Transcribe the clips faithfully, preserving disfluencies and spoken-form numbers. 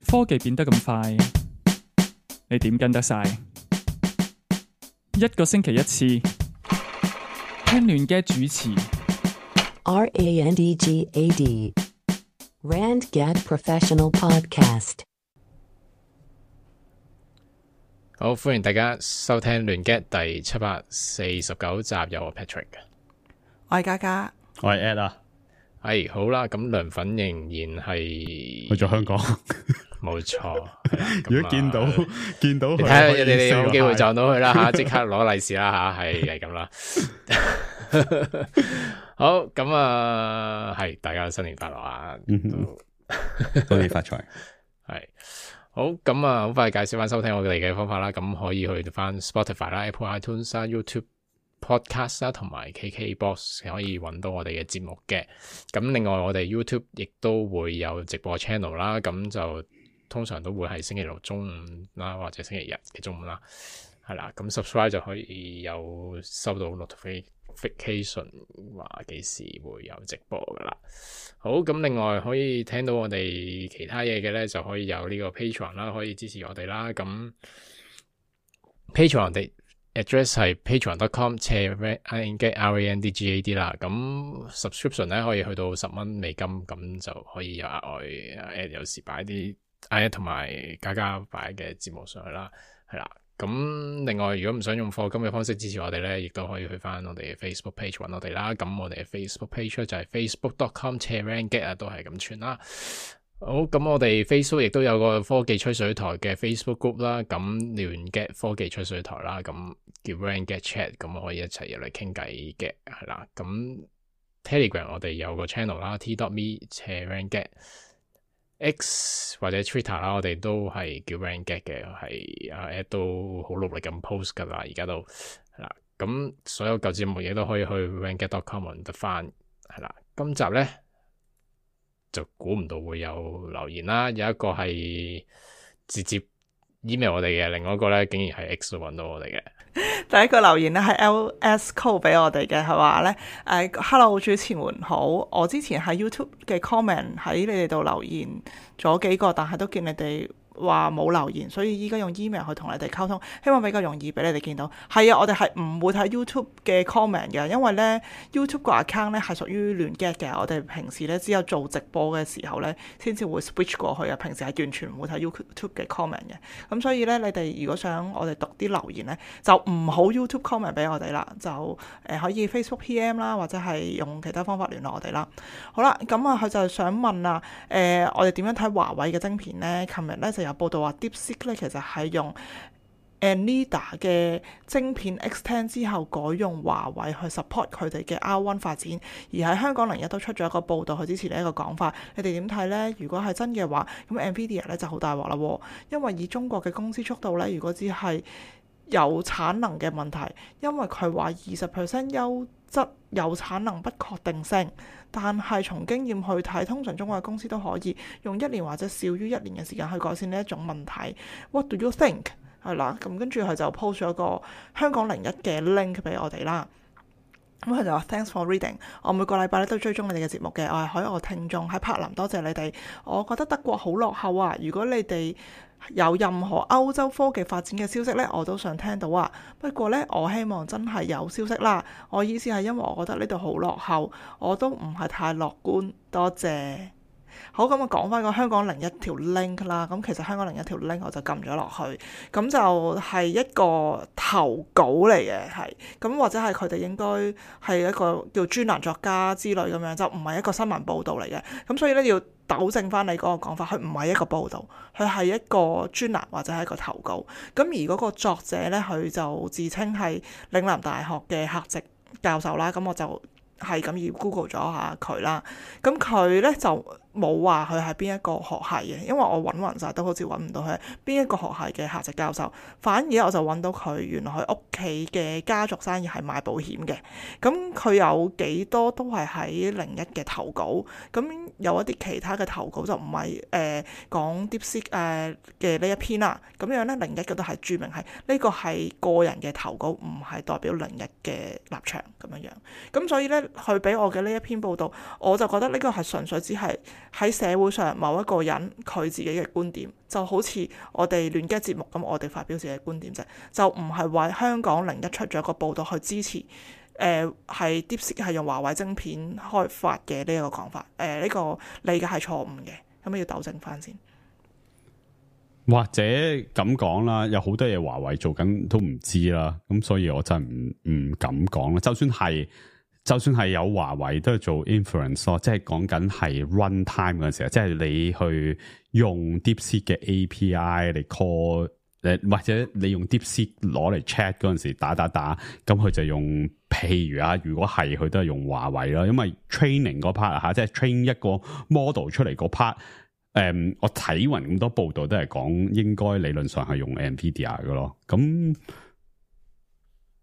科技變得咁快，你點跟得晒？一個星期一次，聽亂嘅主持。R A N D G A D Rand Gad Professional Podcast。好，歡迎大家收聽亂 get 第七百四十九集，有我 Patrick 嘅，我係嘉嘉，我係 Ed 啊，係好啦，咁涼粉仍然係去咗香港，冇錯。如果見到見到佢，你睇下你哋有冇機會撞到佢啦吓，即刻攞利是啦吓，係係咁啦。好，咁啊，係大家新年快樂啊！恭喜發財，係。好，咁啊，好快介紹翻收聽我哋嘅方法啦。咁可以去翻 Spotify 啦、Apple iTunes 啦、YouTube Podcast 啦，同埋 K K Box 可以揾到我哋嘅節目嘅。咁另外我哋 YouTube 亦都會有直播 channel 啦。咁就通常都會係星期六中午啦，或者星期日嘅中午啦。係啦，咁 subscribe 就可以有收到 notification 話幾時會有直播噶啦。好，咁另外可以聽到我哋其他嘢嘅咧，就可以有呢個 Patreon 啦，可以支持我哋啦。咁 Patreon 嘅 address 係 patreon dot com 斜 R A N D G A D 啦。咁 subscription 咧可以去到十蚊美金，咁就可以有額外誒，有時擺啲誒同埋加加擺嘅節目上去啦，係啦。咁另外，如果唔想用課金嘅方式支持我哋咧，亦都可以去翻我哋嘅 Facebook page 揾我哋啦。咁我哋嘅 Facebook page 就係 facebook dot com 斜 Rangget 啊，都係咁串啦。好，咁我哋 Facebook 亦都有個科技吹水台嘅 Facebook group 啦。咁亂 get 科技吹水台啦，咁叫 Rangget Chat，咁可以一齊入嚟傾偈嘅，係啦。咁 Telegram 我哋有個 channel 啦 ，t dot me 斜 Rangget。X 或者 Twitter 啦，我哋都係叫 Rangget 嘅，係阿 Ed 都好努力咁 post 噶啦，而家都係啦。咁所有舊節目嘢都可以去 rangget dot com 揾得翻，係啦。今集咧就估唔到會有留言啦，有一個係直接 email 我哋嘅，另外一個咧竟然係 X 度揾到我哋嘅。第一個留言咧係 L S Code 俾我哋嘅，係話咧誒 Hello 主持們好，我之前喺 YouTube 嘅 comment 喺你哋度留言咗幾個，但係都見你哋話冇留言，所以依家用 email 去同你哋溝通，希望比較容易俾你哋見到。係啊，我哋係唔會睇 YouTube 嘅 comment 嘅，因為咧 YouTube 個 account 咧係屬於亂 get 嘅，我哋平時咧只有做直播嘅時候咧先至會 switch 過去啊，平時係完全唔會睇 YouTube 嘅 comment 嘅。咁所以咧，你哋如果想我哋讀啲留言咧，就唔好 YouTube comment 俾我哋啦，就誒、呃、可以 Facebook P M 啦，或者係用其他方法聯絡我哋啦。好啦，咁啊佢就想問啊，誒、呃、我哋點樣睇華為嘅晶片咧？琴日咧就有報道話 DeepSeek 咧其實係用 Nvidia 嘅晶片 X 十 之後改用華為去 support 佢哋嘅 R 一 發展，而喺香港零一都出咗一個報道去支持呢一個講法。你哋點睇呢？如果係真嘅話，咁 Nvidia 咧就好大鑊啦，因為以中國嘅公司速度咧，如果只係有產能嘅問題，因為佢話二十 percent 優質有產能不確定性，但係從經驗去睇，通常中國嘅公司都可以用一年或者少於一年嘅時間去改善呢一種問題。What do you think？ 係啦，咁跟住佢就 post 咗個香港零一嘅 link 俾我哋啦。咁佢就話 Thanks for reading， 我每個禮拜咧都追蹤你哋嘅節目嘅，我係海外聽眾喺柏林，多謝你哋。我覺得德國好落後啊，如果你哋有任何歐洲科技發展嘅消息呢，我都想聽到啊。不過呢，我希望真係有消息啦。我意思係因為我覺得呢度好落後，我都唔係太樂觀。多謝。好，咁我講翻個香港零一條 link 啦。咁其實香港零一條 link 我就撳咗落去，咁就係一個投稿嚟嘅，係咁或者係佢哋應該係一個叫專欄作家之類咁樣，就唔係一個新聞報導嚟嘅。咁所以咧要糾正翻你嗰個講法，佢唔係一個報導，佢係一個專欄或者係一個投稿。咁而嗰個作者咧，佢就自稱係嶺南大學嘅客席教授啦。咁我就係咁要 Google 咗下佢啦。咁佢咧就冇話佢係邊一個學系嘅，因為我揾勻晒都好似揾唔到佢係邊一個學系嘅客席教授，反而我就揾到佢原來佢屋企嘅家族生意係賣保險嘅，咁佢有幾多都係喺零一嘅投稿，咁有一啲其他嘅投稿就唔係誒講 DeepSeek 誒嘅呢一篇啦，咁樣咧零一嘅都係註明係呢個係個人嘅投稿，唔係代表零一嘅立場咁樣樣，咁所以咧佢俾我嘅呢一篇報道，我就覺得呢個係純粹只係喺社會上某一個人佢自己嘅觀點，就好似我哋亂 gad 節目咁，我哋發表自己嘅觀點啫，就唔係為香港零一出咗一個報導去支持。誒係 DeepSeek 係用華為晶片開發嘅呢一個講法，誒、呃、呢、這個理解係錯誤嘅，咁要糾正翻先。或者咁講啦，有好多嘢華為做緊都唔知啦，咁所以我真係唔唔敢講啦。就算係就算係有華為都係做 inference 咯，即係講緊係 run time 嗰陣時候，即係你去用 DeepSeek 嘅 A P I 嚟 call。誒，或者你用 DeepSeek 攞嚟 chat 嗰陣時打打打，咁佢就用，譬如啊，如果係佢都係用華為啦，因為 training 嗰 part 吓，即係 train 一個 model 出嚟嗰 part，誒，我睇匀咁多報道都係講應該理論上係用 Nvidia 嘅咯，咁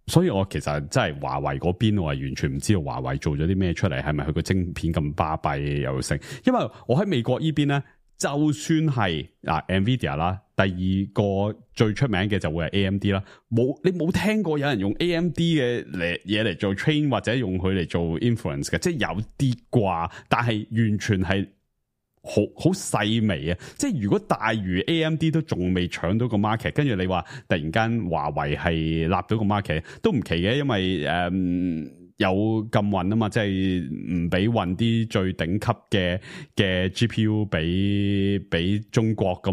所以我其實真係華為嗰邊我係完全唔知道華為做咗啲咩出嚟，係咪佢個晶片咁巴閉又成？因為我喺美國呢邊咧。就算係嗱 Nvidia 啦，第二個最出名嘅就會係 A M D 啦。冇你冇聽過有人用 A M D 嘅嚟嘢嚟做 train 或者用佢嚟做 inference 嘅，即係有啲啩，但係完全係好好細微啊！即係如果大如 A M D 都仲未搶到個 market， 跟住你話突然間華為係立到個 market 都唔奇嘅，因為誒。嗯有禁運啊嘛，即係唔俾運啲最頂級嘅嘅 G P U 俾俾中國咁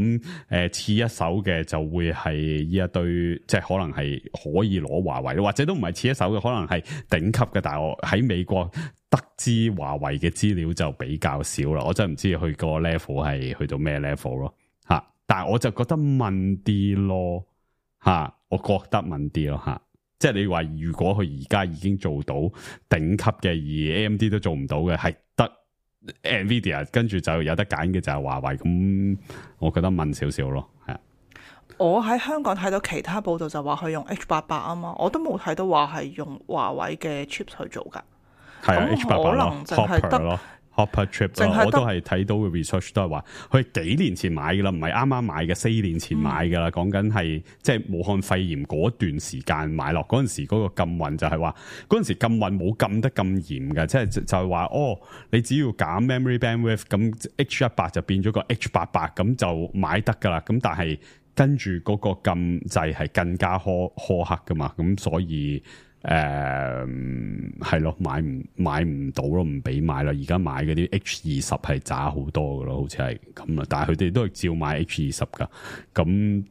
誒，次、呃、一手嘅就會係呢一堆，即係可能係可以攞華為，或者都唔係次一手嘅，可能係頂級嘅。但係我喺美國得知華為嘅資料就比較少啦，我真係唔知佢個 level 係去到咩 level 咯吓。但係我就覺得問啲咯吓，我覺得問啲咯吓。即係你話，如果佢而家已經做到頂級嘅，而 A M D 都做唔到嘅，係得 Nvidia， 跟住就有得揀嘅就係華為。咁我覺得問少少咯，係啊。我喺香港睇到其他報道就話佢用 H 八八啊嘛，我都冇睇到話係用華為嘅 chips 去做噶。係啊 ，H 八八可能淨係得。Hopper Chip 我都係睇到嘅 research 都係話佢幾年前買噶啦，唔係啱啱買嘅，四年前買噶啦。講緊係即係武漢肺炎嗰段時間買落嗰陣時，嗰個禁運就係話嗰陣時禁運冇禁得咁嚴嘅，即係就係話哦，你只要減 memory bandwidth，咁 H 一百就變咗個 H 八百，咁就買得噶啦。咁但係跟住嗰個禁制係更加苛苛刻噶嘛，咁所以。誒，係咯、嗯，買唔買唔到咯，唔俾買啦。而家買嗰啲 H 二十係渣好多噶咯，好似係咁啊。但係佢哋都係照買 H 二十噶，咁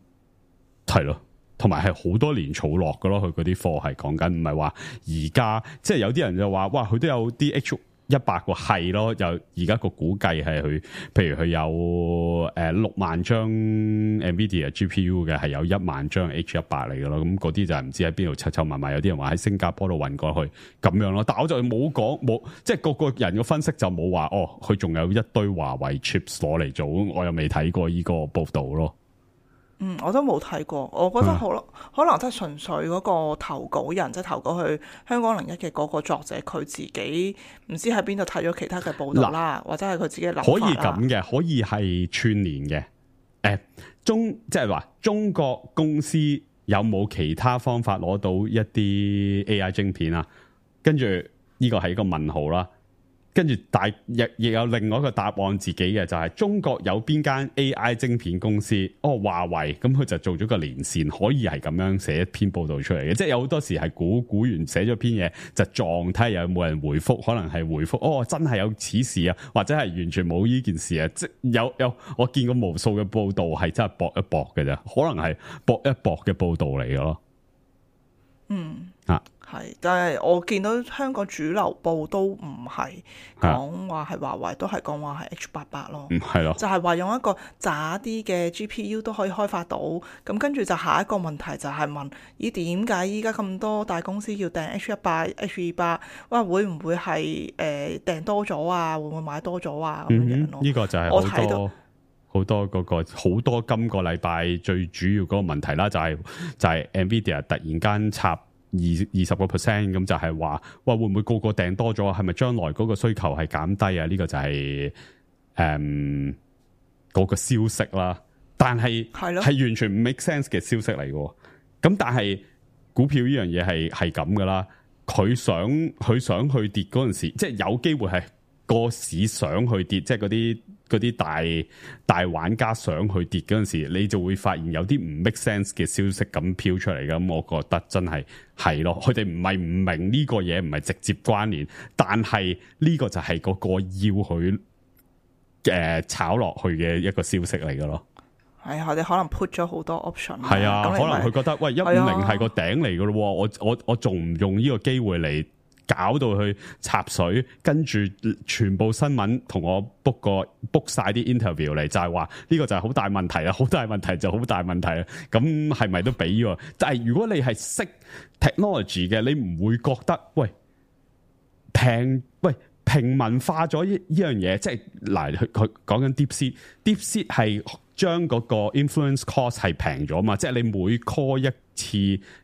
係咯，同埋係好多年儲落噶咯。佢嗰啲貨係講緊，唔係話而家，即係有啲人就話，哇，佢都有啲 H 一百個係咯，又而家個估計係佢，譬如佢有誒六萬張 Nvidia G P U 嘅，係有一萬張 H 一百嚟嘅咯。咁嗰啲就係唔知喺邊度湊湊埋埋，有啲人話喺新加坡度運過去咁樣咯。但係我就冇講冇，即係個個人嘅分析就冇話哦，佢仲有一堆華為 chips 攞嚟做，我又未睇過呢個報道咯。嗯，我都冇睇過，我覺得好咯，嗯、可能真係純粹嗰個投稿人，即係投稿去香港零一嘅嗰個作者，佢自己唔知喺邊度睇咗其他嘅報道啦，或者係佢自己諗法啦。可以咁嘅，可以係串聯嘅。誒、欸，中即係話中國公司有冇其他方法攞到一啲 A I 晶片啊？跟住呢個係一個問號啦。跟住大亦亦有另外一個答案自己嘅，就係、是、中國有邊間 A I 晶片公司？哦，華為，咁佢就做咗個連線，可以係咁樣寫一篇報道出嚟嘅。即係有好多時係估估完寫咗篇嘢就撞睇下有冇人回覆，可能係回覆哦，真係有此事啊，或者係完全冇呢件事啊。即有有我見過無數嘅報道係真係搏一搏嘅啫，可能係搏一搏嘅報道嚟嘅咯。嗯啊。係，但係我見到香港主流報都唔係講話係華為，都係講話係 H 八百咯。嗯，係咯，就係話用一個渣啲嘅 G P U 都可以開發到。咁跟住就下一個問題就係問：咦，點解依家咁多大公司要訂 H 一百、H 二百？哇，會唔會係誒訂多咗啊？會唔會買多咗啊？咁樣樣咯。呢個就係我睇到好多嗰個好多今個禮拜最主要嗰個問題啦，就係就係 Nvidia 突然間插。二二十個 percent 咁就係話，哇會唔會個個訂多咗？係咪將來嗰個需求係減低啊？呢、這個就係誒嗰個消息啦。但係係係完全唔 make sense 嘅消息嚟嘅。咁但係股票呢樣嘢係係咁噶啦。佢想佢想去跌嗰陣時，即係有機會係個市想去跌，即係嗰啲嗰啲大大玩家想去跌嗰陣時，你就會發現有啲唔 make sense 嘅消息咁飄出嚟。咁我覺得真係係咯，佢哋唔係唔明呢個嘢唔係直接關聯，但係呢個就係嗰個要佢誒、呃、炒落去嘅一個消息嚟嘅咯。係啊，我哋可能 put 咗好多 option。係啊，可能佢覺得喂一五零係個頂嚟嘅咯，我我我仲唔用呢個機會嚟搞到去插水，跟住全部新聞同我 book 個 book 晒啲 interview 嚟，就係話呢個就係好大問題啦，好大問題就好大問題啦。咁係咪都俾喎？但係如果你係識 technology 嘅，你唔會覺得喂平喂平民化咗呢呢樣嘢，即係嗱佢佢講緊 DeepSeek，DeepSeek 係將嗰個 influence cost 係平咗嘛，即係你每 call 一次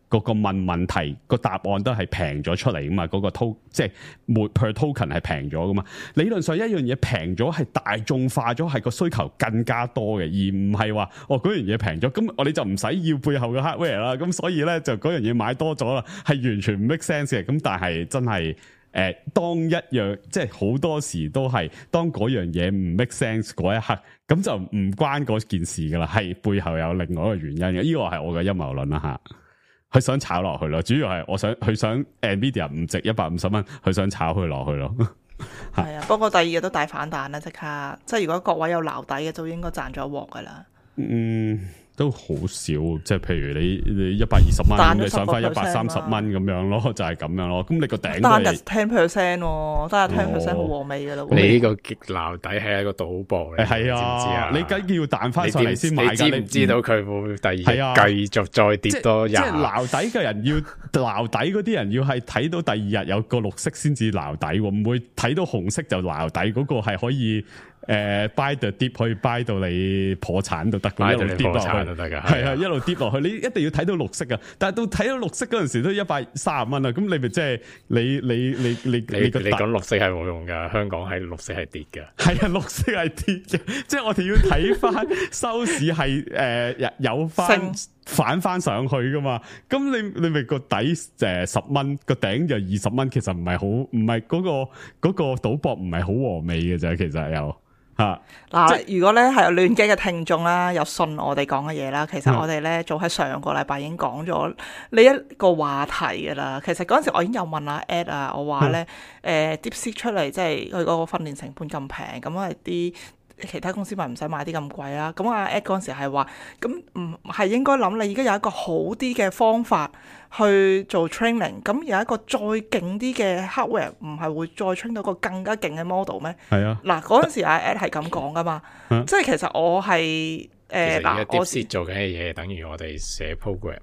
嗰個問問題個答案都係平咗出嚟噶嘛，嗰、嗰個 to 即係每 per token 係平咗噶嘛。理論上一樣嘢平咗係大眾化咗，係個需求更加多嘅，而唔係話哦嗰樣嘢平咗，咁我哋就唔使要背後嘅 hardware 啦。咁所以咧就嗰樣嘢買多咗啦，係完全唔 make sense 嘅。咁但係真係。誒、呃，當一樣即係好多時都係當嗰樣嘢唔 make sense 嗰一刻，咁就唔關嗰件事噶啦，係背後有另外一個原因嘅。呢個係我嘅陰謀論啦吓，佢想炒落去咯，主要係我想佢想 Nvidia 唔值一百五十蚊，佢想炒佢落去咯。係啊，不過第二日都大反彈啦，即刻，即係如果各位有撈底嘅，就應該賺咗一鑊噶啦。嗯。都好少，即係譬如你你一百二十蚊，你上翻一百三十蚊咁樣咯，就係、是、咁樣咯。咁你個頂單日 ten percent， 單日 ten percent 好和味噶啦。你呢個撈底係一個賭博嚟，係啊，知知啊你梗要彈翻上嚟先買㗎。你知唔知道佢會第二日繼續再跌多廿？即係撈底嘅人要撈底嗰啲人要係睇到第二日有個綠色先至撈底，唔會睇到紅色就撈底。嗰、那個係可以。誒、呃、buy the dip 可以 buy 到你破產都得嘅，一路跌落去都得㗎，係啊，一路跌落去，你一定要睇到綠色㗎。但係到睇到綠色嗰陣時都一百三十蚊啦，咁你咪即係你你你你你你講綠色係冇用㗎，香港係綠色係跌嘅，係啊，綠色係跌嘅，即係我哋要睇翻收市係誒、呃、有翻反翻上去㗎嘛。咁你你咪個底誒十蚊，個頂就二十蚊，其實唔係好唔係嗰個嗰、嗰個賭博唔係好和味嘅啫，其實有。嗱、啊，如果咧係有亂機嘅聽眾啦，有信我哋講嘅嘢啦，其實我哋咧早喺上個禮拜已經講咗呢一個話題噶啦。其實嗰陣時我已經有問阿 Ed 啊，我話咧誒 DeepSeek 出嚟，即係佢嗰個訓練成本咁平，咁係啲其他公司咪唔使買啲咁貴啦。咁阿 Ed 嗰陣時係話，咁唔係應該諗你而家有一個好啲嘅方法去做 training， 咁有一個再勁啲嘅 hardware， 唔係會再 train 到個更加勁嘅 model 咩？係啊，嗱嗰陣時阿 Ed 係咁講噶嘛，啊、即係其實我係誒嗱，我 DeepSeek 做緊嘅嘢，等於我哋寫 program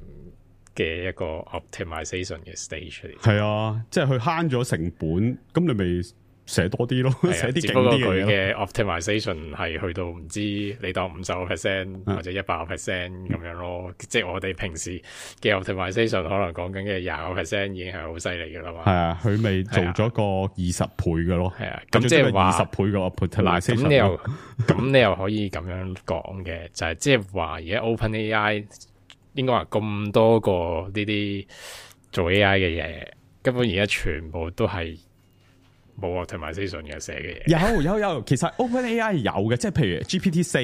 嘅一個 optimization 嘅 stage 嚟。係啊，即係佢慳咗成本，咁你咪寫多啲咯，寫啲勁啲嘅嘢。optimization 係去到唔知你當五十個 percent 或者一百個 percent 咁樣咯，嗯、即係我哋平時嘅 optimization 可能講緊嘅廿個 percent 已經係好犀利噶啦嘛。係啊，佢咪做咗個二十倍嘅咯。係啊，咁即係話二十倍嘅 optimization。咁你又咁你又可以咁樣講嘅，就係即係話而家 OpenAI 應該話咁多個呢啲做 A I 嘅嘢，根本而家全部都係。冇 optimization 嘅寫嘅嘢，有有有，其實 OpenAI 有嘅，即係譬如 G P T 四，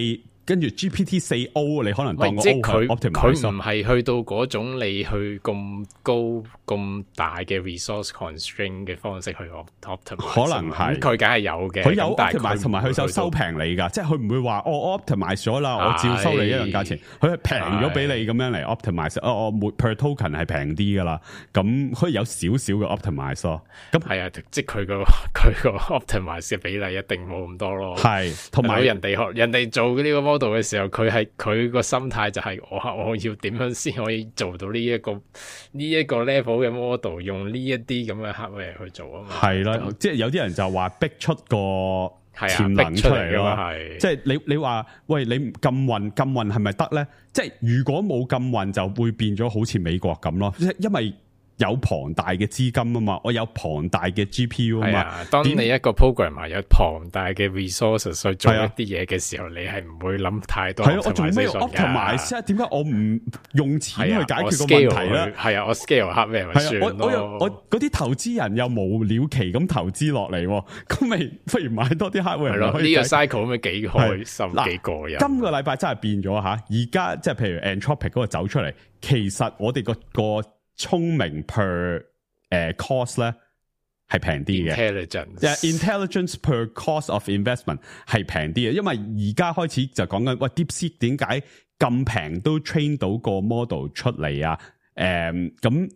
跟住 G P T 四 O， 你可能當個 O 佢 optimize，佢唔係去到嗰種你去咁高咁大嘅 resource constraint 嘅方式去 optimize， 可能係，佢梗係有嘅，佢有 optimize 同埋佢就收平你噶，即係佢唔會話我 optimize 咗啦，我照收你一樣價錢，佢係平咗俾你咁樣嚟 optimize，哦我每 per token 係平啲噶啦，咁可以有少少嘅 optimize 咯，咁係啊，即係佢個佢個 optimize 嘅比例一定冇咁多咯，係，同埋人哋學人哋做呢個 model 嘅時候，佢係佢個心態就係我我要點樣先可以做到呢、這、一個呢一、這個 level 嘅 model， 用呢一啲咁嘅 hardware 去做啊嘛。係啦，即係有啲人就話逼出個潛能出嚟咯。係，即係你你話喂，你禁運禁運係咪得咧？即係如果冇禁運就會變咗好似美國咁咯。即係因為有龐大嘅資金啊嘛，我有龐大嘅 G P U 啊嘛。啊，當你一個 programmer 有龐大嘅 resources 去做一啲嘢嘅時候，你係唔會諗太多。係咯，我做咩 optimize？點解我唔用錢去解決個問題咧？係啊，我 scale hardware咪算咯。我我我嗰啲投資人又無了期咁投資落嚟，咁咪不如買多啲 hardware。係咯，呢個 cycle 咪幾開心幾過癮。今個禮拜真係變咗吓，而家即係譬如 Anthropic 嗰個走出嚟，其實我哋個個聰明 per 誒 cost 咧係平啲嘅 ，intelligence intelligence per cost of investment 係平啲嘅，因為而家開始就講緊喂 DeepSeek 點解咁平都 train 到個 model 出嚟啊？誒咁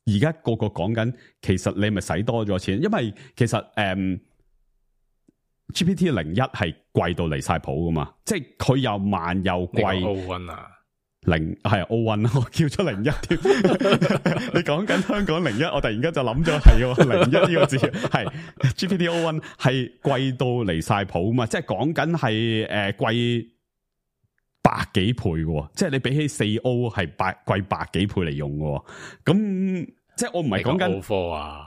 而家個個講緊，其實你咪使多咗錢，因為其實誒、嗯、G P T 零一係貴到離晒譜噶嘛，即係佢又慢又貴。零係 O 一，我叫咗零一添。你講緊香港零一，我突然間就諗咗係零一呢個字，係 G P T O 一係貴到離晒譜嘛，即係講緊係誒貴百幾倍嘅，即係你比起四 O 係百貴百幾倍嚟用嘅，咁即係我唔係講緊 O 四啊，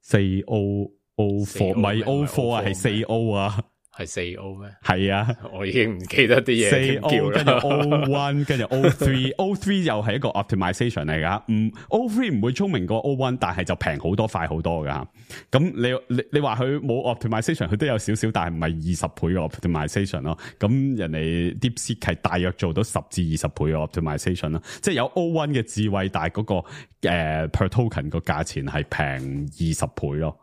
四 O O 四唔係 O 四啊，係四 O 啊。係四 O 咩？係啊，我已經唔記得啲嘢。四 O 跟住 O 一，跟住 O 三 ，O 三又係一個 optimization 嚟噶。唔 O 三唔會聰明過 O 一，但係就平好多，快好多噶。咁你你你話佢冇 optimization，佢都有少少，但係唔係二十倍嘅 optimization 咯。咁人哋 DeepSeek 係大約做到十至二十倍嘅 optimization 咯。即係有 O 一嘅智慧，但係嗰、那個誒、呃、per token 個價錢係平二十倍咯。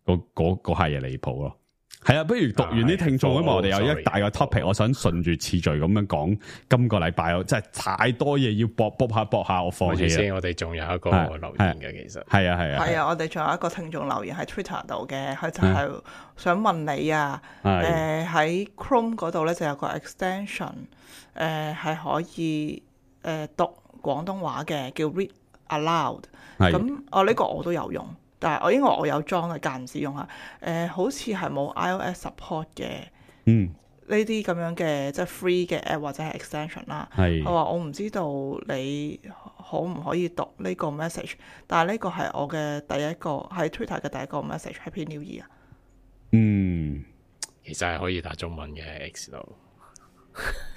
嗰嗰嗰下嘢離譜咯。係啊，不如讀完啲聽眾，因為我哋有一大個 topic，我想順住次序咁樣講。今個禮拜我真係太多嘢要搏搏下搏下，我放棄啦。先，我哋仲有一個留言嘅，其實係啊係啊。係啊，我哋仲有一個聽眾留言喺 Twitter 度嘅，佢就係想問你啊，誒喺 Chrome 嗰度咧就有個 extension，誒係可以誒讀廣東話嘅，叫 Read Aloud。咁我呢個我都有用。但係我因為我有裝嘅，間唔時用下，誒、呃、好似係冇 iOS support 嘅，嗯，呢啲咁樣嘅即係 free 嘅 app 或者係 extension 啦。係，我話我唔知道你可唔可以讀呢個 message， 但係呢個係我嘅第一個喺 Twitter 嘅第一個 message，Happy New Year。嗯，其實係可以打中文嘅 X 度。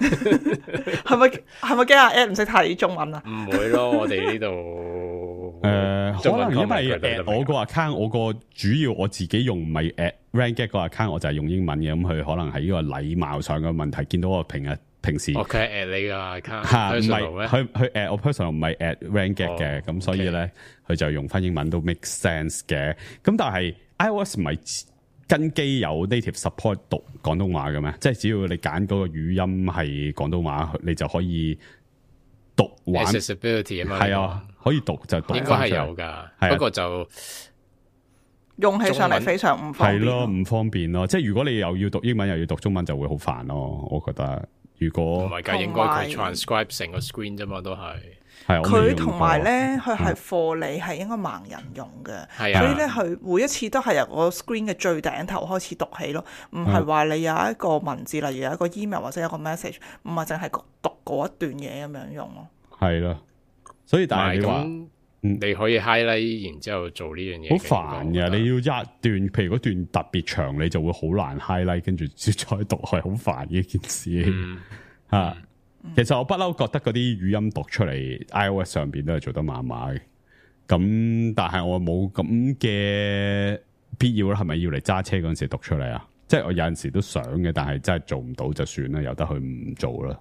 係咪係咪驚阿 Ed 唔識睇中文啊？唔會咯，我哋呢度誒，可能因為誒我個 account， 我個主要我自己用唔係誒 Ranget 個 account， 我就係用英文嘅，咁佢可能係呢個禮貌上嘅問題，見到我平日平時，我佢係 at 你個 account，吓唔係佢佢誒我 personal 唔係 at Ranget 嘅，咁所以咧佢就用翻英文都 make sense 嘅，咁但係 iOS 唔係跟機有 native support 讀廣東話嘅咩？即係只要你揀嗰個語音係廣東話，你就可以讀玩 accessibility 啊嘛。係啊，可以讀就讀。應該係有噶，不過就用起上嚟非常唔方便。係咯，唔方便咯。即係如果你又要讀英文又要讀中文，就會好煩咯。我覺得如果唔係㗎，應該佢 transcribe 成個 screen 啫嘛，都係。佢同埋咧，佢係 for 你係應該盲人用嘅，啊、所以咧佢每一次都係由個 screen 嘅最頂頭開始讀起咯，唔係話你有一個文字，例如有一個 email 或者有一個 message， 唔係淨係讀嗰一段嘢咁樣用咯。係咯，所以但係你話，嗯，你可以 highlight 然之後做呢樣嘢，好煩嘅。你要一段，譬如嗰段特別長，你就會好難 highlight，跟住再讀係好煩嘅一件事，嗯、啊。其實我不嬲覺得嗰啲語音讀出嚟 iOS 上邊都係做得麻麻嘅，咁但係我冇咁嘅必要啦，係咪要嚟揸車嗰陣時讀出嚟啊？即係我有陣時都想嘅，但係真係做唔到就算啦，由得佢唔做啦。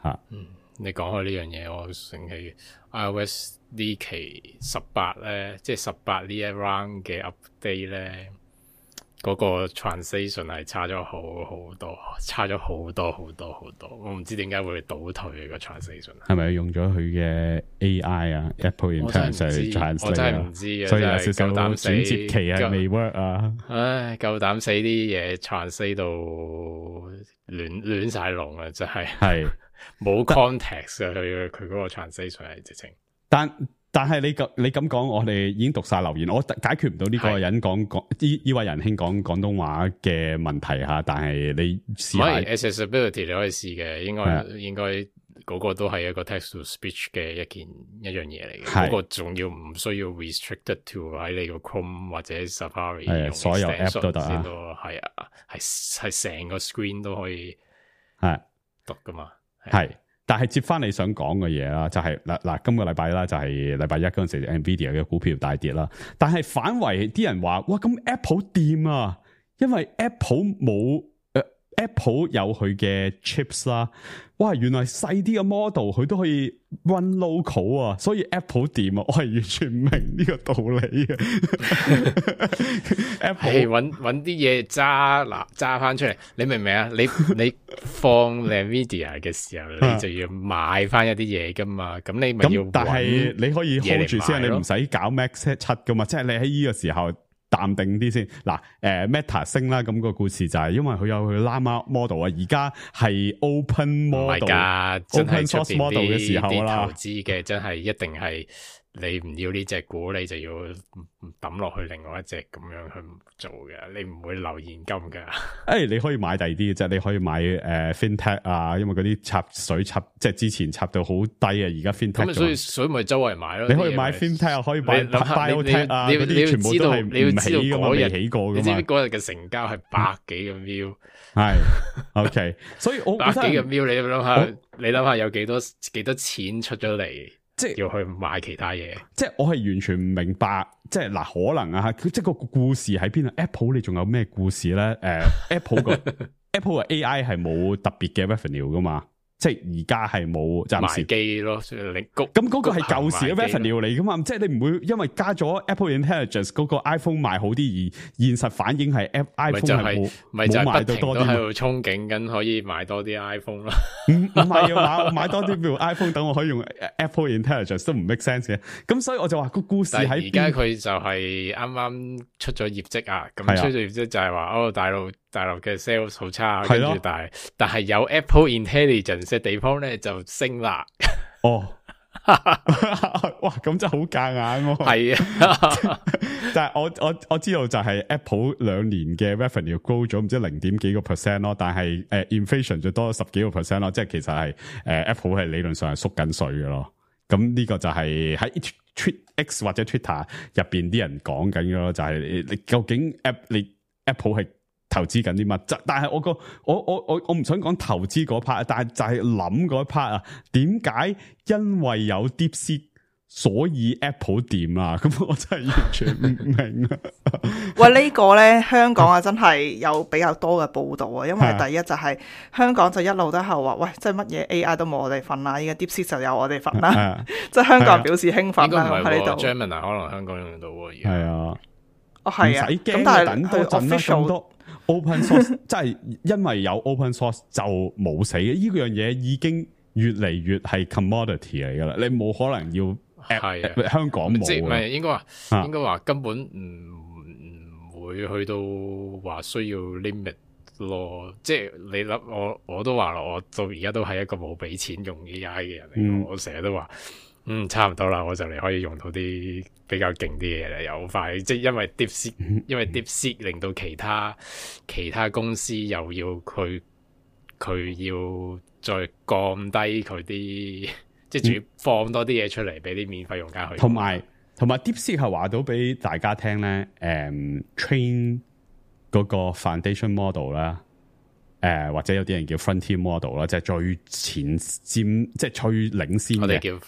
吓，嗯，你講開呢樣嘢，我醒起 iOS 呢期十八咧，即係十八呢一 round 嘅 update 咧。嗰個 translation 係差咗好好多，差咗好多好多好多，我唔知點解會倒退個 translation。係咪用咗佢嘅 A I 啊 ？Apple Intelligence translate 我真係唔知啊，所以有少少轉接期係未 work 啊。唉，夠膽死啲嘢 translate 到亂亂晒龍啊！真係係冇 context 啊！佢佢嗰個 translation 係直情，但。但係你咁你咁講，我哋已經讀晒留言，我解決唔到呢個人講講呢呢位仁兄講廣東話嘅問題吓。但係你試下 accessibility 你可以試嘅，應該應該嗰個都係一個 text to speech 嘅一件一樣嘢嚟嘅，係嗰個仲要唔需要 restricted to 喺你個 Chrome 或者 Safari 係啊用所有 app 都得啊先咯，係啊，係係成個 screen 都可以係讀噶嘛，係。但係接翻你想講嘅嘢啦，就係嗱嗱，今個禮拜啦，就係禮拜一嗰陣時 ，Nvidia 嘅股票大跌啦。但係反為啲人話，哇，咁 Apple 掂啊，因為 Apple 冇。Apple 有佢嘅 chips 啦，哇！原來細啲嘅 model 佢都可以 run local 啊，所以 Apple 掂啊，我係完全唔明呢個道理嘅。Apple 揾揾啲嘢揸嗱揸翻出嚟，你明唔明啊？你你放 Nvidia 嘅時候，你就要買翻一啲嘢噶嘛，咁你咪要。但係你可以 hold 住先，你唔使搞 Max 七噶嘛，即係你喺呢個時候。淡定啲先，嗱，誒、呃、Meta 升啦，咁、那個故事就係因為佢有佢 Llama model 啊，而家係 open model，open source model 嘅時候啦，投資嘅真係一定係你唔要呢隻股，你就要抌落去另外一隻咁樣去做嘅，你唔會留現金噶。誒、欸，你可以買第二啲，即係你可以買誒、呃、FinTech 啊，因為嗰啲插水插，即係之前插到好低啊，而家 FinTech 咁所以所以咪周圍買咯。你可以買 FinTech 啊，可以買 Biotech 啊，嗰啲全部都係唔起噶嘛，未起過噶嘛。你知唔知嗰日嘅成交係百幾個 mil？係 OK，所以我百幾個 mil，你諗下，你諗下有幾多幾多錢出咗嚟？即係要去買其他嘢，即係我係完全唔明白，即係嗱可能啊，即係個故事喺邊啊 ？Apple 你仲有咩故事咧？誒、呃、，Apple 個 Apple 嘅 A I 係冇特別嘅 revenue 噶嘛？即係而家係冇暫時機咯，你谷咁嗰個係舊時嘅 revenue 嚟噶嘛？即係你唔會因為加咗 Apple Intelligence 嗰個 iPhone 賣好啲，而現實反應係 iPhone 係冇冇賣到多啲，喺度憧憬緊可以買多啲 iPhone 啦。唔唔係要買，我買多啲譬如 iPhone，等我可以用 Apple Intelligence 都唔 make sense 嘅。咁所以我就話個故事喺邊？而家佢就係啱啱出咗業績啊，咁出咗業績就係話哦大陸大陸嘅 sales 好差，跟住但係但係有 Apple Intelligence 嘅地方咧就升啦。哦，哇，咁真係好夾硬喎。係啊，但係我我我知道就係 Apple 兩年嘅 revenue 高咗唔知零點幾個 percent 咯，但係誒、uh, inflation 就多咗十幾個 percent 咯，即係其實係誒、uh, Apple 係理論上係縮緊水嘅咯。咁呢個就係喺 X 或者 Twitter 入邊啲人講緊嘅咯，就係、是、你你究竟 App 你 Apple 係投資緊啲乜？但係我個我我我我唔想講投資嗰 part， 但係就係諗嗰 part 啊，點解因為有 DeepSeek 所以 Apple 掂啊？咁我真係完全唔明啊！喂，呢、呢個咧香港啊，真係有比較多嘅報導啊，因為第一就係香港就一路都係話，喂，即係乜嘢 A I 都冇我哋份啦，依家 DeepSeek 就有我哋份啦，即係香港人表示興奮啦喺呢度。Gemini 可能香港用到喎，係啊，哦係啊，咁但係等多陣啦，咁多 open source， 即係因為有 open source 就冇死嘅，呢樣嘢已經越嚟越係 commodity 嚟噶啦，你冇可能要。係啊，香港冇，即係唔係應該話，應該話根本唔唔會去到話需要 limit 咯。即係你諗我我都話啦，我到而家都係一個冇俾錢用 A I 嘅人嚟，嗯、我成日都話，嗯，差唔多啦，我就嚟可以用到啲比較勁啲嘢啦，又好快。即係因為 DeepSeek，因為 DeepSeek 令到其他其他公司又要佢佢要再降低佢啲。即係仲要放多啲嘢出嚟俾啲免費用家去，同埋同埋 DeepSeek 係話到俾大家聽咧，誒、嗯、train 嗰個 foundation model 啦，誒或者有啲人叫 frontier model 啦，即係最前瞻，即係最領先嘅。我哋叫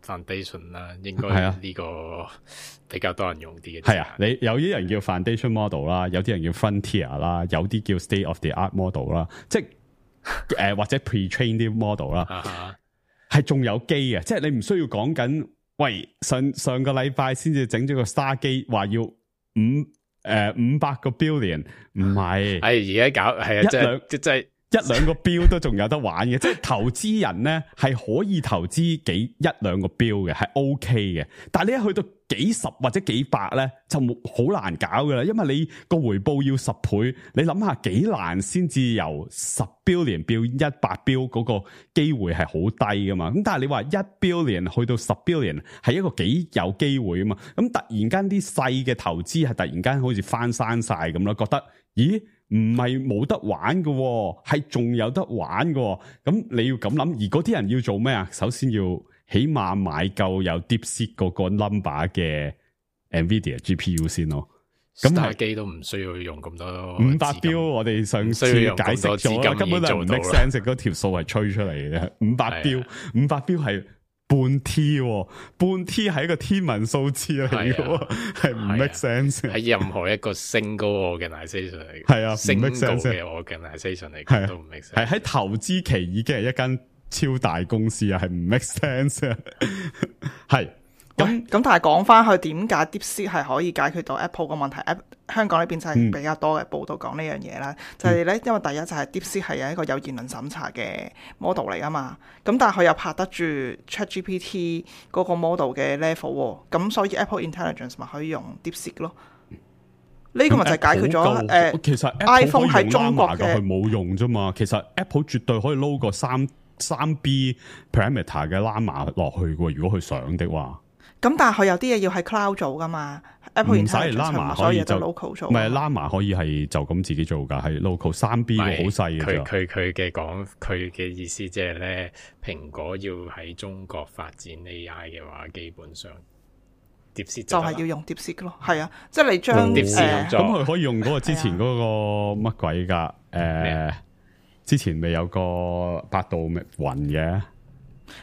foundation 啦，應該係呢個比較多人用啲嘅。係啊，你有啲人叫 foundation model 啦，有啲人叫 frontier 啦，有啲叫 state of the art model 啦，即係誒、呃、或者 pre-train 啲 model 啦。係仲有機嘅，即係你唔需要講緊，喂上上個禮拜先至整咗個 Star 機，話要五誒五百個 billion， 唔係，係而家搞係啊，即係即係一兩個標都仲有得玩嘅，即係投資人咧係可以投資幾一兩個標嘅，係 OK 嘅，但係你一去到幾十或者幾百咧，就冇好難搞噶啦，因為你個回報要十倍，你諗下幾難先至由十 billion 變一百 billion 嗰個機會係好低噶嘛？咁但係你話一 billion 去到十 billion 係一個幾有機會啊嘛？咁突然間啲細嘅投資係突然間好似翻山晒咁咯，覺得咦唔係冇得玩嘅、哦，係仲有得玩嘅、哦。咁你要咁諗，而嗰啲人要做咩啊？首先要起碼買夠有 DeepSeek 嗰個 number 嘅 NVIDIA G P U 先咯。咁係機都唔需要用咁多五百標，我哋上次解釋咗啦，根本就唔 make sense， 嗰條數係吹出嚟嘅。五百標，五百標係半 T， 半 T 係一個天文數字嚟嘅，係唔 make sense。喺任何一個 single organisation 嚟，係啊，single 嘅 organisation 嚟講都唔 make sense。係喺投資期已經係一間超大公司啊，係唔 make sense 啊，係。咁咁，但係講翻去點解 DeepSeek 係可以解決到 Apple 個問題？香港呢邊就係比較多嘅報道講呢樣嘢啦。嗯、就係咧，因為第一就係 DeepSeek 係有一個有言論審查嘅 model 嚟噶嘛。咁但係佢又拍得住 ChatGPT 嗰個 model 嘅 level，咁所以 Apple Intelligence 咪可以用 DeepSeek 咯。呢、呢個咪就係解決咗誒、呃，其實 iPhone 喺中國嘅佢冇用啫嘛。其實 Apple 絕對可以撈個三三 B parameter 嘅 Llama 落去嘅，如果佢想的話。咁但係佢有啲嘢要喺 cloud 做噶嘛 ，Apple Intelligence 所有嘢都 local 做。唔係 Llama 可以係就咁自己做噶，係 local 三 B 個好細嘅啫。佢佢佢嘅講，佢嘅意思即係咧，蘋果要喺中國發展 A I 嘅話，基本上 DeepSeek 就係要用 DeepSeek 咯。係啊，即係你將誒，咁佢可以用嗰個之前嗰個乜鬼噶？誒，之前未有個百度雲嘅。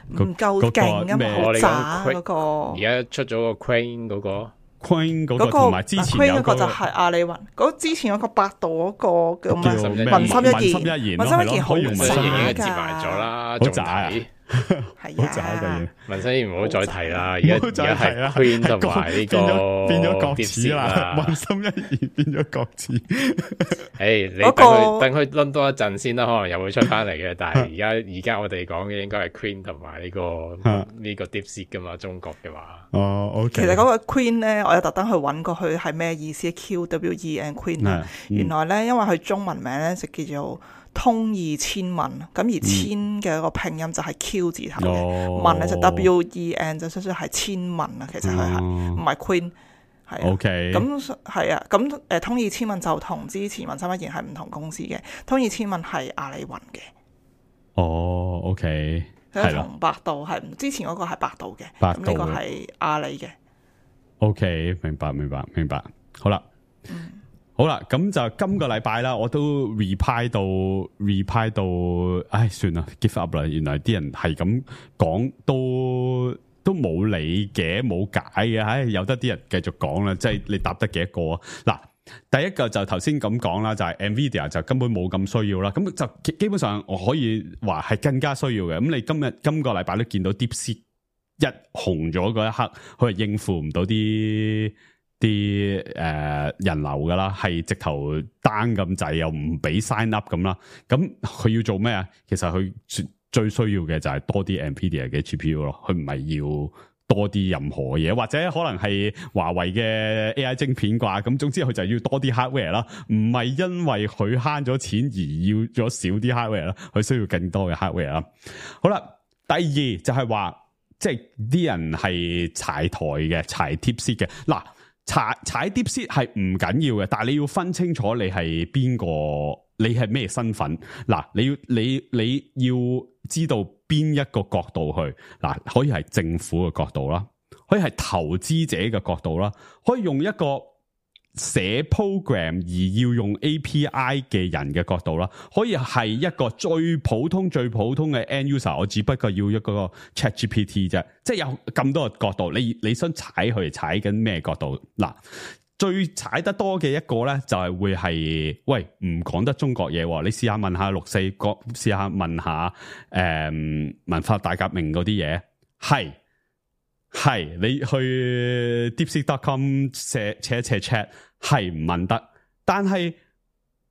唔夠勁啊嘛，好渣嗰個。而家出咗個 Crane 嗰個 ，Crane 嗰個同埋之前有個就係阿里雲。嗰之前有個百度嗰個叫咩？文心一言，文心一言好文心一言已經接渣埋咗啦，好渣啊！係啊，文心一言唔好再提啦。而家而家係 Crane 同埋呢個變咗國恥啦。文心一言變咗國恥。誒，你等佢等佢輪多一陣先啦，可能又會出翻嚟嘅。但係而家而家我哋講嘅應該係 Queen 同埋呢個呢個 DeepSeek 噶嘛，中國嘅話。哦，OK。其實嗰個 Queen 咧，我有特登去揾過佢係咩意思 ，Q W E N Queen。原來咧，因為佢中文名咧就叫做通義千問，咁而千嘅一個拼音就係 Q 字頭嘅，問咧就 W E N 就少少係千問啊。其實佢係唔係 Queen。係啊， OK，咁係啊，咁誒、呃、通義千問就同之前文心一言係唔同公司嘅，通義千問係阿里雲嘅。哦 ，OK，係同百度係，之前嗰個係百度嘅，咁呢個係阿里嘅。OK， 明白明白明白，好啦，嗯、好啦，咁就今個禮拜啦，我都 reply 到 reply 到，唉，算啦 ，give up 啦，原來啲人係咁講都。都冇理嘅，冇解嘅，唉，有得啲人繼續講啦，即係你答得幾多個啊？嗱，第一個就頭先咁講啦，就係 NVIDIA 就根本冇咁需要啦，咁就基本上我可以話係更加需要嘅。咁你今日今個禮拜都見到 DeepSeek 一紅咗嗰一刻，佢係應付唔到啲啲誒人流噶啦，係直頭 down 咁滯，又唔俾 sign up 咁啦。咁佢要做咩啊？其實佢最需要嘅就係多啲 NVIDIA 嘅 G P U 咯，佢唔係要多啲任何嘢，或者可能係華為嘅 A I 晶片啩，咁總之佢就要多啲 hardware 啦，唔係因為佢慳咗錢而要咗少啲 hardware 啦，佢需要更多嘅 hardware 啦。好啦，第二就係話，即係啲人係踩台嘅，踩 DeepSeek 嘅，嗱，踩踩 DeepSeek 係唔緊要嘅，但係你要分清楚你係邊個，你係咩身份，嗱，你要你你要知道邊一個角度去，嗱，可以係政府嘅角度啦，可以係投資者嘅角度啦，可以用一個寫 program 而要用 A P I 嘅人嘅角度啦，可以係一個最普通最普通嘅 end user， 我只不過要一個 ChatGPT 啫，即係有咁多個角度，你你想踩佢踩緊咩角度？嗱，最踩得多嘅一個咧，就係、是、會係喂唔講得中國嘢，你試下問下六四國，試下問下誒、嗯、文化大革命嗰啲嘢，係係你去 deepseek dot com 寫寫一寫 chat 係唔問得，但係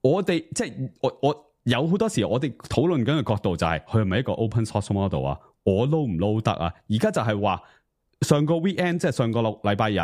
我哋即係我我有好多時我哋討論緊嘅角度就係佢係咪一個 open source model 啊？我撈唔撈得啊？而家就係話上個 weekend 即係上個六禮拜日。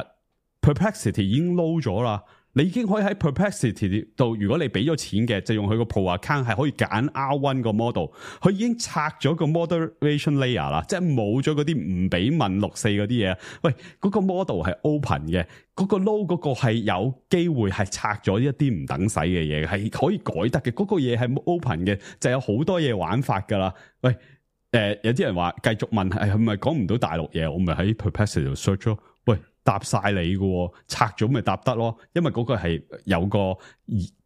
Perplexity 已經撈咗啦，你已經可以喺 Perplexity 度，如果你俾咗錢嘅，就用佢個 Pro account 係可以揀 R 一 個 model，佢已經拆咗個 moderation layer 啦，即係冇咗嗰啲唔俾問六四嗰啲嘢。喂，嗰、嗰個 model 係 open 嘅，嗰、嗰個 low 嗰個係有機會係拆咗一啲唔等使嘅嘢，係可以改得嘅。嗰、嗰個嘢係 open 嘅，就有好多嘢玩法噶啦。喂，誒、呃，有啲人話繼續問係係咪講唔到大陸嘢，我咪喺 Perplexity 度 search 咯。喂，答晒你嘅，拆咗咪答得咯，因為嗰個係有個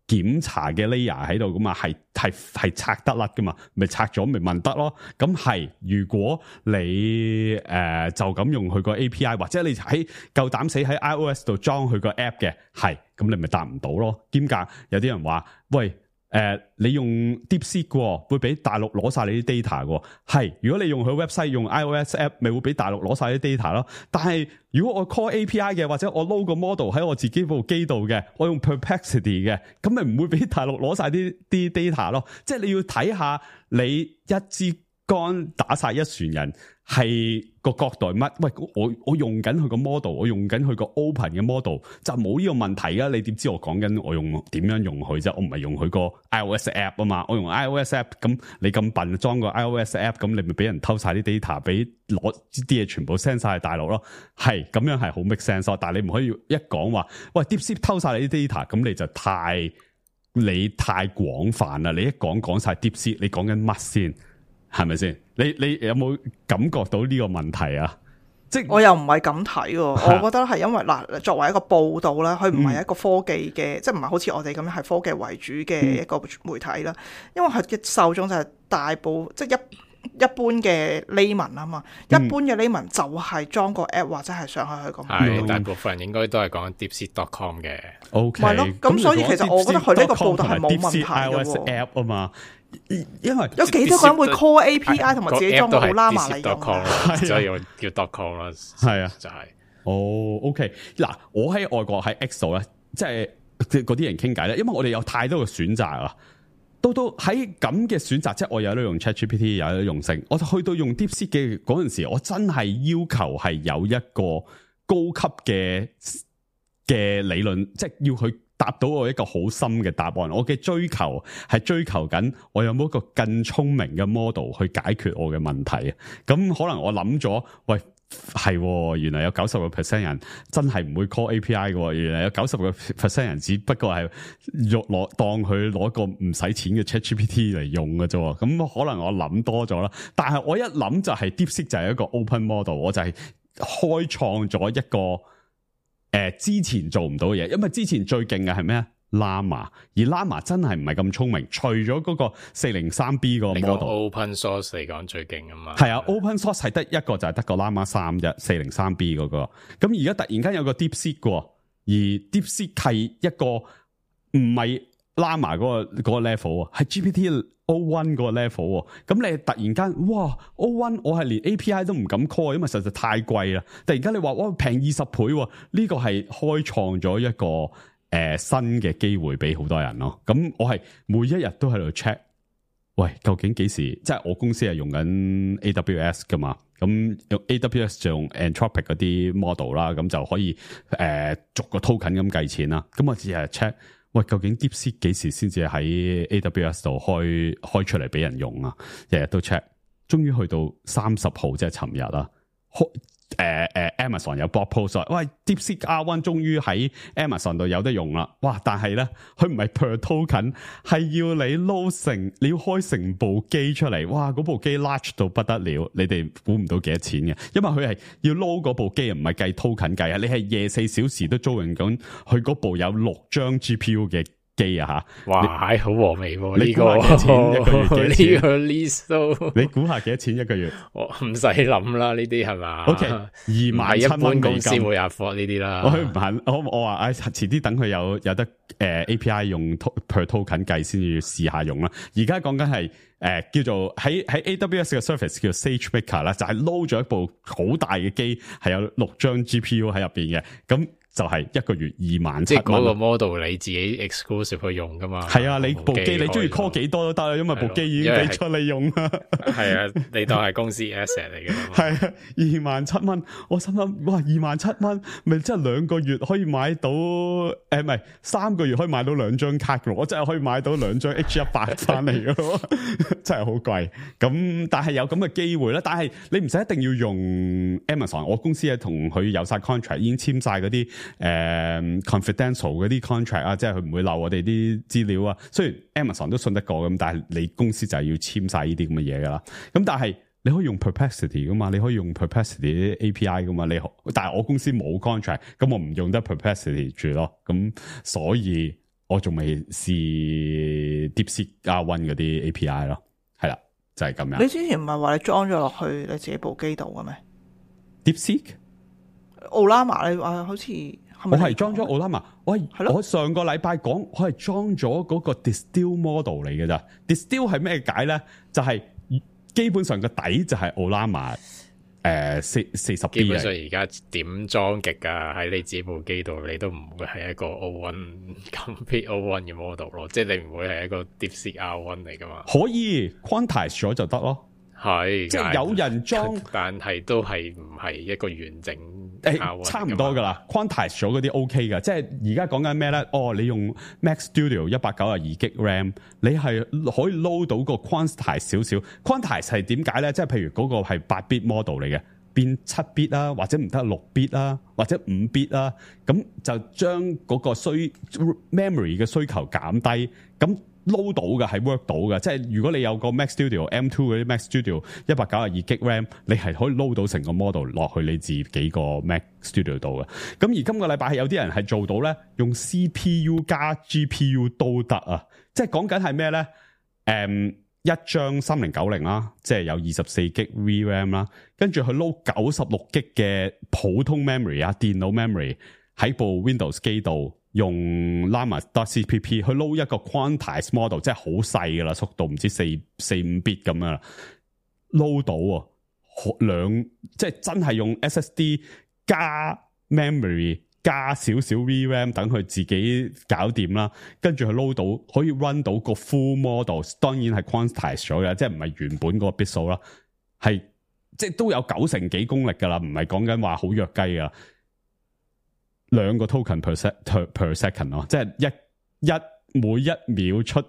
檢查嘅 layer 喺度噶嘛，係係係拆得甩噶嘛，咪拆咗咪問得咯。咁係如果你誒、呃、就咁用佢個 A P I， 或者你喺夠膽死喺 iOS 度裝佢個 app 嘅，係咁你咪答唔到咯。兼夾有啲人話喂。誒、呃，你用 DeepSeek 嘅，會俾大陸攞晒你啲 data 嘅，係。如果你用佢 website 用 iOS app，咪會俾大陸攞晒啲 data 咯。但係如果我 call A P I 嘅，或者我 load 個 model 喺我自己部機度嘅，我用 Perplexity 嘅，咁咪唔會俾大陸攞晒啲啲 data 咯。即係你要睇下你一支竿打晒一船人，係個角度乜？喂，我我用緊佢個 model， 我用緊佢個 open 嘅 model，就冇呢個問題噶。你點知我講緊我用點樣用佢啫？我唔係用佢個 iOS app 啊嘛，我用 iOS app， 咁你咁笨裝個 iOS app， 咁你咪俾人偷晒啲 data， 俾攞啲嘢全部 send 晒去大陸咯。係咁樣係好 make sense， 但係你唔可以一講話，喂 DeepSeek 偷晒你啲 data， 咁你就太你太廣泛啦。你一講講晒 DeepSeek， 你講緊乜先？係咪先？你你有冇感覺到呢個問題啊？即係我又唔係咁睇喎，我覺得係因為嗱，作為一個報道啦，佢唔係一個科技嘅，嗯、即係唔係好似我哋咁樣係科技為主嘅一個媒體啦。嗯、因為佢嘅受眾就係大部即係一一般嘅 layman 啊嘛，嗯、一般嘅 layman 就係裝個 app 或者係上去去咁。係大部分人應該都係講 DeepSeek dot com 嘅。O K，係咯，咁所以其實我覺得佢呢個報道係冇問題嘅喎。app 啊嘛。因為有幾多個人會 call A P I 同埋自己裝個好啦嘛嚟用，所以我叫 dot com 啦，係啊，就係哦 OK 嗱，我喺外國喺 X 度咧，即係嗰啲人傾偈咧，因為我哋有太多嘅選擇啊，到到喺咁嘅選擇，即係我有得用 ChatGPT， 有得用性，我就去到用 DeepSeek 嘅嗰陣時，我真係要求係有一個高級嘅嘅理論，即係要去答到我一個好深嘅答案，我嘅追求係追求緊我有冇一個更聰明嘅 model 去解決我嘅問題啊！咁可能我諗咗，喂係，原來有九十個 percent 人真係唔會 call A P I 嘅，原來有九十個 percent 人只不過係用攞當佢攞個唔使錢嘅 ChatGPT 嚟用嘅啫。咁可能我諗多咗啦，但係我一諗就係 DeepSeek 就係一個 open model， 我就係開創咗一個。誒、呃，之前做唔到嘅嘢，因為之前最勁嘅係咩啊？Llama， 而 Llama 真係唔係咁聰明，除咗嗰個四零三 B 個 model，open source 嚟講最勁啊嘛。係啊 ，open source 係得一個就係得個 Llama 三啫，四零三 B 嗰個。咁而家突然間有個 DeepSeek 嘅，而 DeepSeek 係一個唔係 Llama 嗰個嗰個 level 啊，係 G P T O 一 嗰個 level。咁你突然間，哇 O 一 我係連 A P I 都唔敢 call，因為實在太貴啦。突然間你話哇平二十倍，呢個係開創咗一個誒、呃、新嘅機會俾好多人咯。咁我係每一日都喺度 check，喂，究竟幾時？即係我公司係用緊 A W S 噶嘛，咁用 A W S 就用 Anthropic 嗰啲 model 啦，咁就可以誒、呃、逐個 token 咁計錢啦。咁我只係 check。喂，究竟 DeepSeek 幾時先至喺 A W S 度開開出嚟俾人用啊？日日都 check， 終於去到三十號，即係尋日啦。開誒誒、呃、Amazon 有 blog post 話，喂 DeepSeek R 一 終於喺 Amazon 度有得用啦！哇，但係咧，佢唔係 per token， 係要你 load 成，你要開成部機出嚟。哇，嗰部機 large 到不得了，你哋估唔到幾多錢嘅，因為佢係要 load 嗰部機，唔係計 token 計啊！你係廿四小時都租用緊佢嗰部有六張 G P U 嘅機啊吓！哇，係好和味喎！你估下幾多錢一個月？呢個 list 都你估下幾多錢一個月？我唔使諗啦，呢啲係嘛 ？OK，二萬七蚊公司會 afford 呢啲啦。我唔肯，我我話唉，遲啲等佢有有得誒、呃、A P I 用 per token 計先至試下用啦。而家講緊係誒叫做喺喺 A W S 嘅 service 叫 SageMaker 啦，就係 load 咗一部好大嘅機，係有六張 G P U 喺入邊嘅咁。就係一個月二萬七蚊。即係嗰個 model 你自己 exclusive 去用噶嘛？係啊，你部機你中意 call 幾多都得啦，因為部機已經俾出你用啦。係啊，你當係公司 asset 嚟嘅。係啊，二萬七蚊，我心諗哇，二萬七蚊，咪即係兩個月可以買到誒，唔係三個月可以買到兩張卡嘅，我真係可以買到兩張 H 一百翻嚟嘅咯，真係好貴。咁但係有咁嘅機會啦，但係你唔使一定要用 Amazon，我公司係同佢有晒 contract，已經簽晒嗰啲誒 confidential 嗰啲 contract 啊，即係佢唔會漏我哋啲資料啊。雖然 Amazon 都信得過咁，但係你公司就係要簽晒呢啲咁嘅嘢噶啦。咁但係你可以用 Perplexity 噶嘛，你可以用 Perplexity 啲 A P I 噶嘛。你但係我公司冇 contract，咁我唔用得 Perplexity 住咯。咁所以我仲未試 DeepSeek R 一嗰啲 A P I 咯。係啦，就係咁樣。你之前唔係話你裝咗落去你自己部機度嘅咩 ？DeepSeek Ollama 你話好似係咪？我係裝咗 Ollama，我係我上個禮拜講，我係裝咗嗰個 Distill model 嚟嘅咋。Distill 係咩解咧？就係、是、基本上個底就係 Ollama 誒四四十 B。基本上而家點裝極啊？喺你自己部機度，你都唔會係一個 O 一 complete O 一嘅 model 咯。即係你唔會係一個 DeepSeek R 一嚟噶嘛？可以 quantize 咗就得咯。係，即係有人裝，但係都係唔係一個完整。誒，差唔多噶啦 ，quantize 咗嗰啲 OK 噶，即係而家講緊咩咧？哦，你用 Mac Studio 一百九十二 G RAM， 你係可以 load 到個 quantize 少少。quantize 係點解咧？即係譬如嗰個係八 bit model 嚟嘅，變七 bit 啦，或者唔得六 bit 啦，或者五 bit 啦，咁就將嗰個需 memory 嘅需求減低，咁。load 到嘅係 work 到嘅，即係如果你有個 Mac Studio M 二嗰啲 Mac Studio 一百九十二 G RAM， 你係可以 load 到成個 model 落去你自己個 Mac Studio 度嘅。咁而今個禮拜係有啲人係做到咧，用 C P U 加 G P U 都得啊！即係講緊係咩咧？誒、嗯，一張三零九零啦，即係有二十四 G V RAM 啦，跟住佢 load 九十六 G 嘅普通 memory 啊，電腦 memory 喺部 Windows 機度。用 Llama.cpp 去 load 一個 quantize model， 即係好細噶啦，速度唔知四四五 bit 咁樣啦 ，load 到啊，兩即係真係用 S S D 加 memory 加少少 V RAM 等佢自己搞掂啦，跟住佢 load 到可以 run 到個 full model， 當然係 quantize 咗嘅，即係唔係原本嗰個 bit 數啦，係即係都有九成幾功力噶啦，唔係講緊話好弱雞噶。兩個 token per, se, per second 咯，即係一一每一秒出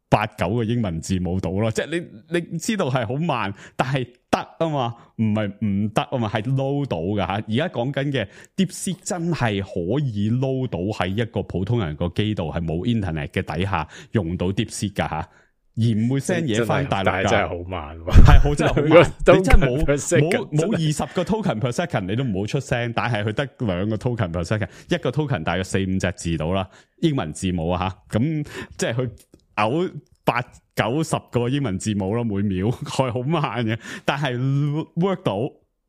八九個英文字母到咯，即係你你知道係好慢，但係得啊嘛，唔係唔得啊嘛，係 load 到噶吓。而家講緊嘅 DeepSeek 真係可以 load 到喺一個普通人個機度，係冇 internet 嘅底下用到 DeepSeek 噶吓。而唔會 send 嘢翻大陸，但係真係好慢喎，係好真係好慢。你真係冇冇冇二十個 token per second， 你都唔好出聲。但係佢得兩個 token per second， 一個 token 大約四五隻字到啦，英文字母啊吓，咁即係佢嘔八九十個英文字母咯，每秒係好慢嘅。但係 work 到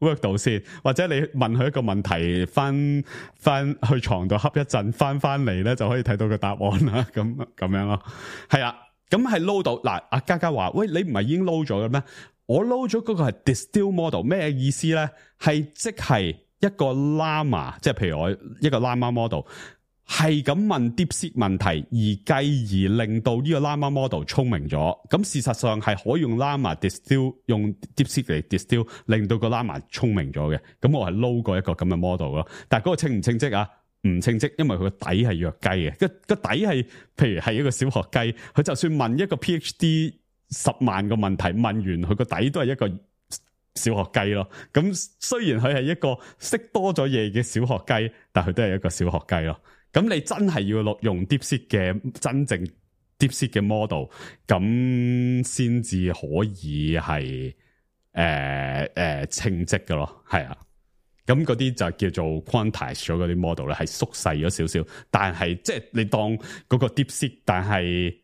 work 到先，或者你問佢一個問題，翻翻去床度瞌一陣，翻翻嚟咧就可以睇到個答案啦。咁咁樣咯，係啊。咁係 load 到嗱，阿嘉嘉話：喂，你唔係已經 load 咗嘅咩？我 load 咗嗰個係 distill model， 咩意思咧？係即係一個 llama， 即係譬如我一個 llama model， 係咁問 DeepSeek 問題，而繼而令到呢個 llama model 聰明咗。咁事實上係可以用 llama distill， 用 DeepSeek 嚟 distill， 令到個 llama 聰明咗嘅。咁我係 load 過一個咁嘅 model 咯。但係嗰個稱唔稱職啊？唔稱職，因為佢個底係弱雞嘅，個個底係，譬如係一個小學雞，佢就算問一個 PhD 十萬個問題，問完佢個底都係一個小學雞咯。咁雖然佢係一個識多咗嘢嘅小學雞，但佢都係一個小學雞咯。咁你真係要落用 DeepSeek 嘅真正 DeepSeek 嘅 model， 咁先至可以係誒誒稱職嘅咯，係啊。咁嗰啲就叫做 quantize 咗嗰啲 model 咧，係縮細咗少少，但係即係你當嗰個 DeepSeek， 但係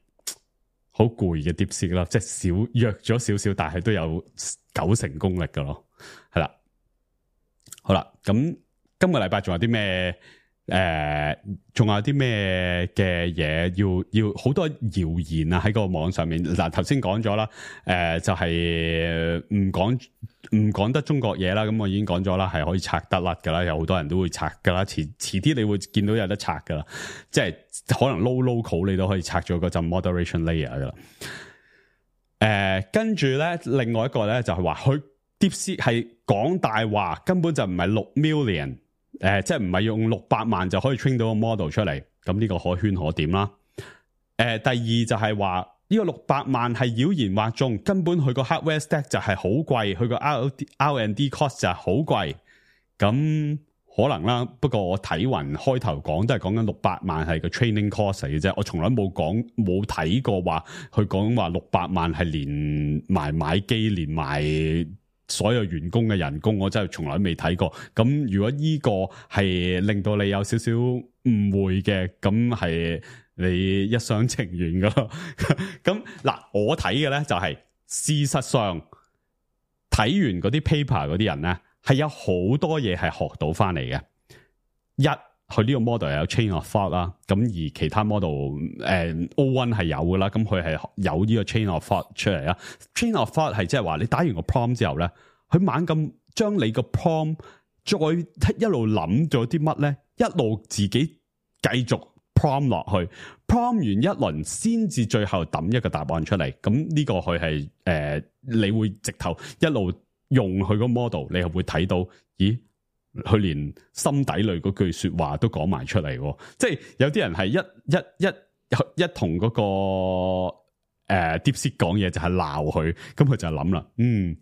好攰嘅 DeepSeek 啦，即係少弱咗少少，但係都有九成功力噶咯，係啦，好啦，咁今個禮拜仲有啲咩誒，仲、呃、有啲咩嘅嘢要要好多謠言啊喺個網上面。嗱，頭先講咗啦，誒、呃、就係唔講唔講得中國嘢啦，咁我已經講咗啦，係可以拆得甩噶啦，有好多人都會拆噶啦，遲遲啲你會見到有得拆噶啦，即係可能 low local 你都可以拆咗嗰陣 moderation layer 噶啦。誒、呃，跟住咧，另外一個咧就係話佢 DeepSeek 係講大話，根本就唔係六 million。誒、呃，即係唔係用六百萬就可以 train 到個 model 出嚟，咁呢個可圈可點啦。誒、呃，第二就係話呢個六百萬係妖言惑眾，根本佢個 hardware stack 就係好貴，佢個 R and D cost 就係好貴。咁可能啦，不過我睇勻開頭講都係講緊六百萬係個 training cost 嚟嘅啫，我從來冇講冇睇過話佢講話六百萬係連埋買機連埋所有員工嘅人工，我真係從來未睇過。咁如果呢個係令到你有少少誤會嘅，咁係你一廂情願噶咯。咁嗱，我睇嘅咧就係、是、事實上睇完嗰啲 paper 嗰啲人咧，係有好多嘢係學到翻嚟嘅。一，佢呢個 model 有 chain of thought 啦，咁而其他 model 誒、呃、O 一 係有噶啦，咁佢係有呢個 chain of thought 出嚟啦。chain of thought 係即係話你打完個 prompt 之後咧，佢猛咁將你個 prompt 再一路諗咗啲乜咧，一路自己繼續 prompt 落去 ，prompt 完一輪先至最後抌一個答案出嚟。咁呢個佢係誒，你會直頭一路用佢個 model， 你係會睇到，咦？佢連心底裏嗰句說話都講埋出嚟，即係有啲人係一一一一同嗰、那個誒、呃、DeepSeek 講嘢就係鬧佢，咁佢就諗啦，嗯呢、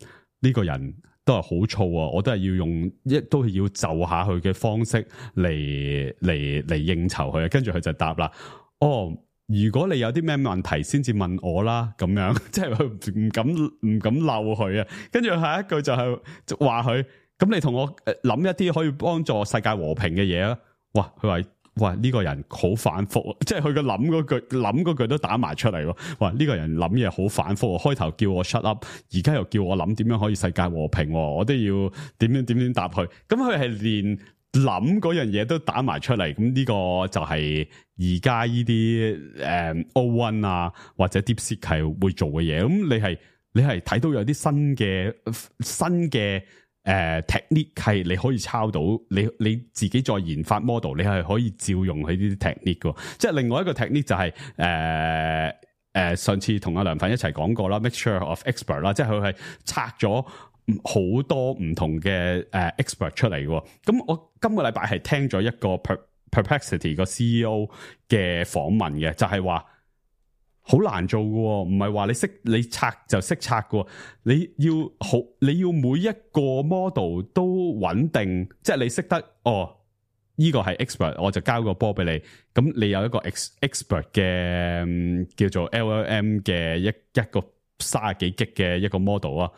這個人都係好燥啊，我都係要用一都係要就下佢嘅方式嚟嚟嚟應酬佢，跟住佢就答啦，哦，如果你有啲咩問題先至問我啦，咁樣即係佢唔敢唔敢鬧佢啊，跟住下一句就係話佢。咁你同我諗一啲可以幫助世界和平嘅嘢啊？哇！佢話哇呢、這個人好反覆，即係佢個諗嗰句諗嗰句都打埋出嚟喎。哇！呢、這個人諗嘢好反覆，開頭叫我 shut up， 而家又叫我諗點樣可以世界和平，我都要點樣點樣答佢。咁佢係連諗嗰樣嘢都打埋出嚟。咁呢個就係而家呢啲誒 O 一 啊或者 DeepSeek 係會做嘅嘢。咁你係你係睇到有啲新嘅新嘅。誒、uh, technique 係你可以抄到，你你自己再研發 model， 你係可以照用佢呢啲 technique 嘅。即係另外一個 technique 就係誒誒上次同阿梁粉一齊講過啦 ，mixture of expert 啦，即係佢係拆咗好多唔同嘅誒、uh, expert 出嚟嘅。咁我今個禮拜係聽咗一個 per, Perplexity 個 C E O 嘅訪問嘅，就係話。好難做嘅，唔係話你識你拆就識拆嘅，你要好你要每一個 model 都穩定，即係你識得哦，呢、這個係 expert， 我就交個波俾你，咁你有一個 ex expert 嘅、嗯、叫做 L L M 嘅一一個三十幾 G 嘅一個 model 啊。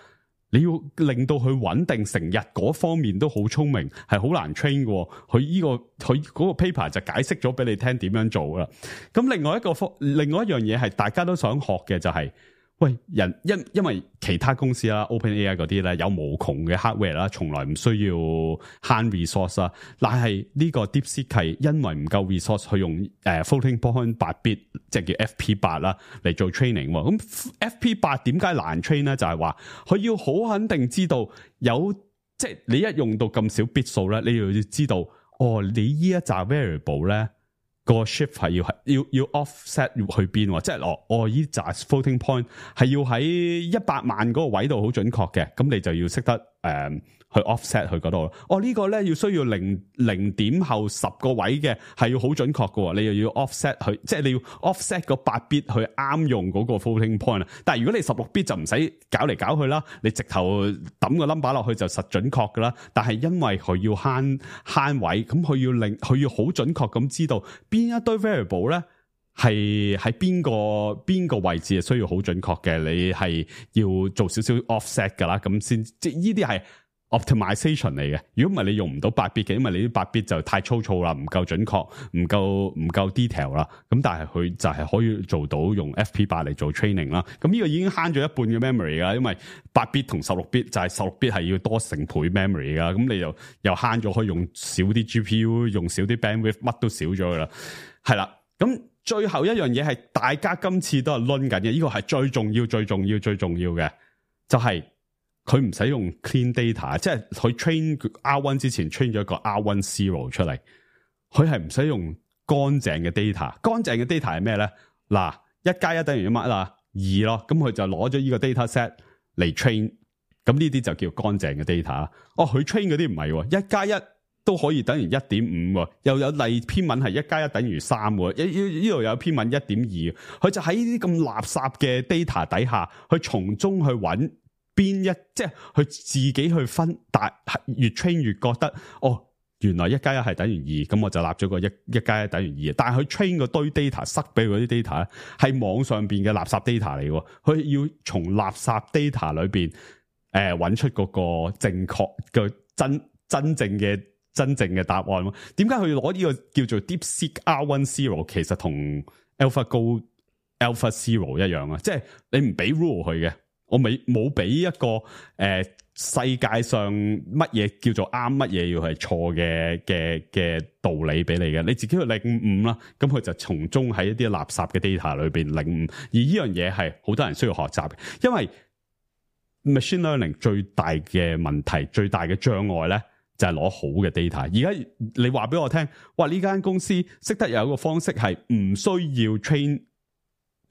你要令到佢穩定成日嗰方面都好聰明，係好難 train 嘅。佢呢、這個佢嗰個 paper 就解釋咗俾你聽點樣做啦。咁另外一個另外一樣嘢係大家都想學嘅就係、是，喂人因因為其他公司啦 ，OpenAI 嗰啲咧有無窮嘅 hardware 啦，從來唔需要慳 resource 啦。但係呢個 DeepSeek 係因為唔夠 resource 去用誒、呃、floating point 八 bit， 即係叫 F P 八 啦嚟做 training。咁 F P 八點解難 train 咧？就係話佢要好肯定知道有，即係你一用到咁少 bit 數咧，你要知道哦，你呢一紮 variable 咧。個 shift 係要係要要 offset 要去邊，即係哦哦依紮 floating point 係要喺一百萬嗰個位度好準確嘅，咁你就要識得誒、呃、去 offset 去嗰度。哦、這個、呢個咧要需要零零點後十個位嘅係要好準確嘅，你又要 offset 去，即係你要 offset 個八 bit 去啱用嗰個 floating point。但係如果你十六 bit 就唔使搞嚟搞去啦，你直頭抌個 number 落去就實準確噶啦。但係因為佢要慳慳位，咁佢要令佢要好準確咁知道。邊一堆 variable 咧係喺邊個邊個位置係需要好準確嘅，你係要做少少 offset 噶啦，咁先即係呢啲係 optimization 嚟嘅，如果唔係你用唔到八 bit 嘅，因為你啲八 bit 就太粗糙啦，唔夠準確，唔夠唔夠 detail 啦。咁但係佢就係可以做到用 F P 八嚟做 training 啦。咁呢個已經慳咗一半嘅 memory 噶，因為八 bit 同十六 bit 就係十六 bit 係要多成倍 memory 噶。咁你又又慳咗，可以用少啲 G P U， 用少啲 bandwidth， 乜都少咗噶啦。係啦，咁最後一樣嘢係大家今次都係掄緊嘅，呢個係最重要、最重要、最重要嘅，就係、是。佢唔使用 clean data， 即係佢 train R 一 之前 train 咗一個 R 一 zero 出嚟，佢係唔使用乾淨嘅 data。乾淨嘅 data 係咩咧？嗱，一加一等於乜啦？二咯，咁佢就攞咗呢個 data set 嚟 train， 咁呢啲就叫乾淨嘅 data。哦，佢 train 嗰啲唔係，一加一都可以等於一點五，又有例篇文係一加一等於三，呢呢度有篇文一點二，佢就喺呢啲咁垃圾嘅 data 底下，去從中去揾。邊一即係佢自己去分，但越 train 越覺得哦，原來一加一係等於二，咁我就立咗個一一加一等於二。但係佢 train 個堆 data 塞俾佢啲 data 咧，係網上邊嘅垃圾 data 嚟嘅，佢要從垃圾 data 裏邊誒揾出嗰個正確嘅真真正嘅真正嘅答案。點解佢要攞呢個叫做 DeepSeek R 一 Zero？ 其實同 AlphaGo Alpha Zero 一樣啊，即係你唔俾 rule 佢嘅。我未冇俾一個誒、呃、世界上乜嘢叫做啱，乜嘢要係錯嘅嘅嘅道理俾你嘅，你自己去領悟啦。咁佢就從中喺一啲垃圾嘅 data 裏邊領悟，而呢樣嘢係好多人需要學習嘅，因為 machine learning 最大嘅問題、最大嘅障礙咧，就係、是、攞好嘅 data。而家你話俾我聽，哇！呢間公司識得有一個方式係唔需要 train。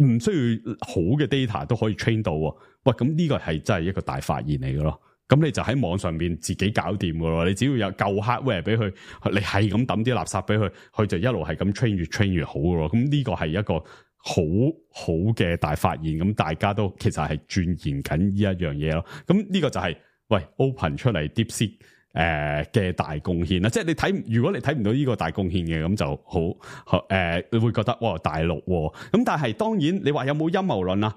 唔需要好嘅 data 都可以 train 到，喂，咁呢個係真係一個大發現嚟嘅咯。咁你就喺網上邊自己搞掂嘅咯。你只要有夠 hardware 俾佢，你係咁抌啲垃圾俾佢，佢就一路係咁 train 越 train 越好嘅咯。咁呢個係一個好好嘅大發現。咁大家都其實係鑽研緊呢一樣嘢咯。咁呢個就係、是、喂 open 出嚟 DeepSeek 誒嘅大貢獻啦，即係你睇，如果你睇唔到呢個大貢獻嘅，咁就好誒、呃，你會覺得哇大陸咁，但係當然你話有冇陰謀論啊？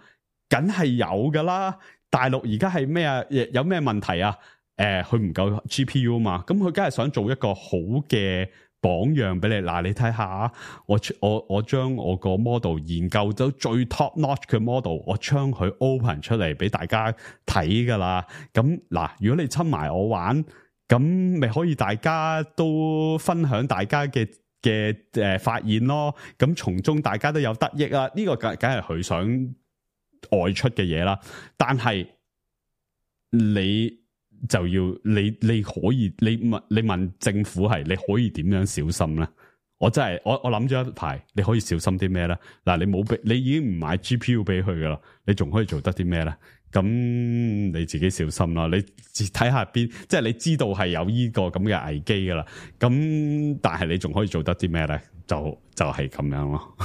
梗係有噶啦，大陸而家係咩啊？有咩問題啊？誒、呃，佢唔夠 G P U 嘛，咁佢梗係想做一個好嘅榜樣俾你。嗱，你睇下，我我我將我個 model 研究到最 top notch 嘅 model， 我將佢 open 出嚟俾大家睇噶啦。咁嗱，如果你侵埋我玩。咁咪可以大家都分享大家嘅嘅誒發現咯，咁從中大家都有得益啊！呢、這個梗梗係佢想外出嘅嘢啦，但係你就要你你可以你問你問政府係你可以點樣小心咧？我真係我我諗咗一排，你可以小心啲咩咧？嗱，你冇俾你已經唔買 G P U 俾佢噶啦，你仲可以做得啲咩咧？咁你自己小心啦，你睇下邊，即係你知道係有呢個咁嘅危機噶啦。咁但係你仲可以做得啲咩咧？就就係咁樣咯。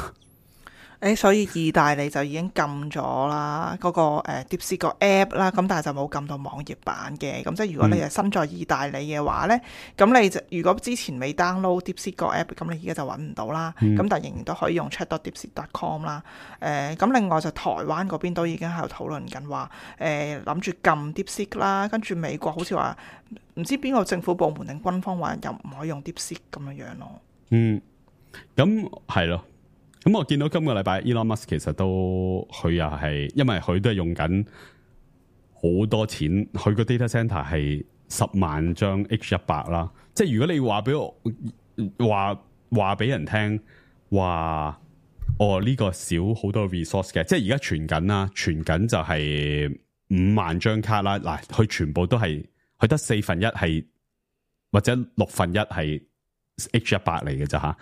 誒，所以意大利就已經禁咗啦，嗰、那個誒 DeepSeek 個 app 啦，咁但係就冇禁到網頁版嘅。咁即係如果你係身在意大利嘅話咧，咁、嗯、你就如果之前未 download DeepSeek 個 app，咁你而家就揾唔到啦。咁、嗯、但係仍然都可以用 chat dot deepseek dot com 啦。誒、呃，咁另外就台灣嗰邊都已經喺度討論緊話，誒諗住禁 DeepSeek 啦，跟住美國好似話唔知邊個政府部門定軍方話又唔可以用 DeepSeek 咁樣樣咯。嗯，咁係咯。咁我見到今個禮拜 Elon Musk 其實都佢又係，因為佢都係用緊好多錢，佢個 data center 係十萬張 H 一百啦。即係如果你話俾我話話俾人聽話，哦呢、這個少好多 resource 嘅，即係而家傳緊啦，傳緊就係五萬張卡啦。嗱，佢全部都係佢得四分一係或者六分一係。H 一百嚟嘅咋吓，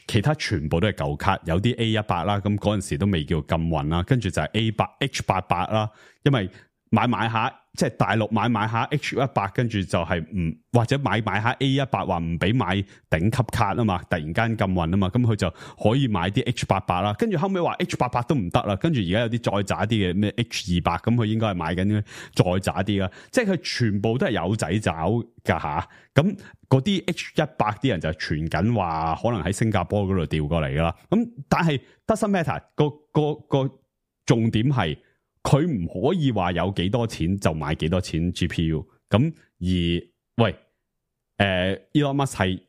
其他全部都係舊卡，有啲 A 一百啦，咁嗰陣時都未叫禁運啦，跟住就係 A 八 H 八百啦，因為買買下即係大陸買買下 H 一百，跟住就係唔或者買買下 A 一百，話唔俾買頂級卡啊嘛，突然間禁運啊嘛，咁佢就可以買啲 H 八百啦，跟住後尾話 H 八百都唔得啦，跟住而家有啲再渣啲嘅咩 H 二百，咁佢應該係買緊再渣啲啦，即係佢全部都係有仔找噶吓，咁嗰啲 H 一百啲人就傳緊話可能喺新加坡嗰度調過嚟噶啦，咁但係 doesn't matter 個個個重點係。佢唔可以話有幾多錢就買幾多錢 G P U，咁而喂，誒、呃、Elon Musk 係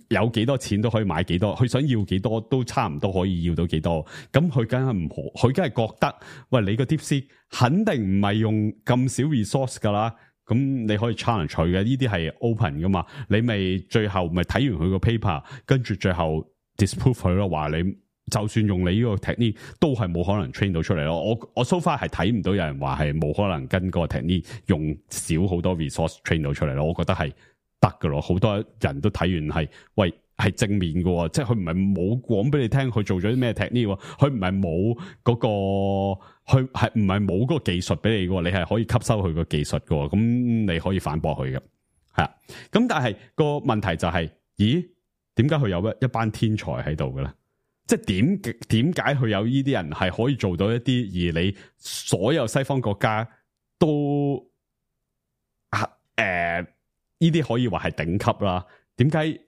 有幾多錢都可以買幾多，佢想要幾多都差唔多可以要到幾多。咁佢梗係唔可，佢梗係覺得，喂，你個 DeepSeek 肯定唔係用咁少 resource 噶啦。咁你可以 challenge 佢嘅，呢啲係 open 噶嘛？你咪最後咪睇完佢個 paper，跟住最後 disprove 佢咯，話你就算用你呢個 technique 都係冇可能 train 到出嚟咯。我我 so far 係睇唔到有人話係冇可能跟個 technique 用少好多 resource train 到出嚟咯。我覺得係得噶咯，好多人都睇完係喂係正面嘅，即係佢唔係冇講俾你聽佢做咗啲咩 technique，佢唔係冇嗰個，佢係唔係冇嗰個技術俾你嘅，你係可以吸收佢個技術嘅，咁你可以反駁佢嘅，係啊。咁但係個問題就係、是，咦？點解佢有一一班天才喺度嘅咧？即係點點解佢有呢啲人係可以做到一啲，而你所有西方國家都啊誒呢啲可以話係頂級啦？點解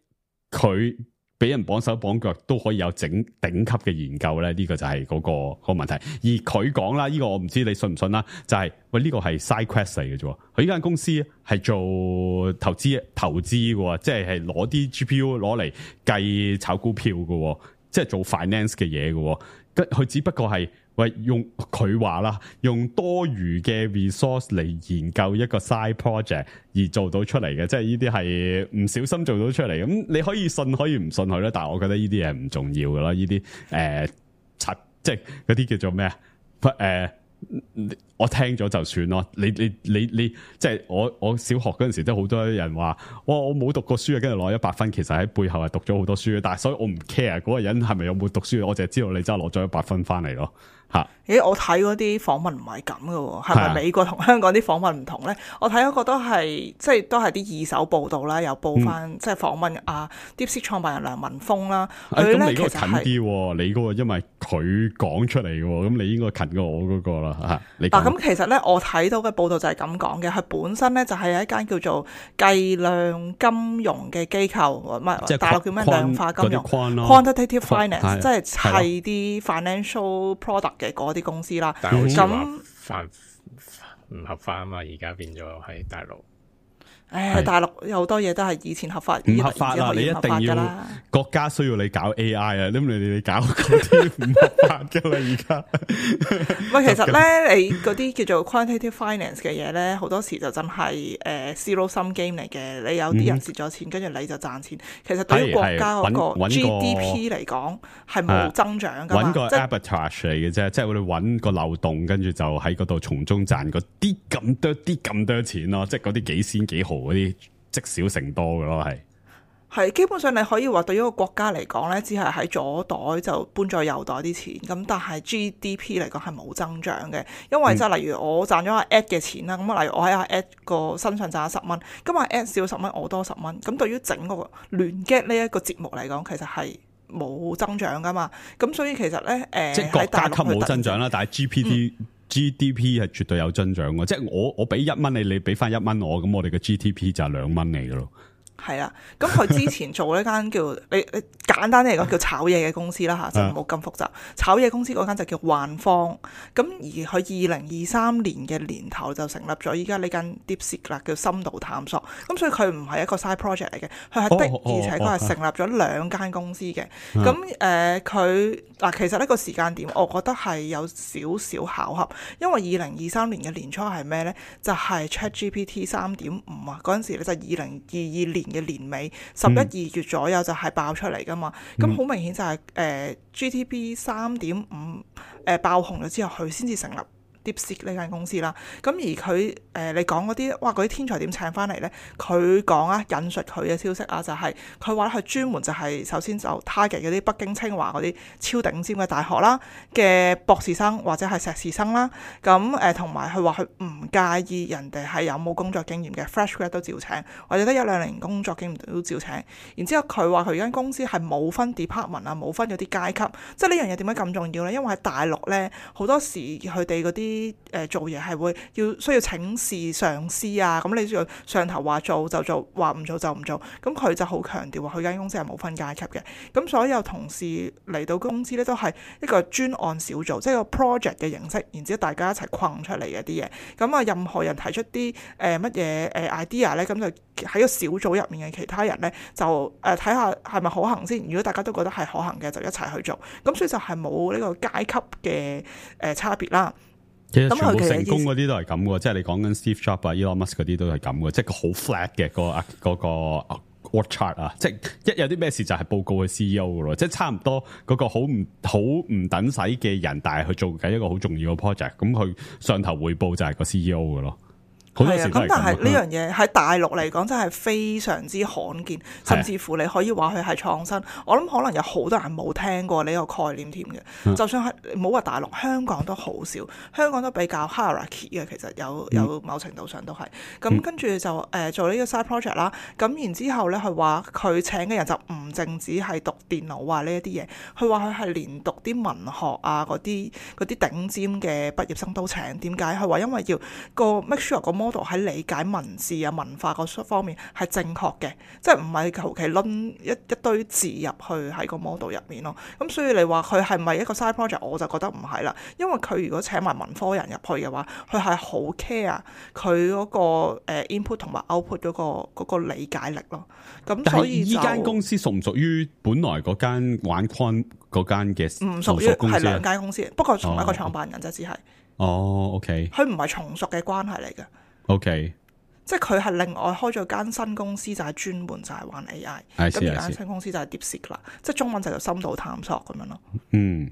佢俾人綁手綁腳都可以有整頂級嘅研究咧？呢、這個就係嗰、那個、那個問題。而佢講啦，呢、這個我唔知你信唔信啦，就係、是、喂呢、這個係 side quest 嚟嘅啫。佢呢間公司係做投資投資嘅，即係係攞啲 G P U 攞嚟計炒股票嘅，即係做 finance 嘅嘢嘅。佢只不過係喂用佢話啦，用多餘嘅 resource 嚟研究一個 side project 而做到出嚟嘅，即係呢啲係唔小心做到出嚟。咁你可以信可以唔信佢咧，但係我覺得呢啲嘢唔重要噶啦。呢啲誒，即係嗰啲叫做咩啊？誒、呃，我聽咗就算咯。你你你你，即係我我小學嗰陣時都好多人話，哇！我冇讀過書啊，跟住攞一百分，其實喺背後係讀咗好多書嘅。但係所以我唔 care 嗰個人係咪有冇讀書，我淨係知道你真係攞咗一百分翻嚟咯。吓，咦？我睇嗰啲訪問唔係咁嘅喎，係咪美國同香港啲訪問唔同咧？我睇嗰個都係即係都係啲二手報道啦，有報翻、嗯、即係訪問啊 DeepSeek 創辦人梁文峰啦。佢咧、哎、其實係近啲，你嗰個因為佢講出嚟嘅，咁你應該近過我嗰個啦吓。你嗱咁其實咧，我睇到嘅報道就係咁講嘅，佢本身咧就係一間叫做計量金融嘅機構，唔係大陸叫咩量化金融 （quantitative finance），即係砌啲 financial product 嘅嗰啲公司啦，咁犯唔合法啊嘛，而家變咗喺大陸。誒，大陸有好多嘢都係以前合法，唔合法啦，你一定要國家需要你搞 A I 啊，咁你你搞嗰啲唔合法噶啦，而家。喂，其實咧，你嗰啲叫做 quantitative finance 嘅嘢咧，好多時就真係誒 zero sum game 嚟嘅。你有啲人蝕咗錢，跟住、嗯、你就賺錢。其實對於國家嗰個 G D P 嚟講，係冇增長噶嘛。搵個 arbitrage 嚟嘅啫，即係我哋搵個漏洞，跟住就喺嗰度從中賺嗰啲咁多啲咁多錢咯，即係嗰啲幾仙幾毫嗰啲積少成多嘅咯，係係基本上你可以話對於一個國家嚟講咧，只係喺左袋就搬咗右袋啲錢，咁但係 G D P 嚟講係冇增長嘅，因為即係例如我賺咗阿 Ed 嘅錢啦，咁、嗯、例如我喺阿 Ed 個身上賺咗十蚊，咁阿 Ed 少十蚊，我多十蚊，咁對於整個聯 get 呢一個節目嚟講，其實係冇增長噶嘛，咁所以其實咧誒、呃、即係國家級冇增長啦，但係 G P D、嗯G D P 係絕對有增長嘅，即係我我俾一蚊你，你俾翻一蚊我，咁我哋嘅 G D P 就係兩蚊嚟嘅咯。係啊，咁佢之前做呢間叫你你簡單啲嚟講叫炒嘢嘅公司啦嚇，就冇咁複雜。炒嘢公司嗰間就叫幻方，咁而佢二零二三年嘅年頭就成立咗依家呢間 DeepSeek 啦，叫深度探索。咁所以佢唔係一個 side project 嚟嘅，佢係的、哦、而且佢係成立咗兩間公司嘅。咁誒佢嗱其實呢個時間點，我覺得係有少少巧合，因為二零二三年嘅年初係咩咧？就係、是、ChatGPT 三點五啊，嗰陣時咧就二零二二年嘅年尾十一二月左右就係爆出嚟噶嘛，咁好、嗯、明顯就係、是、誒、呃、G T P 三點五誒爆紅咗之後，佢先至成立 DeepSeek 呢間公司啦。咁而佢誒、呃、你講嗰啲，哇嗰啲天才點請翻嚟咧？佢講啊，引述佢嘅消息啊，就係佢話佢專門就係首先就 target 嗰啲北京清華嗰啲超頂尖嘅大學啦嘅博士生或者係碩士生啦。咁誒同埋佢話佢唔介意人哋係有冇工作經驗嘅 fresh grad 都照請，或者得一兩年工作經驗都照請。然之後佢話佢間公司係冇分 department 啊，冇分嗰啲階級。即係呢樣嘢點解咁重要咧？因為喺大陸咧好多時佢哋嗰啲啲誒做嘢係會要需要請示上司啊，咁你要上頭話做就做，話唔做就唔做。咁佢就好強調話佢間公司係冇分階級嘅。咁所有同事嚟到公司咧都係一個專案小組，即係個 project 嘅形式，然之後大家一齊困出嚟嘅啲嘢。咁啊，任何人提出啲誒乜嘢誒 idea 咧，咁就喺個小組入面嘅其他人咧就誒睇下係咪可行先。如果大家都覺得係可行嘅，就一齊去做。咁所以就係冇呢個階級嘅誒差別啦。其實全部成功嗰啲都係咁嘅，即係你講緊 Steve Jobs 啊、Elon Musk 嗰啲都係咁嘅，即係好 flat 嘅嗰個嗰個 org chart 啊，即係一有啲咩事就係報告去 C E O 嘅咯，即係差唔多嗰個好唔好唔等使嘅人，但係去做緊一個好重要嘅 project， 咁佢上頭匯報就係個 C E O 嘅咯。係啊，咁但係呢樣嘢喺大陸嚟講真係非常之罕見，甚至乎你可以話佢係創新。我諗可能有好多人冇聽過呢個概念添嘅。嗯、就算係冇話大陸，香港都好少，香港都比較 hierarchy 嘅，其實有有某程度上都係。咁、嗯、跟住就誒、呃、做呢個 side project 啦。咁然之後咧，佢話佢請嘅人就唔淨止係讀電腦啊呢一啲嘢，佢話佢係連讀啲文學啊嗰啲嗰啲頂尖嘅畢業生都請。點解？佢話因為要個 make sure 個 model 喺理解文字啊文化嗰方面係正確嘅，即係唔係求其攆一一堆字入去喺個 model 入面咯。咁所以你話佢係咪一個 side project， 我就覺得唔係啦。因為佢如果請埋文科人入去嘅話，佢係好 care 佢嗰個 input 同埋 output 嗰個嗰個理解力咯。咁所以就，但係依間公司屬唔屬於本來嗰間玩 con 嗰間嘅？唔屬於，係兩間公司，不過同一個創辦人啫，只係。哦 ，OK。佢唔係從屬嘅關係嚟嘅。OK，即係佢係另外開咗間新公司，就係、是、專門就係玩 A I。咁而間新公司就係 DeepSeek 啦，即係中文就叫深度探索咁樣咯。嗯，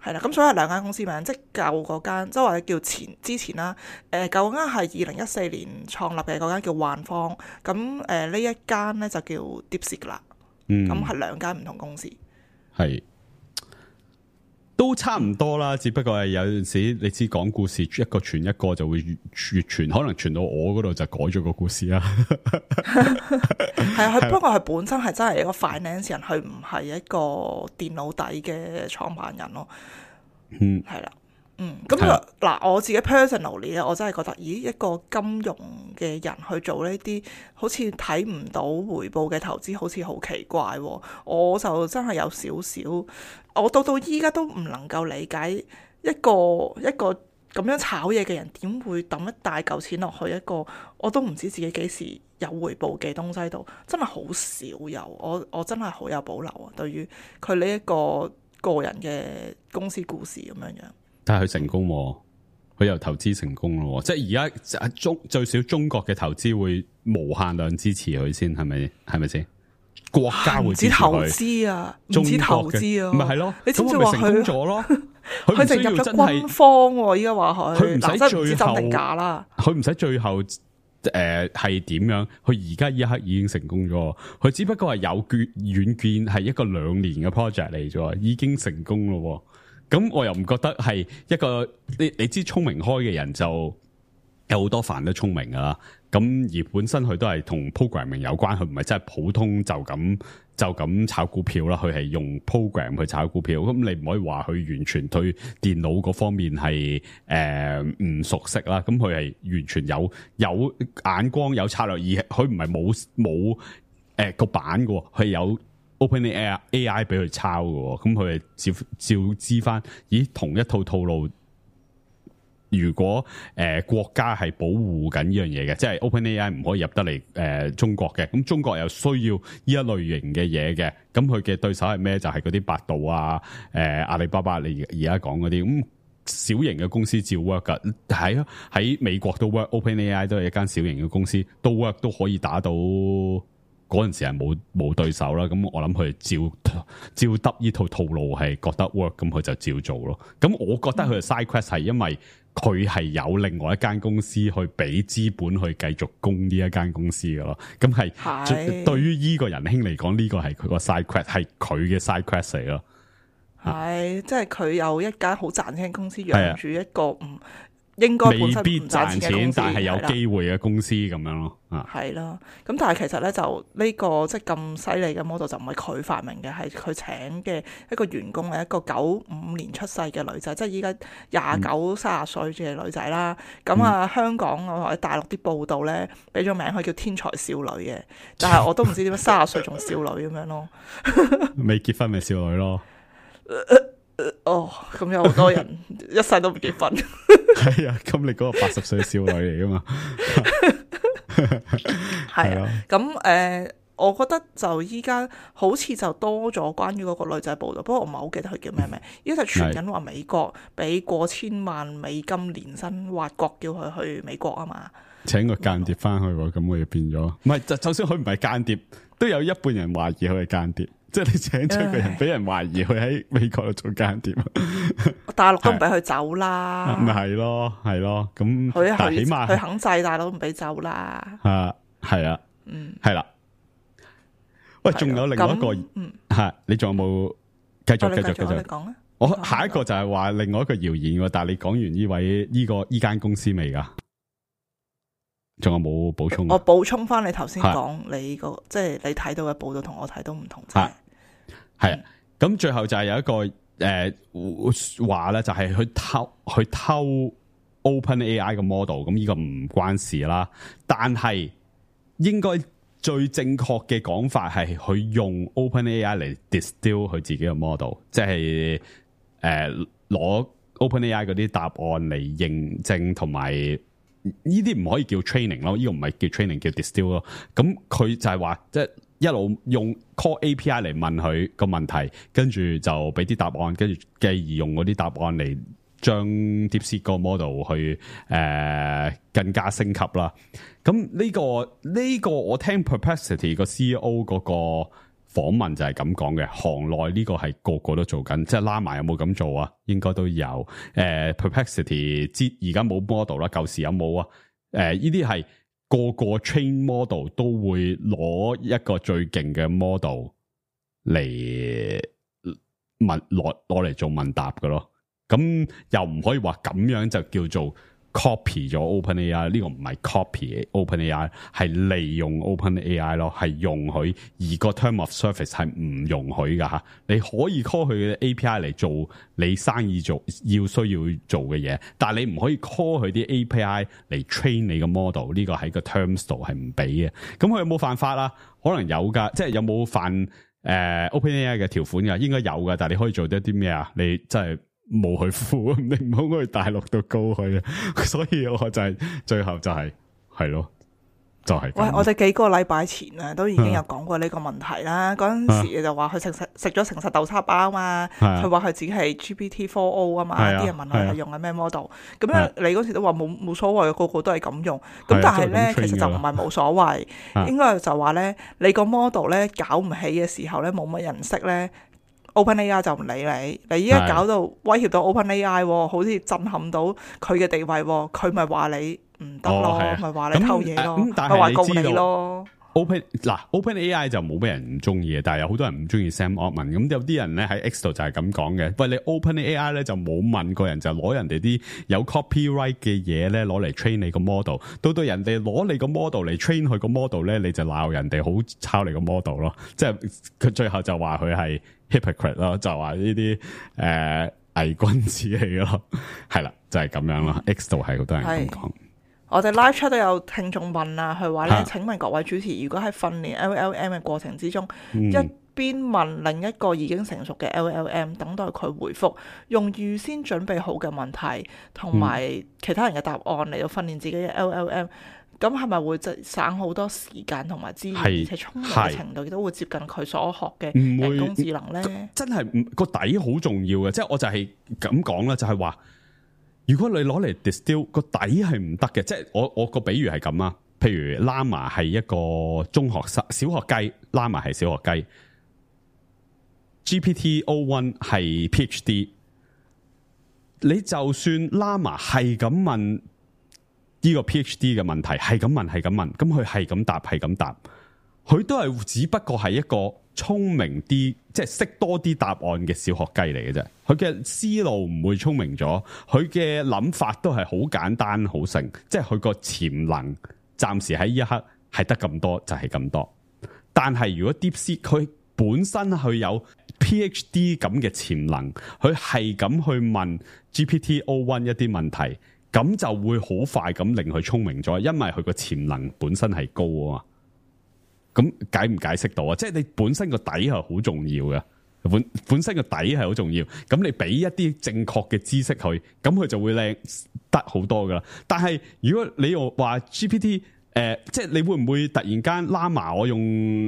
係啦，咁所以係兩間公司名，即係舊嗰間，即係或者叫前之前啦。誒舊嗰間係二零一四年創立嘅嗰間叫幻方，咁誒、呃、呢一間咧就叫 DeepSeek 啦。嗯，咁係兩間唔同公司。係。都差唔多啦，只不過係有陣時你知講故事一個傳一個就會越越傳，可能傳到我嗰度就改咗個故事啦。係啊，佢不過佢本身係真係一個 finance 人，佢唔係一個電腦底嘅創辦人咯。嗯，係啦。嗯，咁嗱，我自己 personally 咧，我真係覺得，咦，一個金融嘅人去做呢啲好似睇唔到回報嘅投資，好似好奇怪喎。我就真係有少少，我到到依家都唔能夠理解一個一個咁樣炒嘢嘅人點會抌一大嚿錢落去一個我都唔知自己幾時有回報嘅東西度，真係好少有。我我真係好有保留啊，對於佢呢一個個人嘅公司故事咁樣樣。但係佢成功，佢又投資成功咯，即係而家中最少中國嘅投資會無限量支持佢先，係咪？係咪先？國家會支持佢，唔止投資啊，唔止投資啊，唔係係咯？你知唔知話佢成功咗咯？佢就入咗軍方，依家話佢，佢唔使最後真定假啦，佢唔使最後誒係點樣？佢而家呢一刻已經成功咗，佢只不過係有遠遠見係一個兩年嘅 project 嚟咗，已經成功咯。咁我又唔覺得係一個你你知聰明開嘅人就有好多飯都聰明噶啦，咁而本身佢都係同 programming 有關，佢唔係真係普通就咁就咁炒股票啦，佢係用 program 去炒股票，咁你唔可以話佢完全對電腦嗰方面係誒唔熟悉啦，咁佢係完全有有眼光有策略，而佢唔係冇冇誒個版嘅，佢有。OpenAI A I 俾佢抄嘅，咁佢係照照知翻，咦同一套套路，如果誒、呃、國家係保護緊呢樣嘢嘅，即係 OpenAI 唔可以入得嚟誒、呃、中國嘅，咁中國又需要呢一類型嘅嘢嘅，咁佢嘅對手係咩？就係嗰啲百度啊、誒、呃、阿里巴巴，你而家講嗰啲，咁小型嘅公司照 work 噶，喺喺美國都 work，OpenAI 都係一間小型嘅公司，都 work 都可以打到。嗰陣時係冇冇對手啦，咁我諗佢照照得呢套套路係覺得 work， 咁佢就照做咯。咁我覺得佢嘅 side quest 係因為佢係有另外一間公司去俾資本去繼續供呢一間公司嘅咯。咁係對於呢個仁兄嚟講，呢、呢個係佢個 side quest， 係佢嘅 side quest 嚟咯。係，即係佢有一間好賺錢嘅公司養住一個唔。應該本身未必唔賺賺錢嘅公司，但係有係啦機會嘅公司咁樣咯。啊，係啦，咁但係其實咧就呢、個即係咁犀利嘅 model 就唔係佢發明嘅，係佢請嘅一個員工係一個九五年出世嘅女仔，即係依家廿九三十歲嘅女仔啦。咁啊、嗯、香港或者大陸啲報道咧俾咗名佢叫天才少女嘅，但係我都唔知點解三十歲仲少女咁樣咯。未結婚咪少女咯。哦，咁有好多人一世都唔結婚。係啊，咁你嗰個八十歲少女嚟噶嘛？係啊，咁誒、呃，我覺得就依家好似就多咗關於嗰個女仔報道，不過我唔係好記得佢叫咩名。依家就傳緊話美國俾過千萬美金年薪挖角叫佢去美國啊嘛，請個間諜翻去喎，咁我就變咗。唔係，就就算佢唔係間諜，都有一半人懷疑佢係間諜。即係你請出個人，俾人懷疑佢喺美國度做間諜，大陸都唔俾佢走啦。咪係咯，係咯，咁佢但係起碼佢肯制，大佬唔俾走啦。啊，係啊，嗯，係啦。喂，仲有另外一個，嗯，係你仲有冇繼續繼續繼續？你講啊。我下一個就係話另外一個謠言喎，但係你講完呢位呢個呢間公司未㗎？仲有冇補充？我補充翻你頭先講你個，即係你睇到嘅報道同我睇到唔同啫。係啊，咁最後就係有一個誒話咧，就係去偷去偷 OpenAI 嘅 model， 咁呢個唔關事啦。但係應該最正確嘅講法係佢用 OpenAI 嚟 distill 佢自己嘅 model， 即係誒攞 OpenAI 嗰啲答案嚟認證同埋。呢啲唔可以叫 training 咯，呢個唔係叫 training， 叫 distill 咯。咁佢就係話，即係一路用 call A P I 嚟問佢個問題，跟住就俾啲答案，跟住繼而用嗰啲答案嚟將 DeepSeek 個 model 去誒、呃、更加升級啦。咁呢個呢個我聽 Perplexity 個 C E O 嗰個訪問就係咁講嘅，行內呢個係個個都做緊，即係拉埋有冇咁做啊？應該都有。誒、呃、，Perplexity 知而家冇 model 啦，舊時有冇啊？誒、呃，呢啲係個個 train model 都會攞一個最勁嘅 model 嚟問攞攞嚟做問答嘅咯。咁又唔可以話咁樣就叫做 copy 咗 OpenAI， 呢個唔係 copy OpenAI， 係利用 OpenAI 咯，係容許，而個 term of service 係唔容許噶吓。你可以 call 佢嘅 A P I 嚟做你生意做要需要做嘅嘢，但係你唔可以 call 佢啲 A P I 嚟 train 你個 model， 呢個喺個 terms 度係唔俾嘅。咁佢有冇犯法啦？可能有噶，即係有冇犯誒、呃、OpenAI 嘅條款噶？應該有噶，但係你可以做得啲咩啊？你真係。冇去付，你唔好去大陸度告佢啊！所以我就係、是、最後就係係咯，就係、是。喂，我哋幾個禮拜前啊，都已經有講過呢個問題啦。嗰陣、啊、時就話佢食食食咗誠實豆沙包啊嘛，佢話佢自己係 G P T 四 O 啊嘛，啲人問佢係用緊咩 model，咁樣你嗰時都話冇冇所謂，個個都係咁用。咁但係咧，其實就唔係冇所謂，應該就話咧，你個 model 咧搞唔起嘅時候咧，冇乜人識咧。OpenAI 就唔理你，你依家搞到威脅到 OpenAI， 好似震撼到佢嘅地位，佢咪話你唔得咯，咪話、哦、你偷嘢咯，咪話告你咯。Open 嗱 OpenAI 就冇咩人唔中意嘅，但係有好多人唔中意 Sam Altman。咁有啲人咧喺 X 度就係咁講嘅。喂，你 OpenAI 咧就冇問過人，就攞人哋啲有 copyright 嘅嘢咧攞嚟 train 你個 model。到到人哋攞你個 model 嚟 train 佢個 model 咧，你就鬧人哋好抄你個 model 咯。即係佢最後就話佢係 hypocrite 咯，就話呢啲誒偽君子嚟嘅咯。係啦，就係、是、咁樣咯。X 度係好多人咁講。我哋 live chat 都有聽眾問啊，佢話咧：請問各位主持，如果喺訓練 L L M 嘅過程之中，嗯、一邊問另一個已經成熟嘅 L L M， 等待佢回覆，用預先準備好嘅問題同埋其他人嘅答案嚟到訓練自己嘅 L L M， 咁係咪會省好多時間同埋資源，而且聰明嘅程度亦都會接近佢所學嘅人工智能咧？真係唔個底好重要嘅，即係我就係咁講啦，就係話。如果你攞嚟 distill 個底係唔得嘅，即係我我個比喻係咁啊。譬如 Llama 係一個中學生小學雞 ，Llama 係小學雞 ，G P T O 一 係 P H D。你就算 Llama 係咁問呢個 P H D 嘅問題，係咁問係咁問，咁佢係咁答係咁答，佢都係只不過係一個聰明啲，即係識多啲答案嘅小學雞嚟嘅啫。佢嘅思路唔會聰明咗，佢嘅諗法都係好簡單好成，即係佢個潛能暫時喺呢一刻係得咁多就係咁多。但係如果 DeepSeek 佢本身佢有 PhD 咁嘅潛能，佢係咁去問 G P T O 一 一啲問題，咁就會好快咁令佢聰明咗，因為佢個潛能本身係高啊嘛。咁解唔解釋到啊？即係你本身個底係好重要嘅，本本身個底係好重要。咁你俾一啲正確嘅知識佢，咁佢就會靚得好多噶啦。但係如果你又話 G P T，誒、呃，即係你會唔會突然間 Llama 我用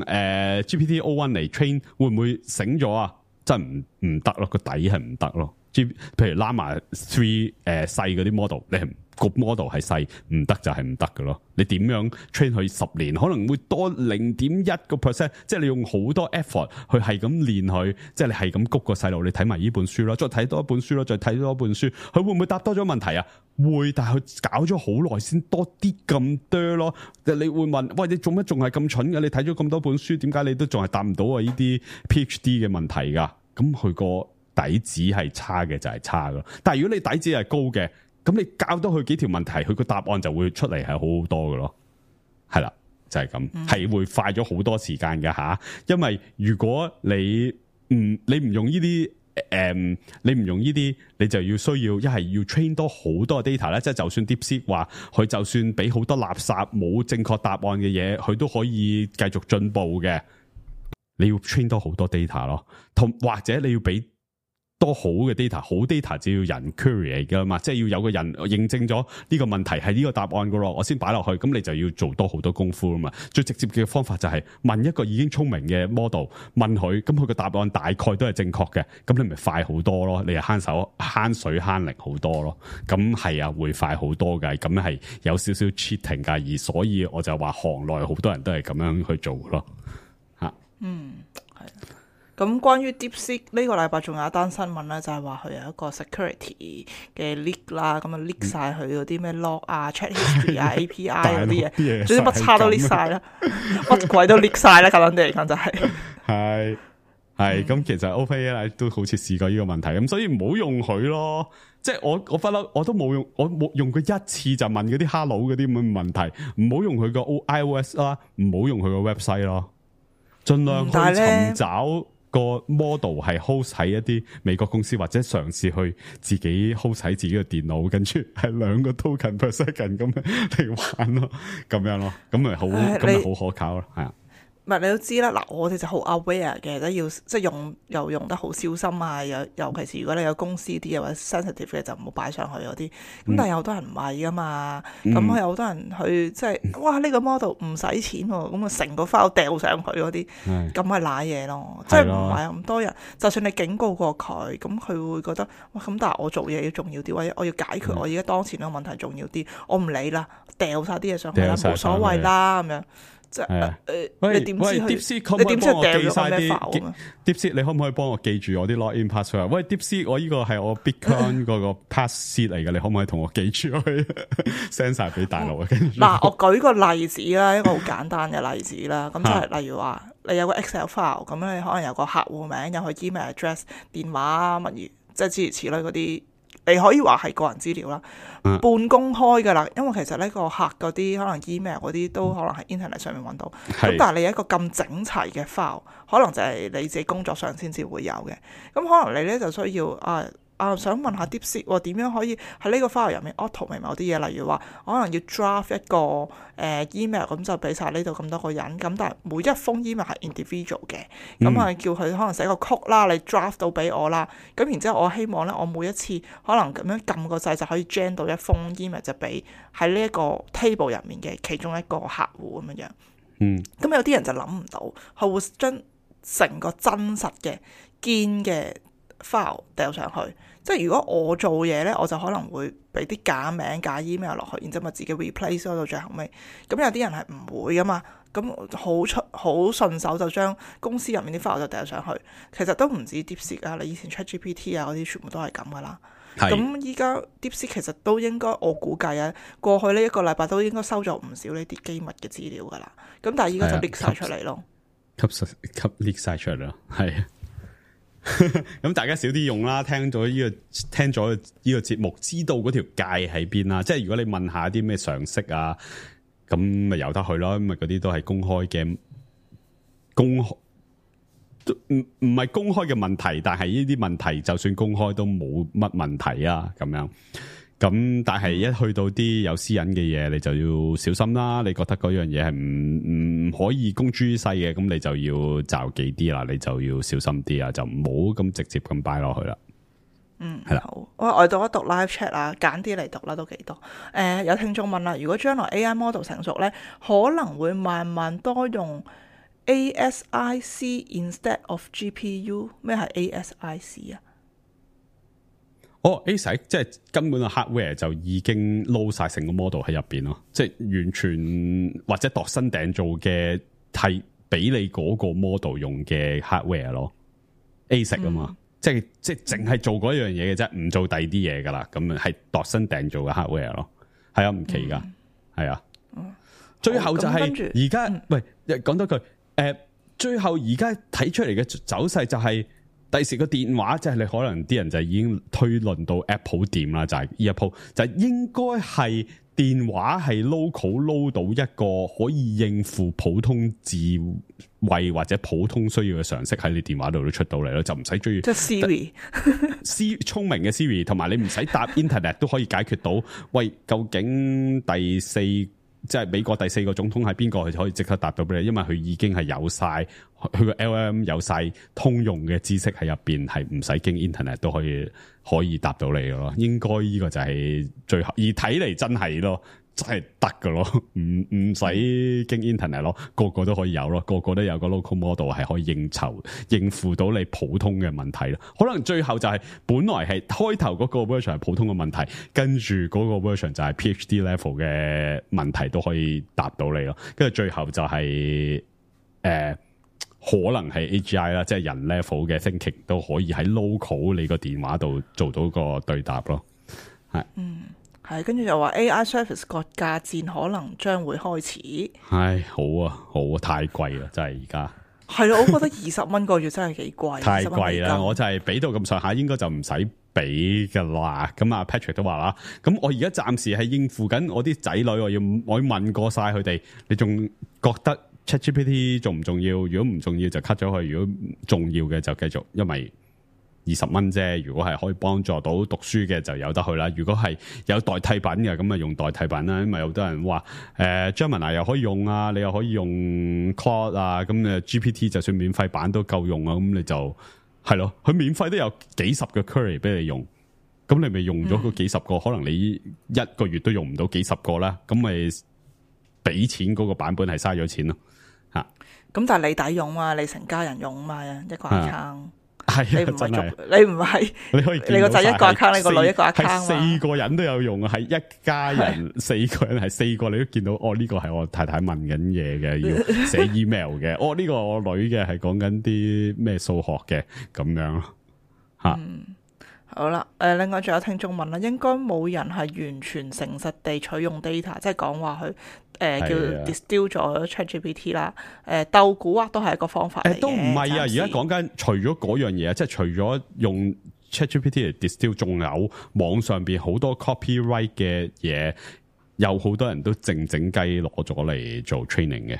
誒、呃、G P T O 一 嚟 train， 會唔會醒咗啊？真係唔唔得咯，個底係唔得咯。G，譬如 Llama 三誒細嗰啲 model， 你係個 model 係細，唔得就係唔得嘅咯。你點樣 train 佢十年，可能會多零點一個 percent， 即係你用好多 effort 去係咁練佢，即係你係咁谷個細路，你睇埋呢本書啦，再睇多一本書啦，再睇多一本書，佢會唔會答多咗問題啊？會，但係佢搞咗好耐先多啲咁多咯。你會問，喂，你做乜仲係咁蠢嘅？你睇咗咁多本書，點解你都仲係答唔到啊？呢啲 PhD 嘅問題噶，咁佢個底子係差嘅就係差咯，但係如果你底子係高嘅，咁你教多佢幾條問題，佢個答案就會出嚟係好好多嘅咯，係啦，就係、是、咁，係、嗯、會快咗好多時間嘅吓。因為如果你唔你唔用呢啲誒，你唔用呢啲，你就要需要一係要 train 多好多 data 咧，即係就算 DeepSeek 話佢就算俾好多垃圾冇正確答案嘅嘢，佢都可以繼續進步嘅。你要 train 多好多 data 咯，同或者你要俾多好嘅 data， 好 data 就要人 query 噶嘛，即係要有個人認證咗呢個問題係呢個答案噶咯，我先擺落去，咁你就要做多好多功夫啊嘛。最直接嘅方法就係問一個已經聰明嘅 model， 問佢，咁佢個答案大概都係正確嘅，咁你咪快好多咯，你係慳手慳水慳力好多咯。咁係啊，會快好多嘅，咁係有少少 cheating 噶，而所以我就話行內好多人都係咁樣去做咯。吓，嗯，係。咁關於 DeepSeek 呢個禮拜仲有一單新聞咧，就係話佢有一個 security 嘅 leak 啦，咁啊 leak 晒佢嗰啲咩 log 啊、chat history 啊、A P I 嗰啲嘢，總之乜叉都 leak 晒啦，乜鬼都 leak 晒啦，簡單啲嚟講就係、是。係係咁，其實 OpenAI 都好似試過呢個問題，咁所以唔好用佢咯。即係我我不嬲，我都冇用，我冇用佢一次就問嗰啲 hello 嗰啲咁嘅問題，唔好用佢個 iOS 啦，唔好用佢個 website 咯，盡量去尋找個 model 係 host 喺一啲美國公司，或者嘗試去自己 host 喺自己嘅電腦，跟住係兩個 token per second 咁嚟玩咯，咁樣咯，咁咪好，咁咪好可靠咯，係啊。唔係你都知啦，嗱我哋就好 aware 嘅，都要即係用又用得好小心啊，尤尤其是如果你有公司啲或者 sensitive 嘅就唔好擺上去嗰啲。咁、嗯、但係有好多人唔係噶嘛，咁佢有好多人去即係哇呢、呢個 model 唔使錢喎，咁啊成個 file 掉上去嗰啲，咁咪賴嘢咯。即係唔係咁多人，就算你警告過佢，咁佢會覺得哇咁，但係我做嘢要重要啲，或者我要解決我而家當前呢個問題重要啲，我唔理啦，掉晒啲嘢上去啦，冇所謂啦咁樣。即係誒，你點知佢？你點知掉咗咩 file 啊 ？DeepSeek，你可唔可以幫我記住我啲 login password？喂 ，DeepSeek，我呢個係我 Bitcoin 嗰個 passkey 嚟嘅，你可唔可以同我記住去 send 晒俾大陸啊？嗱，我舉個例子啦，一個好簡單嘅例子啦。咁就係例如話，你有個 Excel file，咁你可能有個客戶名，有佢 email address、電話啊乜嘢，即係諸如此類嗰啲。你可以話係個人資料啦，半公開噶啦，因為其實呢個客嗰啲可能 email 嗰啲都可能喺 internet 上面揾到，咁但係你一個咁整齊嘅 file， 可能就係你自己工作上先至會有嘅，咁可能你咧就需要啊啊想問下 DeepSeek 點樣可以喺呢個 file 入面 automate 某啲嘢，例如話可能要 draft 一個誒、呃、email， 咁就俾晒呢度咁多個人，咁但係每一封 email 係 individual 嘅，咁啊叫佢可能寫個曲啦，你 draft 到俾我啦，咁然之後我希望咧我每一次可能咁樣撳個掣就可以 gen 到一封 email 就俾喺呢一個 table 入面嘅其中一個客戶咁樣樣。嗯，咁有啲人就諗唔到，佢會將成個真實嘅堅嘅 file 掉上去。即係如果我做嘢咧，我就可能會俾啲假名假 email 落去，然之後咪自己 replace 到最後尾。咁有啲人係唔會噶嘛，咁好出好順手就將公司入面啲 file 就掉上去。其實都唔止 DeepSeek 啊，你以前 ChatGPT 啊嗰啲全部都係咁噶啦。咁依家 DeepSeek 其實都應該我估計啊，過去呢一個禮拜都應該收咗唔少呢啲機密嘅資料噶啦。咁但係依家就 leak 晒出嚟咯。吸實吸 leak 晒出嚟啦，係啊。咁大家少啲用啦，聽咗呢、這個聽咗呢個節目，知道嗰條界喺邊啦。即係如果你問下啲咩常識啊，咁咪由得去咯。因為嗰啲都係公開嘅，公開唔唔係公開嘅問題，但係呢啲問題就算公開都冇乜問題啊。咁樣。咁但係一去到啲有私隱嘅嘢，你就要小心啦。你覺得嗰樣嘢係唔唔可以公諸於世嘅，咁你就要就忌啲啦，你就要小心啲啊，就唔好咁直接咁擺落去啦。嗯，係啦。好，我我讀一讀 live chat 啦，揀啲嚟讀啦，都幾多。誒、呃，有聽眾問啦，如果將來 A I model 成熟咧，可能會慢慢多用 A S I C instead of G P U。咩係 A S I C 啊？哦 ，A S I C 即係根本個 hardware 就已經撈晒成個 model 喺入邊咯，即係完全或者度身訂做嘅係俾你嗰個 model 用嘅 hardware 咯 ，A S I C 啊嘛，嗯、即係即係淨係做嗰樣嘢嘅啫，唔做第二啲嘢噶啦，咁係度身訂做嘅 hardware 咯，係啊，唔奇噶，係、嗯、啊，嗯、最後就係而家，喂，講多句，誒、呃，最後而家睇出嚟嘅走勢就係、是。第時個電話即係你可能啲人就已經推論到 Apple 掂啦，就係呢一鋪就係應該係電話係 local 撈到一個可以應付普通智慧或者普通需要嘅常識喺你電話度都出到嚟咯，就唔使追。即係 Siri， Siri 聰明嘅 Siri， 同埋你唔使搭 Internet 都可以解決到。喂，究竟第四即係美國第四個總統係邊個？佢就可以即刻答到俾你，因為佢已經係有晒佢個 L M 有晒通用嘅知識喺入邊，係唔使經 internet 都可以可以答到你嘅咯。應該呢個就係最後，而睇嚟真係咯，真係得嘅咯，唔唔使經 internet 咯，個個都可以有咯，個個都有個 local model 係可以應酬應付到你普通嘅問題咯。可能最後就係、是、本來係開頭嗰個 version 係普通嘅問題，跟住嗰個 version 就係 PhD level 嘅問題都可以答到你咯。跟住最後就係、是、誒、呃、可能係 A G I 啦，即係人 level 嘅 thinking 都可以喺 local 你個電話度做到個對答咯。係嗯。係，跟住就話 A I service 個價戰可能將會開始。唉，好啊，好啊，太貴啦，真係而家。係咯，我覺得二十蚊個月真係幾貴。太貴啦，我就係俾到咁上下，應該就唔使俾噶啦。咁啊 Patrick 都話啦，咁我而家暫時係應付緊我啲仔女，我要我要問過晒佢哋，你仲覺得 ChatGPT 重唔重要？如果唔重要就 cut 咗佢，如果重要嘅就繼續，因為二十蚊啫，如果係可以幫助到讀書嘅就有得去啦。如果係有代替品嘅，咁咪用代替品啦。因為有好多人話誒 Gemini 又可以用啊，你又可以用 Claude 啊，咁誒 G P T 就算免費版都夠用啊。咁你就係咯，佢免費都有幾十個 query 俾你用，咁你咪用咗嗰幾十個，嗯、可能你一個月都用唔到幾十個啦。咁咪俾錢嗰個版本係嘥咗錢咯吓。咁但係你抵用嘛，你成家人用嘛，一個 account。係、啊，你唔係你唔係，你可以你個仔一個 account，你個女一個 account，四個人都有用啊！係一家人四個人，係四個你都見到。哦，呢、這個係我太太問緊嘢嘅，要寫 email 嘅。哦，呢、這個我女嘅係講緊啲咩數學嘅咁樣咯。吓、嗯，好啦，誒、呃，另外仲有聽眾問啦，應該冇人係完全誠實地取用 data， 即係講話佢。誒、呃、叫 distill 咗 ChatGPT 啦，誒鬥蠱惑都係一個方法嚟嘅。誒都唔係啊！而家講緊除咗嗰樣嘢啊，即係除咗用 ChatGPT 嚟 distill， 仲有網上邊好多 copyright 嘅嘢，有好多人都靜靜雞攞咗嚟做 training 嘅。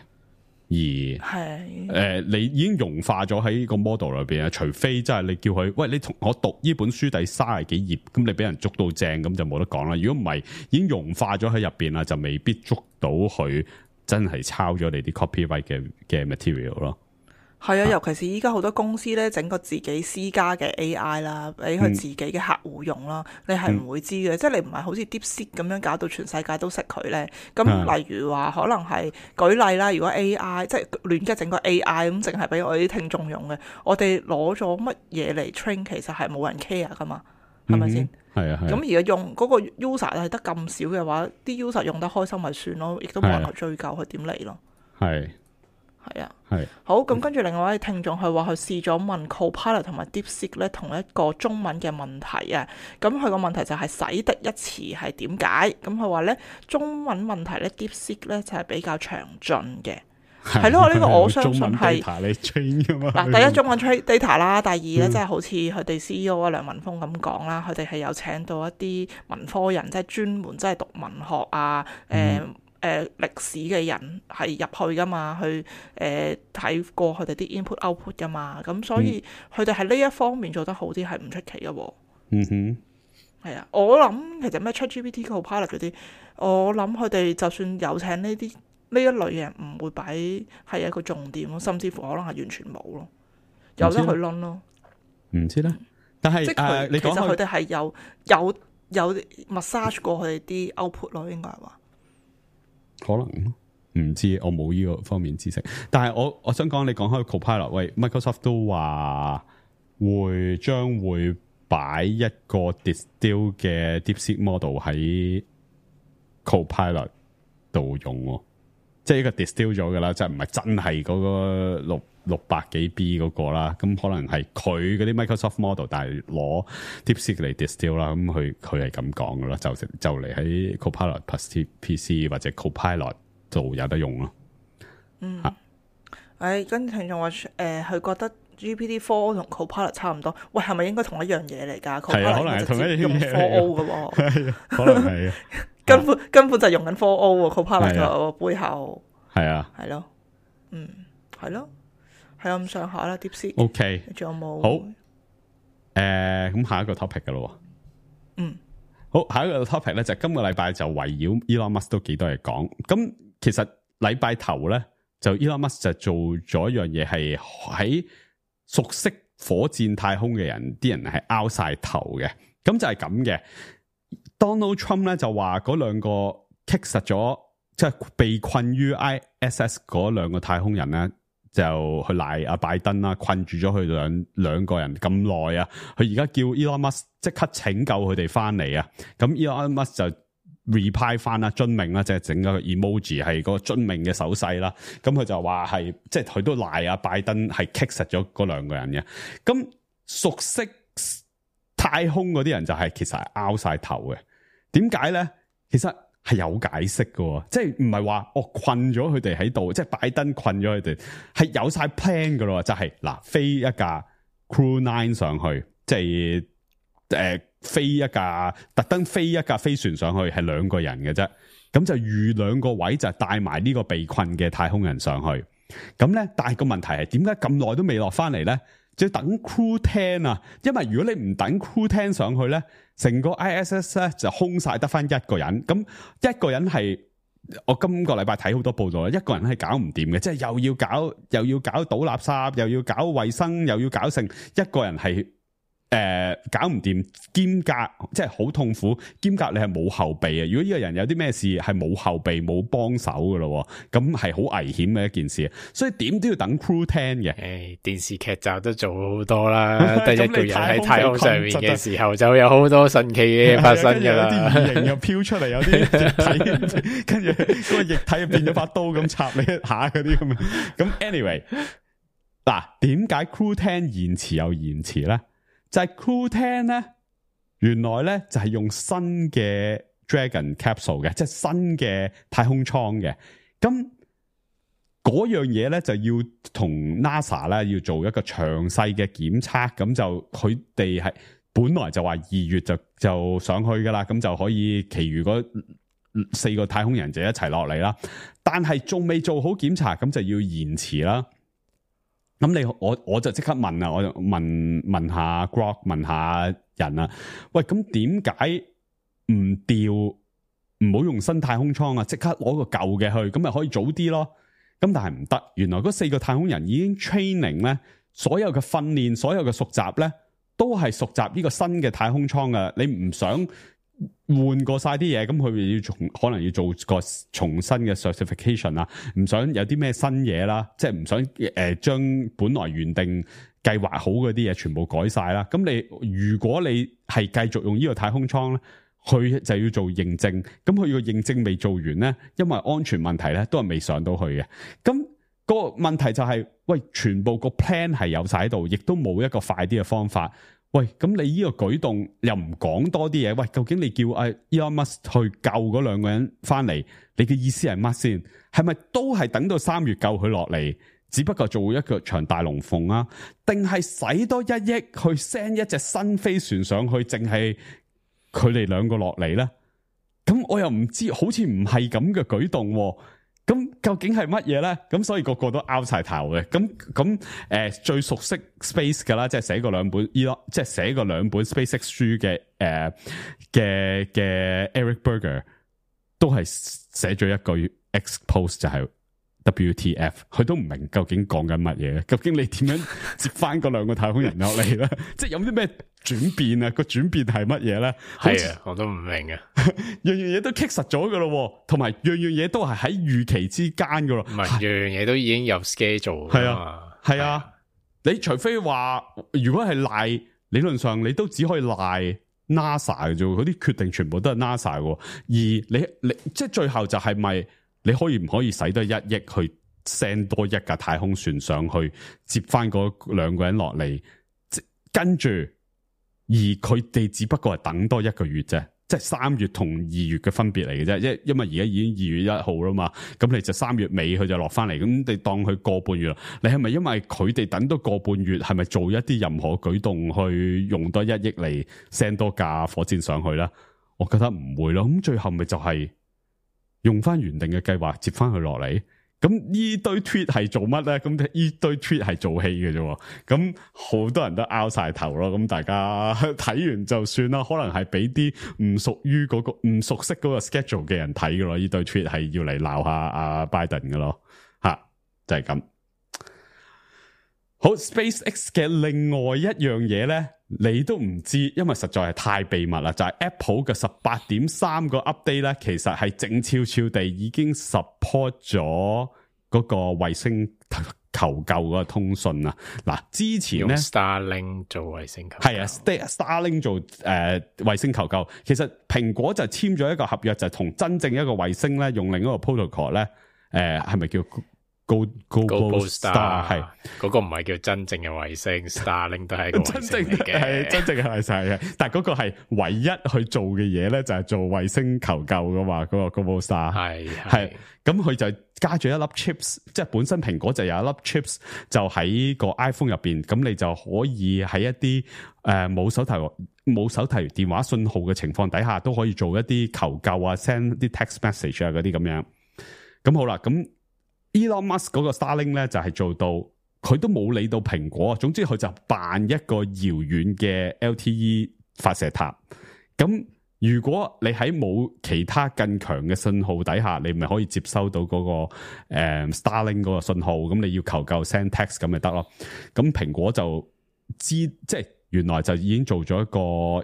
而係誒、呃，你已經融化咗喺個 model 裏邊啊！除非即係你叫佢，喂，你同我讀呢本書第三十幾頁，咁你俾人捉到正，咁就冇得講啦。如果唔係，已經融化咗喺入邊啦，就未必捉到佢真係抄咗你啲 copyright 嘅嘅 material 咯。係啊，尤其是依家好多公司咧，整個自己私家嘅 A I 啦，俾佢自己嘅客戶用啦，嗯、你係唔會知嘅，嗯、即係你唔係好似 DeepSeek 咁樣搞到全世界都識佢咧。咁例如話，可能係舉例啦，如果 A I 即係亂嘅整個 A I 咁，淨係俾我啲聽眾用嘅，我哋攞咗乜嘢嚟 train，其實係冇人 care 噶嘛，係咪先？係啊，咁而家用嗰個 user 係得咁少嘅話，啲 user 用得開心咪算咯，亦都冇人去追究佢點嚟咯。係。係啊，係好咁，跟住另外一位聽眾佢話佢試咗問 Copilot 同埋 DeepSeek 咧同一個中文嘅問題啊，咁佢個問題就係洗滌一詞係點解？咁佢話咧中文問題咧 DeepSeek 咧就係比較詳盡嘅，係咯，呢個我相信中文係 data 你 train 噶嘛。嗱，第一中文 trade data 啦，第二咧嗯即係好似佢哋 C E O 啊梁文峰咁講啦，佢哋係有請到一啲文科人，即係專門即係讀文學啊，誒誒歷史嘅人係入去噶嘛，去誒睇過佢哋啲 input output 噶嘛，咁所以佢哋喺呢一方面做得好啲係唔出奇嘅喎。嗯哼。係啊，我諗其實咩 ChatGPT Copilot 嗰啲，我諗佢哋就算有請呢啲呢一類嘅人，唔會擺係一個重點咯，甚至乎可能係完全冇咯，有得去撚咯。唔知咧，但係即係誒、呃，佢其實你講開佢哋係有有有 massage 過佢哋啲 output 咯，應該係話。可能唔知，我冇呢個方面知識。但係我我想講，你講開 Copilot，喂 ，Microsoft 都話會將會擺一個 distill 嘅 DeepSeek model 喺 Copilot 度用喎，即係一個 distill 咗噶啦，即係唔係真係嗰個六六百幾 B 嗰個啦。咁可能係佢嗰啲 Microsoft model，但係攞 DeepSeek 嚟 distill 啦。咁佢佢係咁講噶啦，就就嚟喺 Copilot Plus P C 或者 Copilot 度有得用咯。嗯，誒跟住聽眾話誒，佢覺得 G P T four 同 Copilot 差唔多，喂係咪應該同一樣嘢嚟㗎？係啊，可能係同一樣嘢用 four O 嘅喎，可能係啊，根本根本就用緊 four O 喎 Copilot 嘅背後係啊，係咯，嗯係咯，係咁上下啦 DeepSeek。OK，仲有冇？好，誒、呃、咁下一個 topic 㗎咯。嗯，好，下一個 topic 咧就今個禮拜就圍繞 Elon Musk 都幾多嘢講。咁其實禮拜頭咧就 Elon Musk 就做咗一樣嘢，係喺熟悉火箭太空嘅人，啲人係拗晒頭嘅。咁就係咁嘅。Donald Trump 咧就話嗰兩個棘實咗，即係被困於 I S S 嗰兩個太空人咧，就去賴阿拜登啦，困住咗佢兩兩個人咁耐啊。佢而家叫 Elon Musk 即刻拯救佢哋翻嚟啊。咁 Elon Musk 就 reply 翻啦，遵命啦，即係整個 emoji 係個遵命嘅手勢啦。咁佢就話係，即係佢都賴阿拜登係棘實咗嗰兩個人嘅。咁熟悉太空嗰啲人就係、是、其實係拗晒頭嘅。點解咧？其實係有解釋嘅，即係唔係話哦困咗佢哋喺度，即係拜登困咗佢哋，係有晒 plan 嘅咯。就係、是、嗱，飛一架 Crew Nine 上去，即係誒、呃、飛一架特登飛一架飛船上去，係兩個人嘅啫。咁就預兩個位就帶埋呢個被困嘅太空人上去。咁咧，但係個問題係點解咁耐都未落翻嚟咧？就要等 Crew Ten 啊，因為如果你唔等 Crew Ten 上去咧，成個 I S S 咧就空晒得翻一個人。咁一個人係我今個禮拜睇好多報道啦，一個人係搞唔掂嘅，即係又要搞又要搞倒垃圾，又要搞衛生，又要搞成一個人係。誒、呃，搞唔掂，兼隔即係好痛苦，兼隔你係冇後備啊！如果呢個人有啲咩事，係冇後備冇幫手噶咯，咁係好危險嘅一件事，所以點都要等 Crew Ten 嘅。誒，電視劇集都做好多啦，得一個人喺太空上面嘅時候，就有好多神奇嘅嘢發生噶啦。有啲異形又飄出嚟，有啲液體，跟住嗰個液體又變咗把刀咁插你一下嗰啲咁樣。咁 anyway， 嗱，點解 Crew Ten 延遲又延遲咧？就係 Crew Ten 咧，原來咧就係用新嘅 Dragon Capsule 嘅，即係新嘅太空艙嘅。咁嗰樣嘢咧就要同 NASA 咧要做一個詳細嘅檢測，咁就佢哋係本來就話二月就就上去噶啦，咁就可以其餘嗰四個太空人就一齊落嚟啦。但係仲未做好檢查，咁就要延遲啦。咁你我我就即刻問啊，我就問問下 Grok 問下人啊，喂，咁點解唔調唔好用新太空艙啊？即刻攞個舊嘅去，咁咪可以早啲咯？咁但係唔得，原來嗰四個太空人已經 training 咧，所有嘅訓練，所有嘅熟習咧，都係熟習呢個新嘅太空艙啊！你唔想換過晒啲嘢，咁佢要重可能要做個重新嘅 certification 啦，唔想有啲咩新嘢啦，即係唔想誒將、呃、本來原定計劃好嗰啲嘢全部改晒啦。咁你如果你係繼續用呢個太空艙咧，佢就要做認證，咁佢個認證未做完咧，因為安全問題咧，都係未上到去嘅。咁個問題就係、是，喂，全部個 plan 係有晒喺度，亦都冇一個快啲嘅方法。喂，咁你呢個舉動又唔講多啲嘢？喂，究竟你叫阿 Elon Musk 去救嗰兩個人翻嚟，你嘅意思係乜先？係咪都係等到三月救佢落嚟，只不過做一個場大龍鳳啊？定係使多一億去 send 一隻新飛船上去，淨係佢哋兩個落嚟咧？咁我又唔知，好似唔係咁嘅舉動喎。咁究竟係乜嘢咧？咁所以個個都拗晒頭嘅。咁咁誒，最熟悉 Space 噶啦，即係寫過兩本 Elon，即係寫過兩本 SpaceX 書嘅誒嘅嘅 Eric Berger 都係寫咗一句 X post 就係 W T F， 佢都唔明究竟講緊乜嘢。究竟你點樣接翻嗰兩個太空人落嚟咧？即係有啲咩轉變啊？個轉變係乜嘢咧？係啊，我都唔明啊。樣樣嘢都棘實咗噶咯，同埋樣樣嘢都係喺預期之間噶咯。唔係樣樣嘢都已經有 schedule 係啊，係啊。啊你除非話如果係賴，理論上你都只可以賴 NASA 嘅啫，嗰啲決定全部都係 NASA 嘅。而你你即係最後就係咪你可以唔可以使多一億去 send 多一架太空船上去接翻嗰兩個人落嚟，跟住而佢哋只不過係等多一個月啫。即係三月同二月嘅分別嚟嘅啫，因因為而家已經二月一號啦嘛，咁你就三月尾佢就落翻嚟，咁你當佢個半月啦。你係咪因為佢哋等多個半月，係咪做一啲任何舉動去用多一億嚟 send 多架火箭上去咧？我覺得唔會咯。咁最後咪就係用翻原定嘅計劃接翻佢落嚟。咁呢堆 tweet 係做乜咧？咁呢堆 tweet 係做戲嘅啫。咁好多人都拗晒頭咯。咁大家睇完就算啦。可能係俾啲唔屬於嗰個唔熟悉嗰個 schedule 嘅人睇嘅咯。呢堆 tweet 係要嚟鬧下阿 Biden 嘅咯。吓，就係咁。好 ，SpaceX 嘅另外一樣嘢咧，你都唔知，因為實在係太秘密啦。就係、是、Apple 嘅十八點三個 update 咧，其實係靜悄悄地已經 support 咗嗰個衛星求救嗰個通訊啊。嗱，之前咧 Starlink 做衛星求救，係啊 ，Starlink 做誒衛、呃、星求救。其實蘋果就簽咗一個合約，就同真正一個衛星咧，用另一個 protocol 咧，誒、呃，係咪叫？Go Global Star 係嗰個唔係叫真正嘅衛星，Starlink 都係一個衛星嚟嘅，係真正嘅衛星嘅。但係嗰個係唯一去做嘅嘢咧，就係做衛星求救噶嘛。嗰、那個 Global Star 係係咁，佢就加咗一粒 chips， 即係本身蘋果就有一粒 chips， 就喺個 iPhone 入邊，咁你就可以喺一啲誒冇手提冇手提電話信號嘅情況底下，都可以做一啲求救啊 ，send 啲 text message 啊嗰啲咁樣。咁好啦，咁。Elon Musk 嗰個 Starlink 咧就係做到，佢都冇理到蘋果，總之佢就扮一個遙遠嘅 L T E 發射塔。咁如果你喺冇其他更強嘅信號底下，你咪可以接收到嗰、那個誒、呃、Starlink 嗰個信號，咁你要求救 send text 咁咪得咯。咁蘋果就知即係。原來就已經做咗一個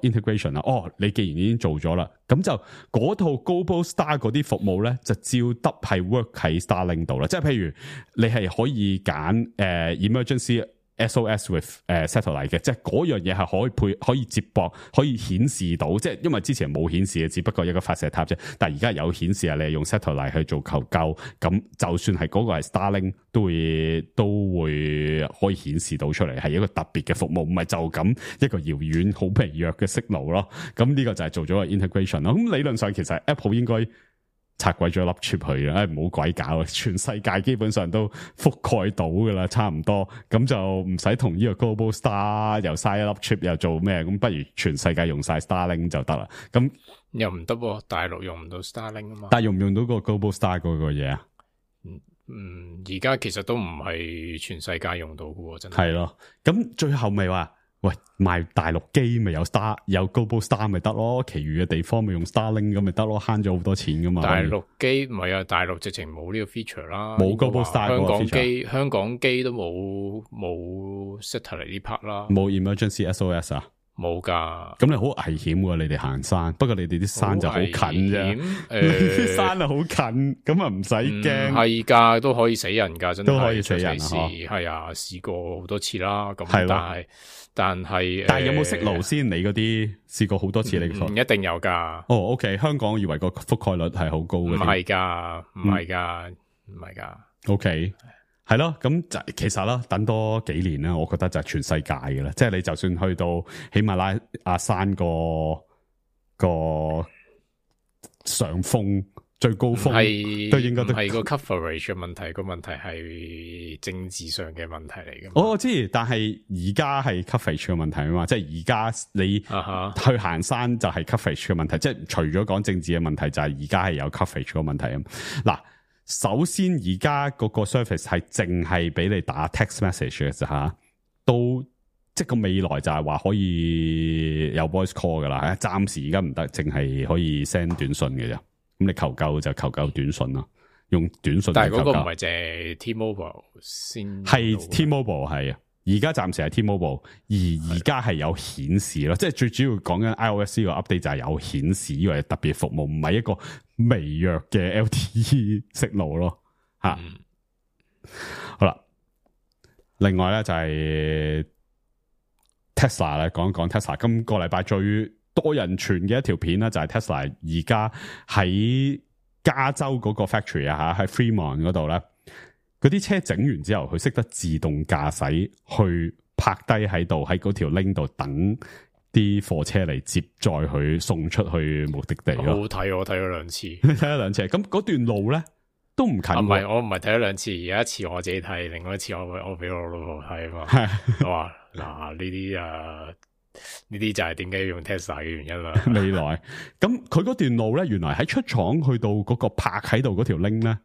integration 啦。哦，你既然已經做咗啦，咁就嗰套 Global Star 嗰啲服務咧，就照得係 work 喺 Starlink 度啦。即係譬如你係可以揀誒、呃、emergency S O S with 誒、呃、satellite 嘅，即係嗰樣嘢係可以配可以接駁，可以顯示到。即係因為之前冇顯示嘅，只不過一個發射塔啫。但係而家有顯示啊，你係用 satellite 去做求救，咁就算係嗰個係 Starlink 都會都會可以顯示到出嚟，係一個特別嘅服務，唔係就咁一個遙遠好疲弱嘅 signal 咯。咁呢個就係做咗個 integration 咯。咁理論上其實 Apple 應該拆鬼咗粒 chip 去嘅，唔好鬼搞，全世界基本上都覆蓋到噶啦，差唔多，咁就唔使同呢個 Global Star 又嘥一粒 chip 又做咩，咁不如全世界用晒 Starlink 就得啦。咁又唔得喎，大陸用唔到 Starlink 啊嘛。但係用唔用到個 Global Star 嗰個嘢啊？嗯，而家其實都唔係全世界用到嘅，真係。係咯，咁最後咪話。喂，賣大陸機咪有 Star 有 Global Star 咪得咯，其餘嘅地方咪用 Starlink 咁咪得咯，慳咗好多錢噶嘛。大陸機唔係啊，大陸直情冇呢個 feature 啦，冇 Global Star 香港 feature 機香港機都冇冇 satellite 呢 part 啦，冇 emergency S O S 啊，冇噶。咁你好危險喎，你哋行山，不過你哋啲山就好近啫，誒，山啊好近，咁啊唔使驚。係噶，都可以死人噶，真係都可以死人啊，係啊，試過好多次啦。咁係但係。但係，但係有冇識路先？你嗰啲試過好多次，你唔一定有噶。哦 ，OK，香港我以為個覆蓋率係好高嘅，唔係噶，唔係噶，唔係噶。OK，係咯，咁就其實啦，等多幾年啦，我覺得就係全世界嘅啦。即係你就算去到喜馬拉雅山個個上峰最高峰，都應該都係個 coverage 嘅問題，個問題係政治上嘅問題嚟嘅。我知，但係而家係 coverage 嘅問題啊嘛，即係而家你去行山就係 coverage 嘅問題，uh-huh. 即係除咗講政治嘅問題，就係而家係有 coverage 嘅問題啊。嗱。首先而家嗰個 service 係淨係俾你打 text message 嘅啫吓，都即係個未來就係話可以有 voice call 噶啦，暫時而家唔得，淨係可以 send 短信嘅啫。咁你求救就求救短信咯，用短信。但係嗰個唔係淨係 T-Mobile 先，係 T-Mobile 係啊，而家暫時係 T-Mobile， 而而家係有顯示咯，即係最主要講緊 iOS 呢個 update 就係有顯示，因為特別服務唔係一個微弱嘅 L T E 息路咯，吓、嗯，好啦。另外咧就係 Tesla 咧，講一講 Tesla 今個禮拜最多人傳嘅一條片咧，就係 Tesla 而家喺加州嗰個 factory 啊吓，喺 Fremont 嗰度咧，嗰啲車整完之後，佢識得自動駕駛去泊低喺度，喺嗰條 link 度等啲貨車嚟接載佢送出去目的地咯。好好睇，我睇咗兩次，睇咗兩次。咁嗰段路咧都唔近。唔係，我唔係睇咗兩次，有一次我自己睇，另外一次我我俾我老婆睇啊嘛。我話嗱呢啲啊，呢啲就係點解要用 Tesla 嘅原因啦。未來咁佢嗰段路咧，原來喺出廠去到嗰個泊喺度嗰條 link 咧，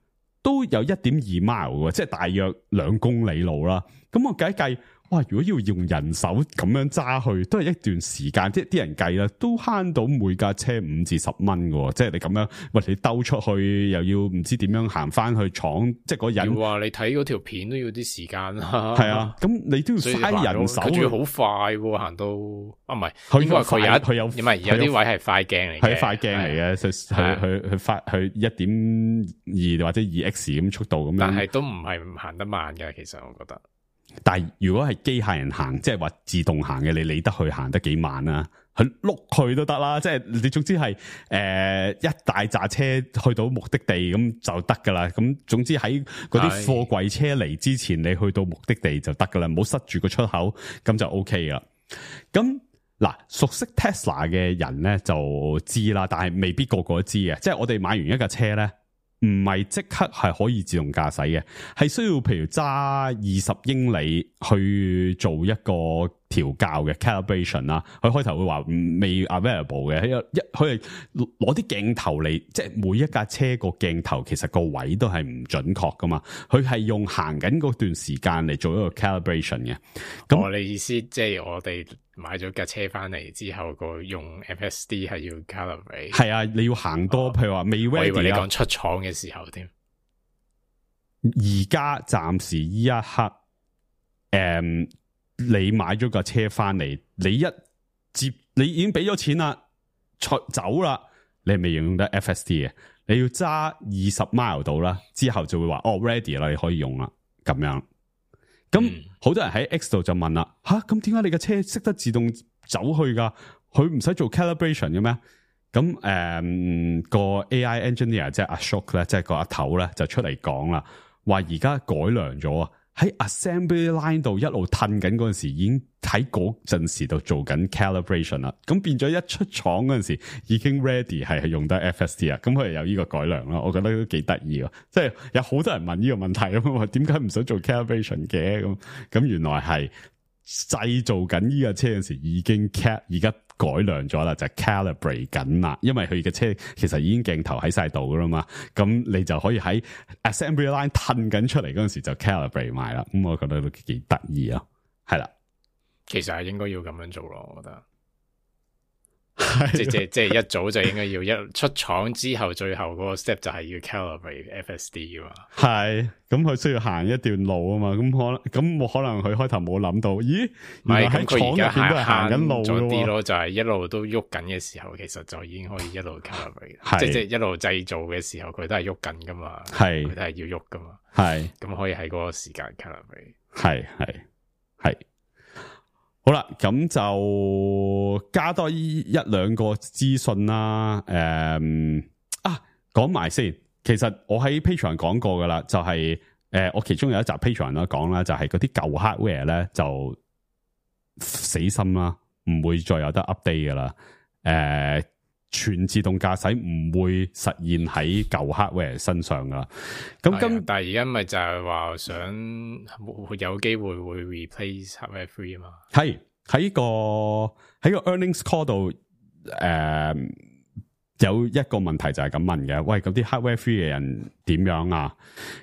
都有一點二 mile 嘅，即係大約兩公里路啦。咁我計一計。哇！如果要用人手咁樣揸去，都係一段時間，即係啲人計啦，都慳到每架車五至十蚊嘅，即係你咁樣，喂，你兜出去又要唔知點樣行翻去廠，即係嗰人話你睇嗰條片都要啲時間啦。係啊，咁你都要嘥人手，佢仲要好快喎，行到啊唔係，佢應該佢有佢有唔係有啲位係快鏡嚟嘅，係快鏡嚟嘅，佢佢佢發佢一點二或者二 X 咁速度咁樣，但係都唔係行得慢嘅，其實我覺得。但係如果係機械人行，即係話自動行嘅，你理得佢行得幾慢啊？佢碌佢都得啦，即係你總之係誒、呃、一大紮車去到目的地咁就得噶啦。咁總之喺嗰啲貨櫃車嚟之前，你去到目的地就得噶啦，唔好塞住個出口，咁就 O K 噶。咁嗱，熟悉 Tesla 嘅人咧就知啦，但係未必個個都知嘅。即係我哋買完一架車咧。唔係即刻係可以自動駕駛嘅，係需要譬如揸二十英里去做一個調校嘅 calibration 啦。佢開頭會話未 available 嘅，一佢係攞啲鏡頭嚟，即係每一架車個鏡頭其實個位都係唔準確噶嘛。佢係用行緊嗰段時間嚟做一個 calibration 嘅。咁我哋意思即係我哋買咗架車翻嚟之後，個用 F S D 係要 calibrate。係啊，你要行多，哦、譬如話未 ready 我以為你講出廠嘅時候添。而家暫時依一刻，誒、嗯，你買咗架車翻嚟，你一接，你已經俾咗錢啦，出走啦，你係未用得 F S D 嘅，你要揸二十 mile 度啦，之後就會話哦 ready 啦，你可以用啦，咁樣。咁好、嗯、多人喺 X 度就問啦，吓，咁點解你嘅車識得自動走去噶？佢唔使做 calibration 嘅咩？咁誒、嗯，個 A I engineer 即係阿 Ashok 咧，即係個阿頭咧，就出嚟講啦，話而家改良咗啊，喺 assembly line 度一路褪緊嗰陣時，已經喺嗰陣時度做緊 calibration 啦。咁變咗一出廠嗰陣時，已經 ready 係用得 F S D 啊。咁佢係有呢個改良啦，我覺得都幾得意啊。即係有好多人問呢個問題咁啊，點解唔想做 calibration 嘅？咁咁原來係製造緊呢架車嗰陣時已經 cal 而家。改良咗啦，就係 calibrate 緊啦，因為佢嘅車其實已經鏡頭喺晒度噶啦嘛，咁你就可以喺 assembly line 褪緊出嚟嗰陣時就 calibrate 埋啦，咁我覺得都幾得意啊，係啦，其實係應該要咁樣做咯，我覺得。即即即係一早就應該要一出廠之後，最後嗰個 step 就係要 calibrate F S D 噶嘛。係，咁佢需要行一段路啊嘛。咁可能咁我可能佢開頭冇諗到，咦？唔係喺廠入邊都係行緊路咗啲咯，就係一路都喐緊嘅時候，其實就已經可以一路 calibrate。即即一路製造嘅時候，佢都係喐緊噶嘛。係，佢都係要喐噶嘛。係，咁可以喺嗰個時間 calibrate。係係係。好啦，咁就加多一兩個資訊啦。誒、嗯、啊，講埋先。其實我喺 Patreon 講過噶啦，就係、是、呃，我其中有一集 Patreon 啦講啦，就係嗰啲舊 hardware 咧就死心啦，唔會再有得 update 噶啦。誒、呃，全自動駕駛唔會實現喺舊 hardware 身上噶啦。咁今但係而家咪就係話想有機會會 replace hardware three 啊嘛。係喺個喺個 earnings call 度誒。呃有一個問題就係咁問嘅，喂，咁啲 hardware free 嘅人點樣啊？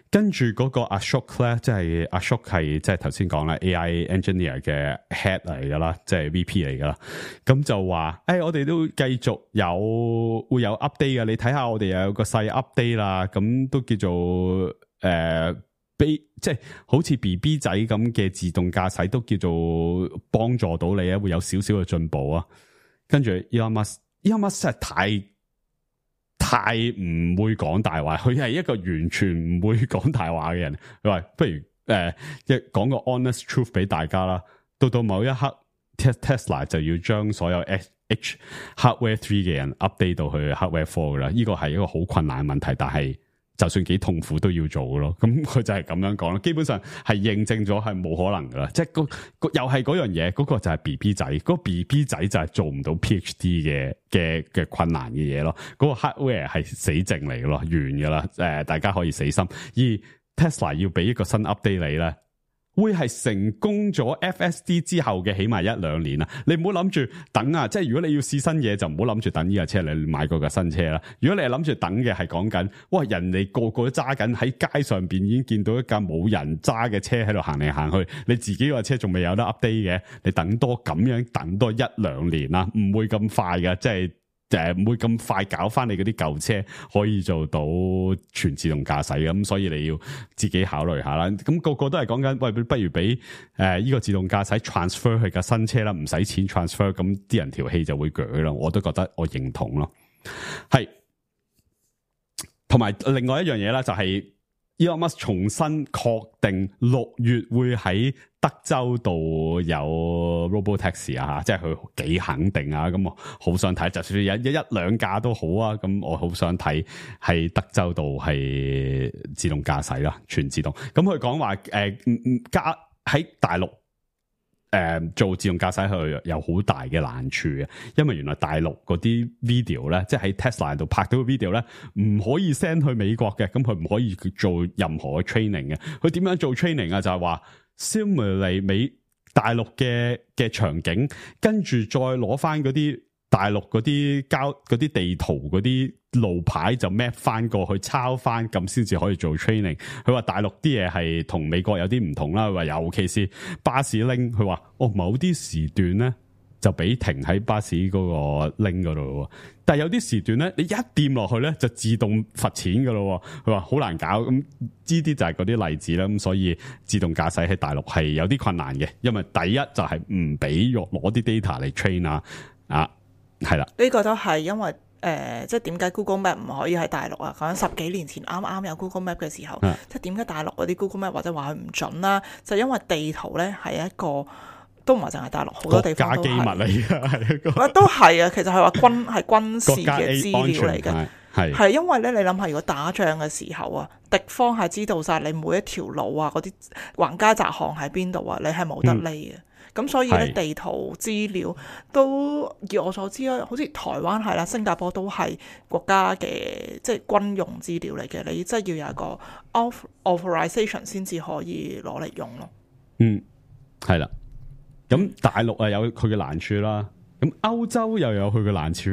跟住嗰個 Ashok 咧，即係 Ashok 係即係頭先講啦 A I engineer 嘅 head 嚟噶啦，即係 V P 嚟噶啦。咁就話，誒、哎，我哋都繼續有會有 update 嘅，你睇下我哋又有個細 update 啦，咁都叫做誒、呃，即係好似 B B 仔咁嘅自動駕駛都叫做幫助到你啊，會有少少嘅進步啊。跟住 Elon Musk，Elon Musk 真係太〜太唔會講大話，佢係一個完全唔會講大話嘅人。佢話不如誒，一、呃、講個 honest truth 俾大家啦。到到某一刻 ，Tesla 就要將所有 H hardware three 嘅人 update 到去 hardware four 噶啦。呢個係一個好困難嘅問題，但係就算幾痛苦都要做嘅咯。咁佢就係咁樣講啦。基本上係認證咗係冇可能噶啦。即係個又係嗰樣嘢，嗰、嗰個就係 B B 仔，嗰、嗰個 B B 仔就係做唔到 PhD 嘅。嘅嘅困難嘅嘢咯，嗰、那個 hardware 係死剩嚟嘅咯，完噶啦，誒、呃，大家可以死心。而 Tesla 要俾一個新 update 你咧，會係成功咗 F S D 之後嘅起碼一兩年啊！你唔好諗住等啊，即係如果你要試新嘢，就唔好諗住等呢架車你買過架新車啦。如果你係諗住等嘅，係講緊，哇，人哋個個都揸緊喺街上邊已經見到一架冇人揸嘅車喺度行嚟行去，你自己個車仲未有得 update 嘅，你等多咁樣等多一兩年啦，唔會咁快噶，即係。誒，唔會咁快搞翻你嗰啲舊車可以做到全自動駕駛嘅，咁所以你要自己考慮下啦。咁、那個個都係講緊，喂，不如俾誒呢個自動駕駛 transfer 去架新車啦，唔使錢 transfer，咁啲人條氣就會鋸啦。我都覺得我認同咯。係，同埋另外一樣嘢啦，就係 Elon Musk 重新確定六月會喺德州度有 Robotaxi 啊，即係佢幾肯定啊，咁我好想睇，就算有一一兩架都好啊，咁我好想睇喺德州度係自動駕駛啦，全自動。咁佢講話誒，加喺大陸誒、呃、做自動駕駛佢有好大嘅難處嘅，因為原來大陸嗰啲 video 咧，即係喺 Tesla 度拍到嘅 video 咧，唔可以 send 去美國嘅，咁佢唔可以做任何嘅 training 嘅。佢點樣做 training 啊？就係話simulate美大陸嘅嘅場景，跟住再攞翻嗰啲大陸嗰啲交嗰啲地圖嗰啲路牌就 map 翻過去抄翻，咁先至可以做 training。佢話大陸啲嘢係同美國有啲唔同啦，佢話尤其是巴士 link，佢話哦某啲時段咧就俾停喺巴士嗰個 link 嗰度，但係有啲時段咧，你一掂落去咧就自動罰錢噶咯。佢話好難搞，咁呢啲就係嗰啲例子啦。咁所以自動駕駛喺大陸係有啲困難嘅，因為第一就係唔俾攞攞啲 data 嚟 train 啊，啊係啦，呢個都係因為誒、呃，即係點解 Google Map 唔可以喺大陸啊？講緊十幾年前啱啱有 Google Map 嘅時候，啊、即係點解大陸嗰啲 Google Map 或者話佢唔準啦？就因為地圖咧係一個。都唔係淨係大陸，好多地方都係。國家機密嚟㗎，係一個。都係啊，其實係話軍係軍事嘅資料嚟嘅，係係因為咧，你諗下，如果打仗嘅時候啊，敵方係知道晒你每一條路啊，嗰啲橫街窄巷喺邊度啊，你係冇得匿嘅。咁、嗯、所以咧，地圖資料都以我所知啊，好似台灣係啦，新加坡都係國家嘅即係軍用資料嚟嘅，你真係要有一個 authorization 先至可以攞嚟用咯。嗯，係啦。咁大陸啊有佢嘅難處啦，咁歐洲又有佢嘅難處。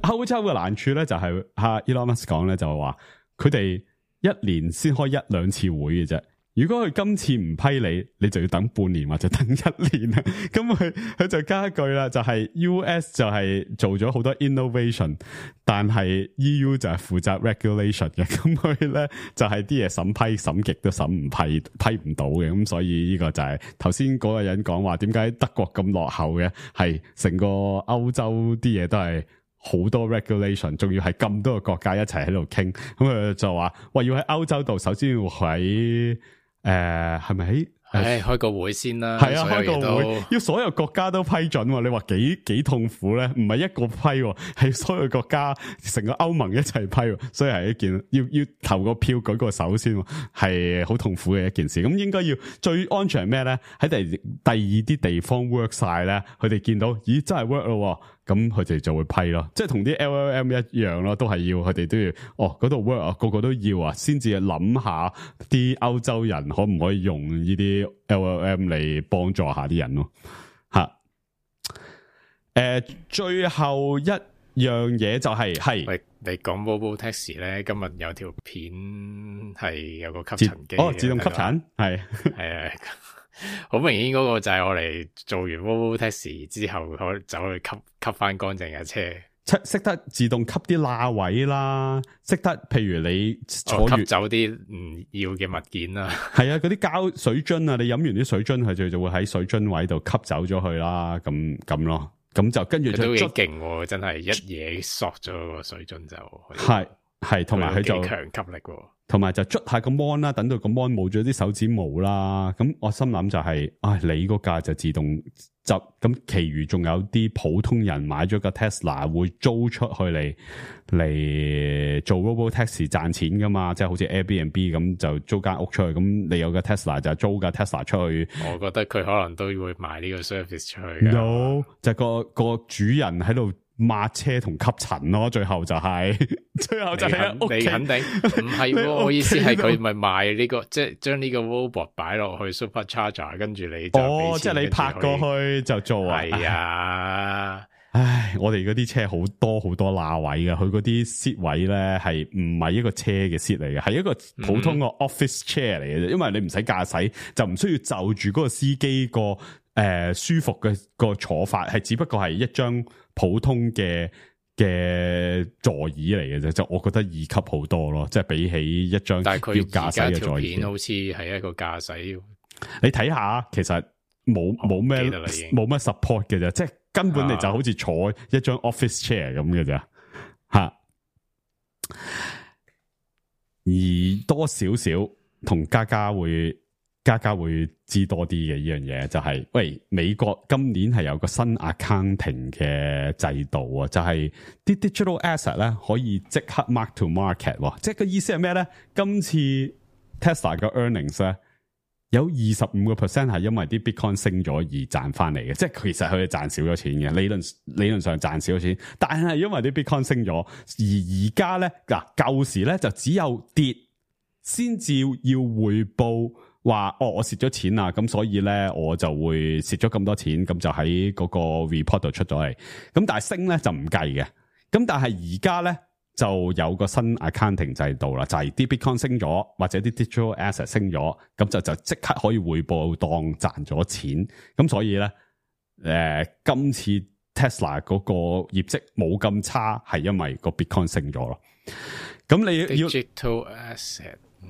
歐洲嘅難處咧就係阿 Elon Musk 講咧就係話，佢哋一年先開一兩次會嘅啫。如果佢今次唔批你，你就要等半年或者等一年啦。咁佢佢就加一句啦，就係 U S 就係做咗好多 innovation， 但係 E U 就係負責 regulation 嘅。咁佢咧就係啲嘢審批審極都審唔批批唔到嘅。咁所以呢個就係頭先嗰個人講話，點解德國咁落後嘅？係成個歐洲啲嘢都係好多 regulation， 仲要係咁多個國家一齊喺度傾。咁佢就話，喂，要喺歐洲度，首先要喺誒，係咪喺唉，開個會先啦。係啊，開個都會要所有國家都批准喎。你話幾幾痛苦咧？唔係一個批喎，係所有國家成個歐盟一齊批喎，所以係一件要要投個票舉個手先，係好痛苦嘅一件事。咁應該要最安全係咩咧？喺第第二啲地方 work 晒咧，佢哋見到咦真係 work 咯，咁佢哋就會批咯。即係同啲 L L M 一樣咯，都係要佢哋都要哦嗰度 work 啊，個個都要啊，先至諗下啲歐洲人可唔可以用呢啲 L L M 嚟幫助下啲人咯，吓，誒、呃，最後一樣嘢就係、是、係，喂，你講 Robo Taxi 咧，今日有條片係有個吸塵機，哦，自動吸塵，係係啊，好明顯嗰個就係我哋做完 Robo Taxi 之後，可走去吸吸翻乾淨嘅車。識得自動吸啲罅位啦，識得譬如你坐完、哦、吸走啲唔要嘅物件啦，係啊，嗰啲膠水樽啊，你飲完啲水樽，佢就就會喺水樽位度吸走咗佢啦，咁咁咯，咁就跟住就都幾勁，真係一嘢索咗個水樽就係係，同埋佢就強吸力，同埋就捽下個 mon 啦，等到個 mon 冇咗啲手指毛啦，咁我心諗就係、是，唉、哎，你嗰架就自動執，咁其餘仲有啲普通人買咗個 Tesla 會租出去嚟嚟做 Robo Taxi 賺錢噶嘛，即係好似 Airbnb 咁就租間屋出去，咁你有個 Tesla 就租架 Tesla 出去。我覺得佢可能都會賣呢個 service 出去。No， 就個個主人喺度抹車同吸塵咯，最後就係、是，最後就係你，你肯定唔係，我意思係佢咪賣呢個，即係將呢個 robot 擺落去 supercharger， 跟住你就哦，即係你拍過去就做啊，係啊，唉，我哋嗰啲車好多好多罅位嘅，佢嗰啲 seat 位咧係唔係一個車嘅 seat 嚟嘅，係一個普通個 office chair 嚟嘅啫，因為你唔使駕駛，就唔需要就住嗰個司機個誒、呃、舒服嘅個坐法，係只不過係一張普通嘅嘅座椅嚟嘅啫，就我覺得二級好多咯，即係比起一張要駕駛嘅座椅，好似係一個駕駛。你睇下，其實冇冇咩冇乜 support 嘅啫，即係根本你就好似坐一張 office chair 咁嘅啫，吓、啊。而多少少同家家會。家家會知多啲嘅呢樣嘢，就係、是、喂，美國今年係有個新 accounting 嘅制度啊，就係、是、啲 digital asset 咧可以即刻 mark to market，即係個意思係咩咧？今次 Tesla 嘅 earnings 咧有二十五個 percent 係因為啲 bitcoin 升咗而賺翻嚟嘅，即係其實佢哋賺少咗錢嘅，理論理論上賺少咗錢，但係因為啲 bitcoin 升咗，而而家咧嗱舊時咧就只有跌先至要匯報。話哦，我蝕咗錢啦，咁所以咧我就會蝕咗咁多錢，咁就喺嗰個 report 度出咗嚟。咁但係升咧就唔計嘅。咁但係而家咧就有個新 accounting 制度啦，就係、是、啲 bitcoin 升咗或者啲 digital asset 升咗，咁就就即刻可以匯報當賺咗錢。咁所以咧，誒、呃、今次 Tesla 嗰個業績冇咁差，係因為個 bitcoin 升咗咯。咁你要 digital asset， 嗯。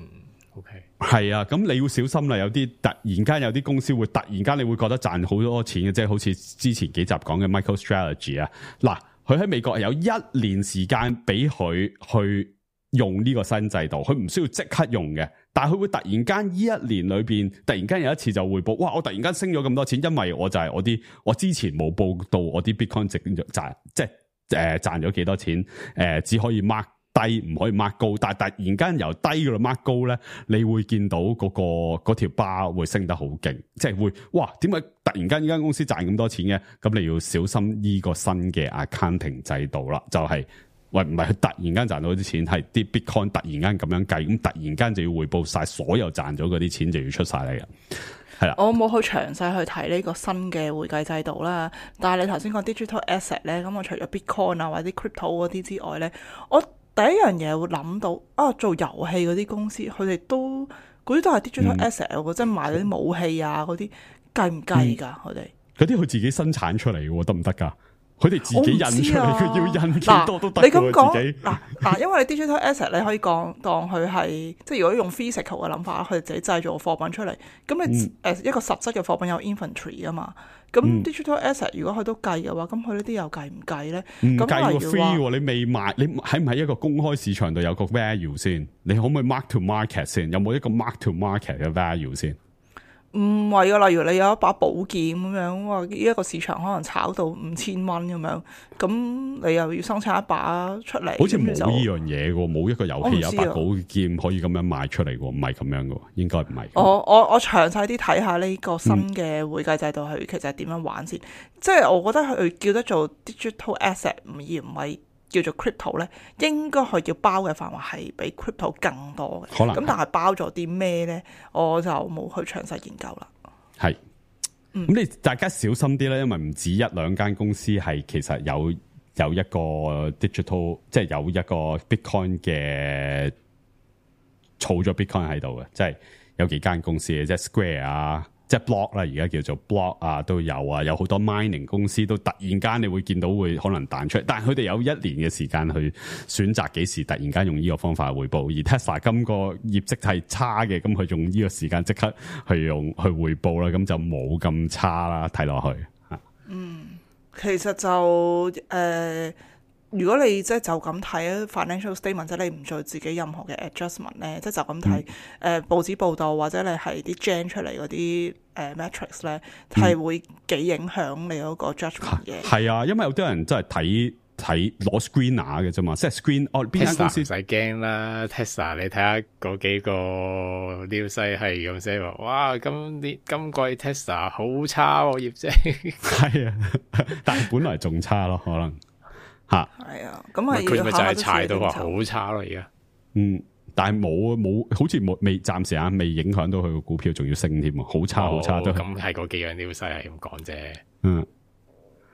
係、okay. 啊，咁你要小心啦。有啲突然間有啲公司會突然間你會覺得賺好多錢嘅，即係好似之前幾集講嘅 MicroStrategy 啊。嗱，佢喺美國有一年時間俾佢去用呢個新制度，佢唔需要即刻用嘅，但係佢會突然間呢一年裏邊突然間有一次就匯報，哇！我突然間升咗咁多錢，因為我就係我啲我之前冇報到我啲 Bitcoin 值賺，即係誒賺咗幾多錢，誒、呃、只可以 mark。低唔可以 mark 高，但係突然間由低嗰度 mark 高咧，你會見到嗰、嗰個嗰條 bar 會升得好勁，即係會哇！點解突然間呢間公司賺咁多錢嘅？咁你要小心呢個新嘅 accounting 制度啦，就係、係、喂唔係佢突然間賺到啲錢，係啲 bitcoin 突然間咁樣計，咁突然間就要匯報晒所有賺咗嗰啲錢就要出晒嚟嘅。係啦，我冇去詳細去睇呢個新嘅會計制度啦，但係你頭先講 digital asset 咧，咁我除咗 bitcoin 啊或者 crypto 嗰啲之外咧，我第一樣嘢會諗到啊，做遊戲嗰啲公司，佢哋都嗰啲都係 digital asset，嗯、即係賣嗰啲武器啊嗰啲，計唔計㗎？佢哋嗰啲佢自己生產出嚟嘅，得唔得㗎？佢哋自己印出嚟，佢、啊、要印幾多都得。你咁講嗱嗱，因為你 digital asset 你可以講當佢係即係如果用 physical 嘅諗法，佢哋自己製造貨品出嚟，咁你誒、嗯、一個實質嘅貨品有 inventory 啊嘛。咁 digital asset 如果佢都計嘅話，咁佢呢啲又計唔計咧？唔計個 free，你未賣，你喺唔喺一個公開市場度有個 value 先？你可唔可以 mark to market 先？有冇一個 mark to market 嘅 value 先？唔係啊，例如你有一把寶劍咁樣，哇！呢一個市場可能炒到五千蚊咁樣，咁你又要生產一把出嚟，好似冇呢咁就樣嘢嘅，冇一個遊戲有我唔知啊把寶劍可以咁樣賣出嚟嘅，唔係咁樣嘅，應該唔係。我我我詳細啲睇下呢個新嘅會計制度，佢其實係點樣玩先？即係我覺得佢叫得做 digital asset，而唔係叫做 crypto 咧，應該佢要包嘅範圍係比 crypto 更多嘅。可能咁，但係包咗啲咩咧，我就冇去詳細研究啦。係，咁你大家小心啲咧，因為唔止一兩間公司係其實有有一個 digital，即係有一個 Bitcoin 嘅儲咗 Bitcoin 喺度嘅，即係有幾間公司嘅，即係 Square 啊。即係 block 啦，而家叫做 block 啊，都有啊，有好多 mining 公司都突然間你會見到會可能彈出嚟，但係佢哋有一年嘅時間去選擇幾時突然間用呢個方法去匯報，而 Tesla 今個業績係差嘅，咁佢用呢個時間即刻去用去匯報啦，咁就冇咁差啦，睇落去嚇。嗯，其實就誒。呃如果你即係就咁睇 financial statement，即係你唔做自己任何嘅 adjustment 咧，即係就咁睇誒報紙報道或者你係啲 gen 出嚟嗰啲誒 metrics 咧，係、嗯、會幾影響你嗰個 judgment 嘅。係啊，因為有啲人真係睇睇攞 screener 嘅啫嘛，即係 screen 哦邊間公司唔使驚啦 ，Tesla 你睇下嗰幾個 news 係咁寫話，哇今年今季 Tesla 好差喎、啊、業績，係啊，但係本來仲差咯，可能。吓，係啊，咁係佢咪就係踩到話好差咯而家，嗯，但係冇冇，好似冇未暫時啊，未影響到佢個股票，仲要升添啊，好差好差都，咁係嗰幾樣 news 係咁講啫，嗯。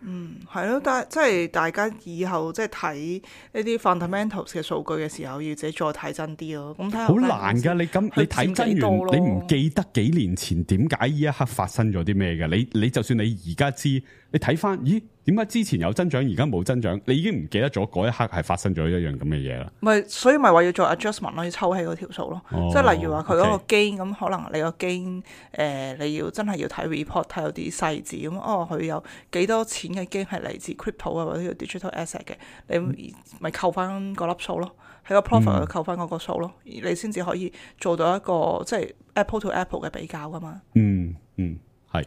嗯，係咯，但係即係大家以後即係睇呢啲 fundamentals 嘅數據嘅時候，要自己再睇真啲咯。咁睇下好難噶，你咁你睇真完，你唔記得幾年前點解呢一刻發生咗啲咩嘅？你你就算你而家知，你睇翻，咦？點解之前有增長，而家冇增長？你已經唔記得咗嗰一刻係發生咗一樣咁嘅嘢啦。咪所以咪話要做 adjustment 咯，要抽起嗰條數咯。哦、即係例如話佢嗰個 gain 咁 okay. 可能你個 gain 誒你要真係要睇 report 睇有啲細字咁，哦佢有幾多錢嘅 gain 係嚟自 crypto 啊或者 digital asset 嘅，你咪扣翻嗰粒數咯，喺個 profit 度扣翻嗰個數咯，嗯、你先至可以做到一個即係 apple to apple 嘅比較噶嘛。嗯嗯，係。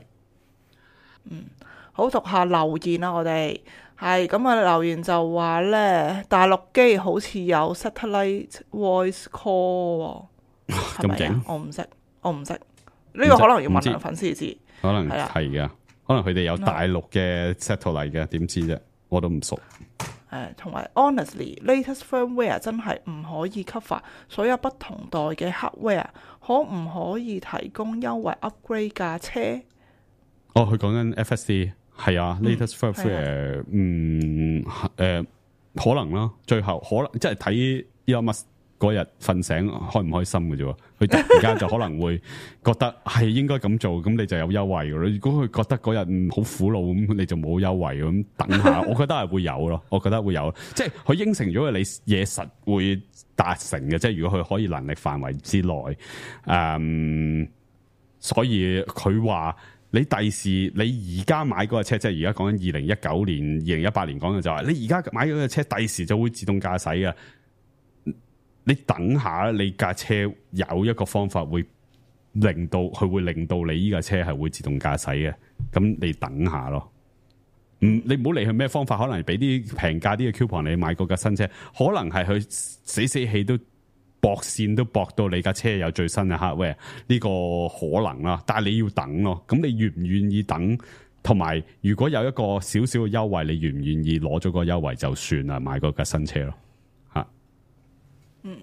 嗯。好，讀下留言啦，我哋係咁啊！留言就話咧，大陸機好似有 satellite voice call，係咪啊？我唔識，我唔識，呢、這個可能要問下粉絲知，可能係嘅，可能佢哋有大陸嘅 satellite 嘅，點知啫？我都唔熟。誒，同埋 honestly，latest firmware 真係唔可以 cover 所有不同代嘅 hardware，可唔可以提供優惠 upgrade 架車？哦，佢講緊 F S D。係啊 ，latest firmware，嗯，誒、呃，可能啦，最後可能即係睇 Elon Musk 嗰日瞓醒開唔開心嘅啫，佢突然間就可能會覺得係應該咁做，咁你就有優惠嘅。如果佢覺得嗰日唔好苦惱，咁你就冇優惠咁，等下，我覺得係會有咯，我覺得會有，即係佢應承咗你嘢實會達成嘅，即係如果佢可以能力範圍之內，誒、嗯，所以佢話。你第時你而家買嗰架車，即係而家講緊二零一九年、二零一八年講嘅就係，你而家買嗰架車，第時就會自動駕駛嘅。你等下，你架車有一個方法會令到佢會令到你呢架車係會自動駕駛嘅。咁你等下咯。嗯，你唔好理佢咩方法，可能俾啲平價啲嘅 coupon 你買嗰架新車，可能係佢死死氣都。駁線都駁到你架車有最新嘅 hardware， 呢個可能啦，但係你要等咯。咁你願唔願意等？同埋如果有一個少少嘅優惠，你願唔願意攞咗個優惠就算啦，買嗰架新車咯。吓，嗯，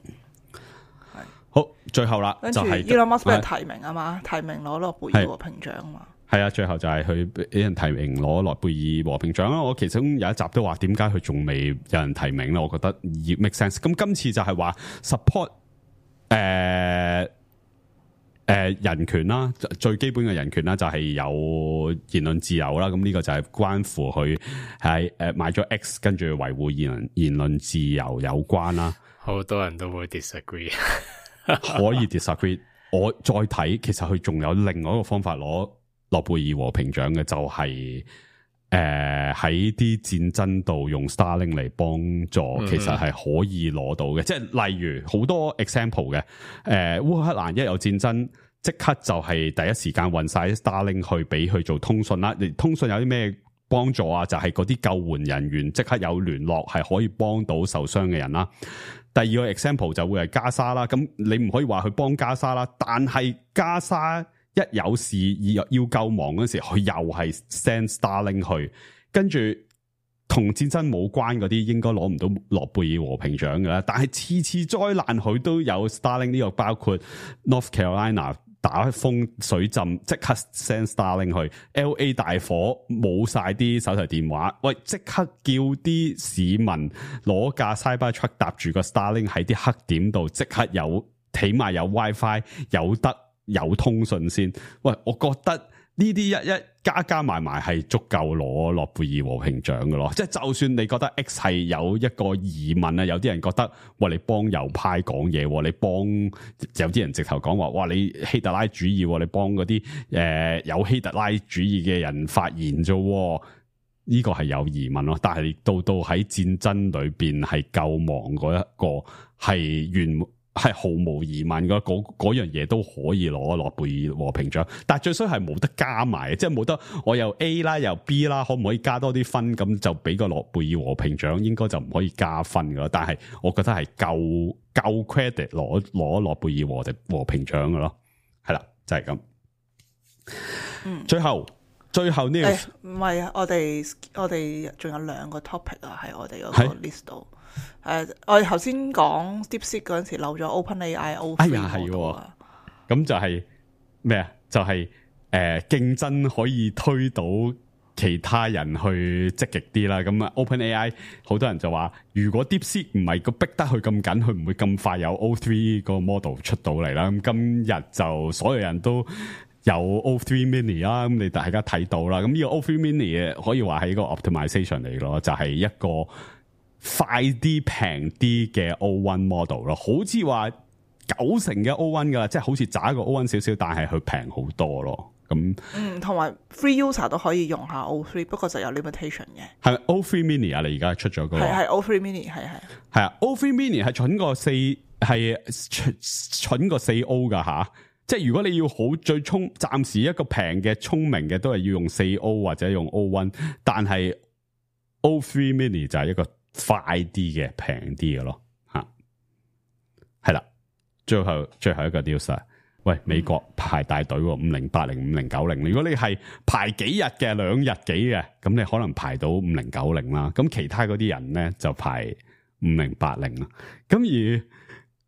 係好，最後啦，就係 Elon Musk 俾人提名啊嘛，提名攞諾貝爾和平獎啊嘛。係啊，最後就係佢俾人提名攞諾貝爾和平獎啦。我其中有一集都話，點解佢仲未有人提名咧？我覺得要 make sense。咁今次就係話 support 誒、呃、誒、呃、人權啦，最基本嘅人權啦，就係有言論自由啦。咁呢個就係關乎佢係誒買咗 X， 跟住維護言論言論自由有關啦。好多人都會 disagree，可以 disagree。我再睇，其實佢仲有另外一個方法攞諾貝爾和平獎嘅，就係誒喺啲戰爭度用 Starlink 嚟幫助，嗯、其實係可以攞到嘅。即係例如好多 example 嘅，誒、呃、烏克蘭一有戰爭即刻就係第一時間運晒 Starlink 去俾佢做通訊啦。通訊有啲咩幫助啊？就係嗰啲救援人員即刻有聯絡，係可以幫到受傷嘅人啦。第二個 example 就會係加沙啦。咁你唔可以話去幫加沙啦，但係加沙一有事要要救亡嗰時，佢又係 send Starlink 去，跟住同戰爭冇關嗰啲應該攞唔到諾貝爾和平獎嘅啦。但係次次災難佢都有 Starlink 呢個，包括 North Carolina 打風水浸，即刻 send Starlink 去 ；L A 大火冇晒啲手提電話，喂，即刻叫啲市民攞架 Cybertruck 搭住個 Starlink 喺啲黑點度，即刻有起碼有 WiFi 有得有通訊先。喂，我覺得呢啲一一加加埋埋係足夠攞諾貝爾和平獎嘅咯。即係就算你覺得 X 係有一個疑問啊，有啲人覺得喂，你幫右派講嘢，你幫有啲人直頭講話哇，你希特拉主義，你幫嗰啲誒有希特拉主義嘅人發言啫。呢個係有疑問咯。但係到到喺戰爭裏邊係救亡嗰一個係原。係毫無疑問嘅，嗰嗰樣嘢都可以攞諾貝爾和平獎，但係最衰係冇得加埋，即係冇得我又 A 啦又 B 啦，可唔可以加多啲分咁就俾個諾貝爾和平獎？應該就唔可以加分噶啦。但係我覺得係夠夠 credit 攞攞諾貝爾和和平獎嘅咯，係啦，就係咁。嗯，最後最後呢？唔係啊，我哋我哋仲有兩個 topic 啊，喺我哋嗰個 list 度。誒，uh, 我哋頭先講 DeepSeek 嗰陣時漏咗 OpenAI O 三 哎呀係喎，咁就係咩啊？就係誒競爭可以推到其他人去積極啲啦。咁啊 OpenAI 好多人就話，如果 DeepSeek 唔係個逼得佢咁緊，佢唔會咁快有 O 三 個 model 出到嚟啦。咁今日就所有人都有 O 三 Mini 啦，咁你大家睇到啦。咁呢個 O 三 Mini 可以話係一個 optimization 嚟咯，就係、是、一個快啲平啲嘅 O 一 model 咯，好似話九成嘅 O 一 噶啦，即係好似渣個 O 一 少少，但係佢平好多咯。咁嗯，同埋 free user 都可以用下 O 三，不過就有 limitation 嘅。係咪 O 三 Mini 啊？你而家出咗嗰個係係 O 三 Mini 係係係啊 ，O 三 Mini 係蠢過四係蠢蠢過四 O 噶吓。即係如果你要好最聰，暫時一個平嘅聰明嘅都係要用四 O 或者用 O 一，但係 O 三 Mini 就係一個快啲嘅平啲嘅咯，吓係啦。最後最後一個 news， 喂，美國排大隊五零八零五零九零，如果你係排幾日嘅兩日幾嘅，咁你可能排到五零九零啦。咁其他嗰啲人咧就排五零八零啦。咁而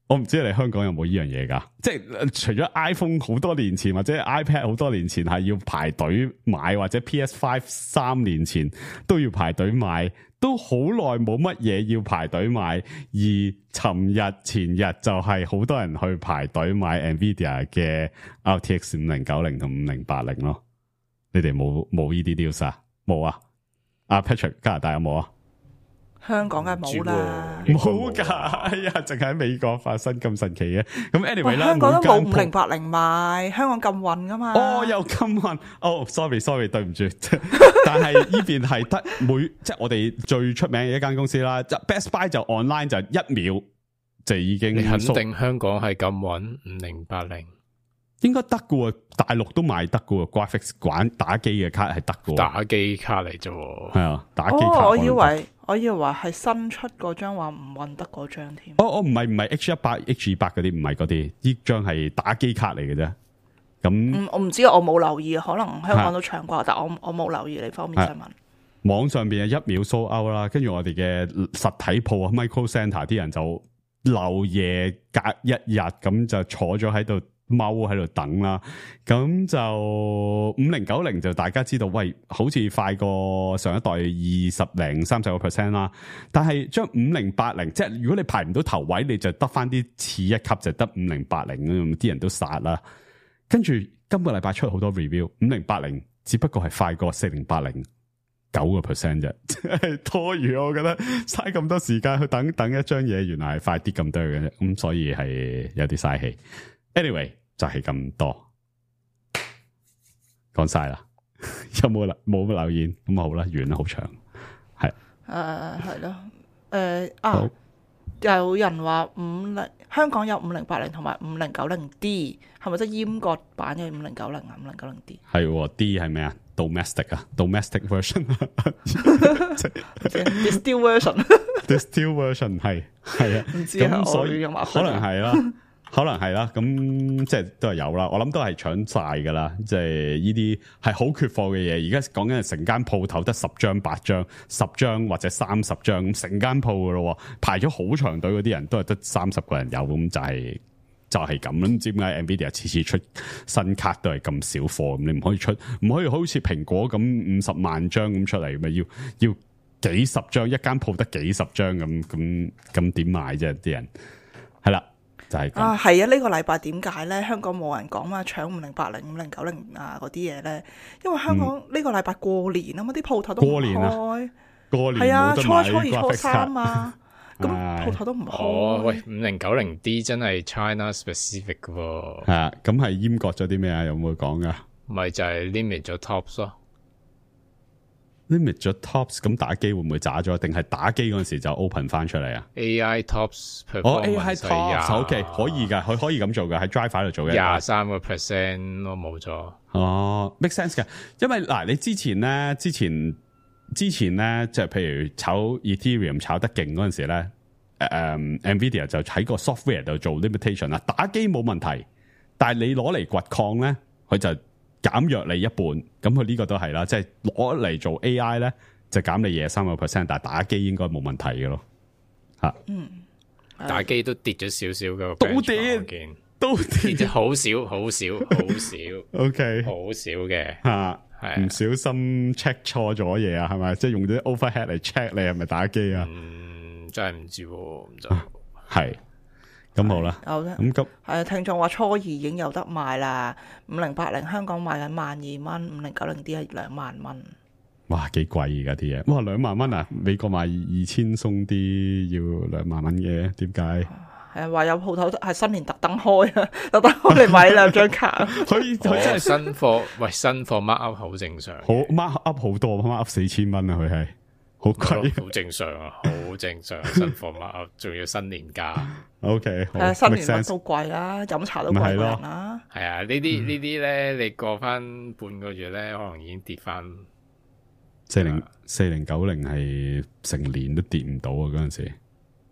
我唔知你香港有冇呢樣嘢噶，即係除咗 iPhone 好多年前或者 iPad 好多年前係要排隊買，或者 P S 五 三年前都要排隊買，都好耐冇乜嘢要排隊買。而尋日前日就係好多人去排隊買 Nvidia 嘅 R T X 五零九零同五零八零咯。你哋冇冇呢啲 news 啊？冇啊？阿 Patrick 加拿大有冇啊？香港梗係冇啦，冇噶，哎呀，淨係喺美國發生咁神奇嘅。咁 anyway 啦，香港都冇五零八零賣，香港禁運噶嘛。哦，又禁運，哦 ，sorry sorry， 對唔住。但係呢邊係得每即係我哋最出名嘅一間公司啦。Best Buy 就 online 就一秒就已經。你肯定香港係禁運五零八零？應該得嘅，大陸都賣得嘅 ，graphics 玩打機嘅卡係得嘅。打機卡嚟啫，係啊，打機卡。哦，我以為我以為係新出嗰張話唔運得嗰張添。哦哦，唔係唔係 H 一百 H 二百嗰啲，唔係嗰啲，呢張係打機卡嚟嘅啫。咁、嗯，我唔知，我冇留意，可能香港都搶過，但我我冇留意呢方面新聞。網上邊係一秒 sold out啦，跟住我哋嘅實體鋪啊 Micro Center 啲人就漏夜隔一日咁就坐咗喺度。踎喺度等啦，咁就五零九零就大家知道，喂，好似快過上一代二十零三十個 percent 啦。但係將五零八零，即係如果你排唔到頭位，你就得翻啲次一級，就得五零八零咁，啲人都殺啦。跟住今個禮拜出好多 review， 五零八零只不過係快過四零八零九個 percent 啫，真係多餘。我覺得嘥咁多時間去等等一張嘢，原來係快啲咁多嘅啫，咁所以係有啲嘥氣。Anyway 就係咁多，講晒啦，有冇冇留言咁好啦，完啦，好長，係誒係咯，誒啊，有人話五零香港有五零八零同埋五零九零 D， 係咪即係閹割版嘅五零九零啊？五零九零 D 係喎 ，D 係咩啊 ？Domestic 啊，Domestic version，Distill version，Distill version 係係啊，唔知啊，所以我可能係啦。可能係啦，咁即係都係有啦。我諗都係搶晒噶啦，即係呢啲係好缺貨嘅嘢。而家講緊係成間鋪頭得十張、八張、十張或者三十張，咁成間鋪噶咯，排咗好長隊嗰啲人都係得三十個人有，咁就係、是、就係咁啦。唔知點解 Nvidia 次次出新卡都係咁少貨，咁你唔可以出，唔可以好似蘋果咁五十萬張咁出嚟，咪要要幾十張，一間鋪得幾十張咁，咁咁點買啫？啲人係啦。就係啊，係啊！呢、這個禮拜點解咧？香港冇人講嘛，搶五零八零、五零九零啊嗰啲嘢咧，因為香港呢個禮拜過年啊嘛，啲鋪頭都唔開。過年係啊，初初二、初三啊，咁鋪頭都唔開。哦，喂，五零九零 D 真係 China specific 嘅喎。係啊，咁係閹割咗啲咩啊？有冇講噶？咪就係 limit 咗 tops 咯。limit 咗 tops， 咁打機會唔會渣咗？定係打機嗰陣時就 open 翻出嚟啊 ？A I tops 哦 ，A I tops，OK， 可以噶，佢可以咁做噶，喺 driver 度做嘅。廿三個 percent 都冇咗。哦 ，make sense 嘅，因為嗱，你之前咧，之前之前咧，即係譬如炒 Ethereum 炒得勁嗰陣時咧，誒、um, ，Nvidia 就喺個 software 度做 limitation 啦。打機冇問題，但係你攞嚟掘礦咧，佢就減弱你一半，咁佢呢個都係啦，即係攞嚟做 A I 咧，就減你廿三個 percent， 但係打機應該冇問題嘅咯，吓，嗯，打機都跌咗少少嘅，都跌，都跌咗好少，好少，好少，OK， 好少嘅，吓，係唔小心 check 錯咗嘢啊，係咪？即係用啲 overhead 嚟 check 你係咪打機啊？嗯，真係唔知，唔知係。咁好啦，有啫。咁急係聽眾話初二已經有得賣啦，五零八零香港賣緊萬二蚊，五零九零 D 係兩萬蚊。哇，幾貴而家啲嘢，哇兩萬蚊啊！美國賣二千鬆啲要兩萬蚊嘅，點解？係啊，話有鋪頭係新年特登開啊，特登開嚟買兩張卡。佢佢真係新貨，喂新貨 mark up 好正常，好 mark up 好多 ，mark up 四千蚊啊！佢係好貴，好正常啊，好正常。新貨 mark up 仲要新年價。O K，係啊，新年乜都貴啦，飲茶都貴過人啦。係啊，呢啲呢啲咧，你過翻半個月咧，可能已經跌翻四零四零九零係成年都跌唔到啊！嗰陣時，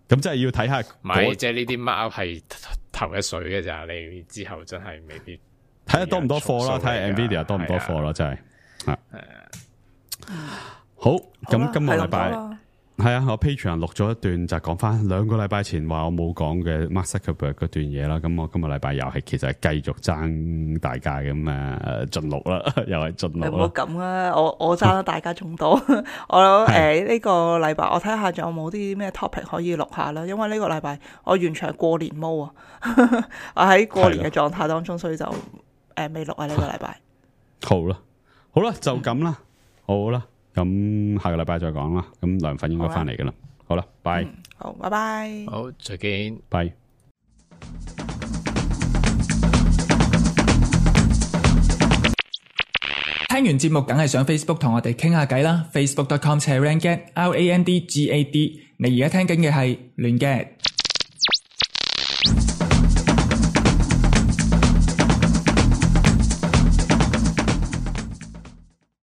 咁真係要睇下，唔係即係呢啲 mark up 係頭一水嘅咋，你之後真係未必睇下多唔多貨啦，睇下 Nvidia 多唔多貨啦，真係啊。好，咁今個禮拜。係啊，我 Patreon 錄咗一段就講翻兩個禮拜前話我冇講嘅 Mark Zuckerberg 嗰段嘢啦。咁我今個禮拜又係其實係繼續爭大家咁啊，盡錄啦，又係盡錄啦。唔好咁啊，我我爭得大家仲多。我誒呢、呃這個禮拜我睇下仲有冇啲咩 topic 可以錄下啦。因為呢個禮拜我完全係過年毛啊，我喺過年嘅狀態當中，所以就誒未錄啊呢個禮拜。好啦，好啦，就咁啦，好啦。咁下個禮拜再講啦。咁梁粉應該翻嚟噶啦。好啦，拜、嗯。好，拜拜。好，再見，拜。聽完節目梗係上 Facebook 同我哋傾下偈啦。Facebook dot com slash randgad R A N D G A D。你而家聽緊嘅係亂 gad。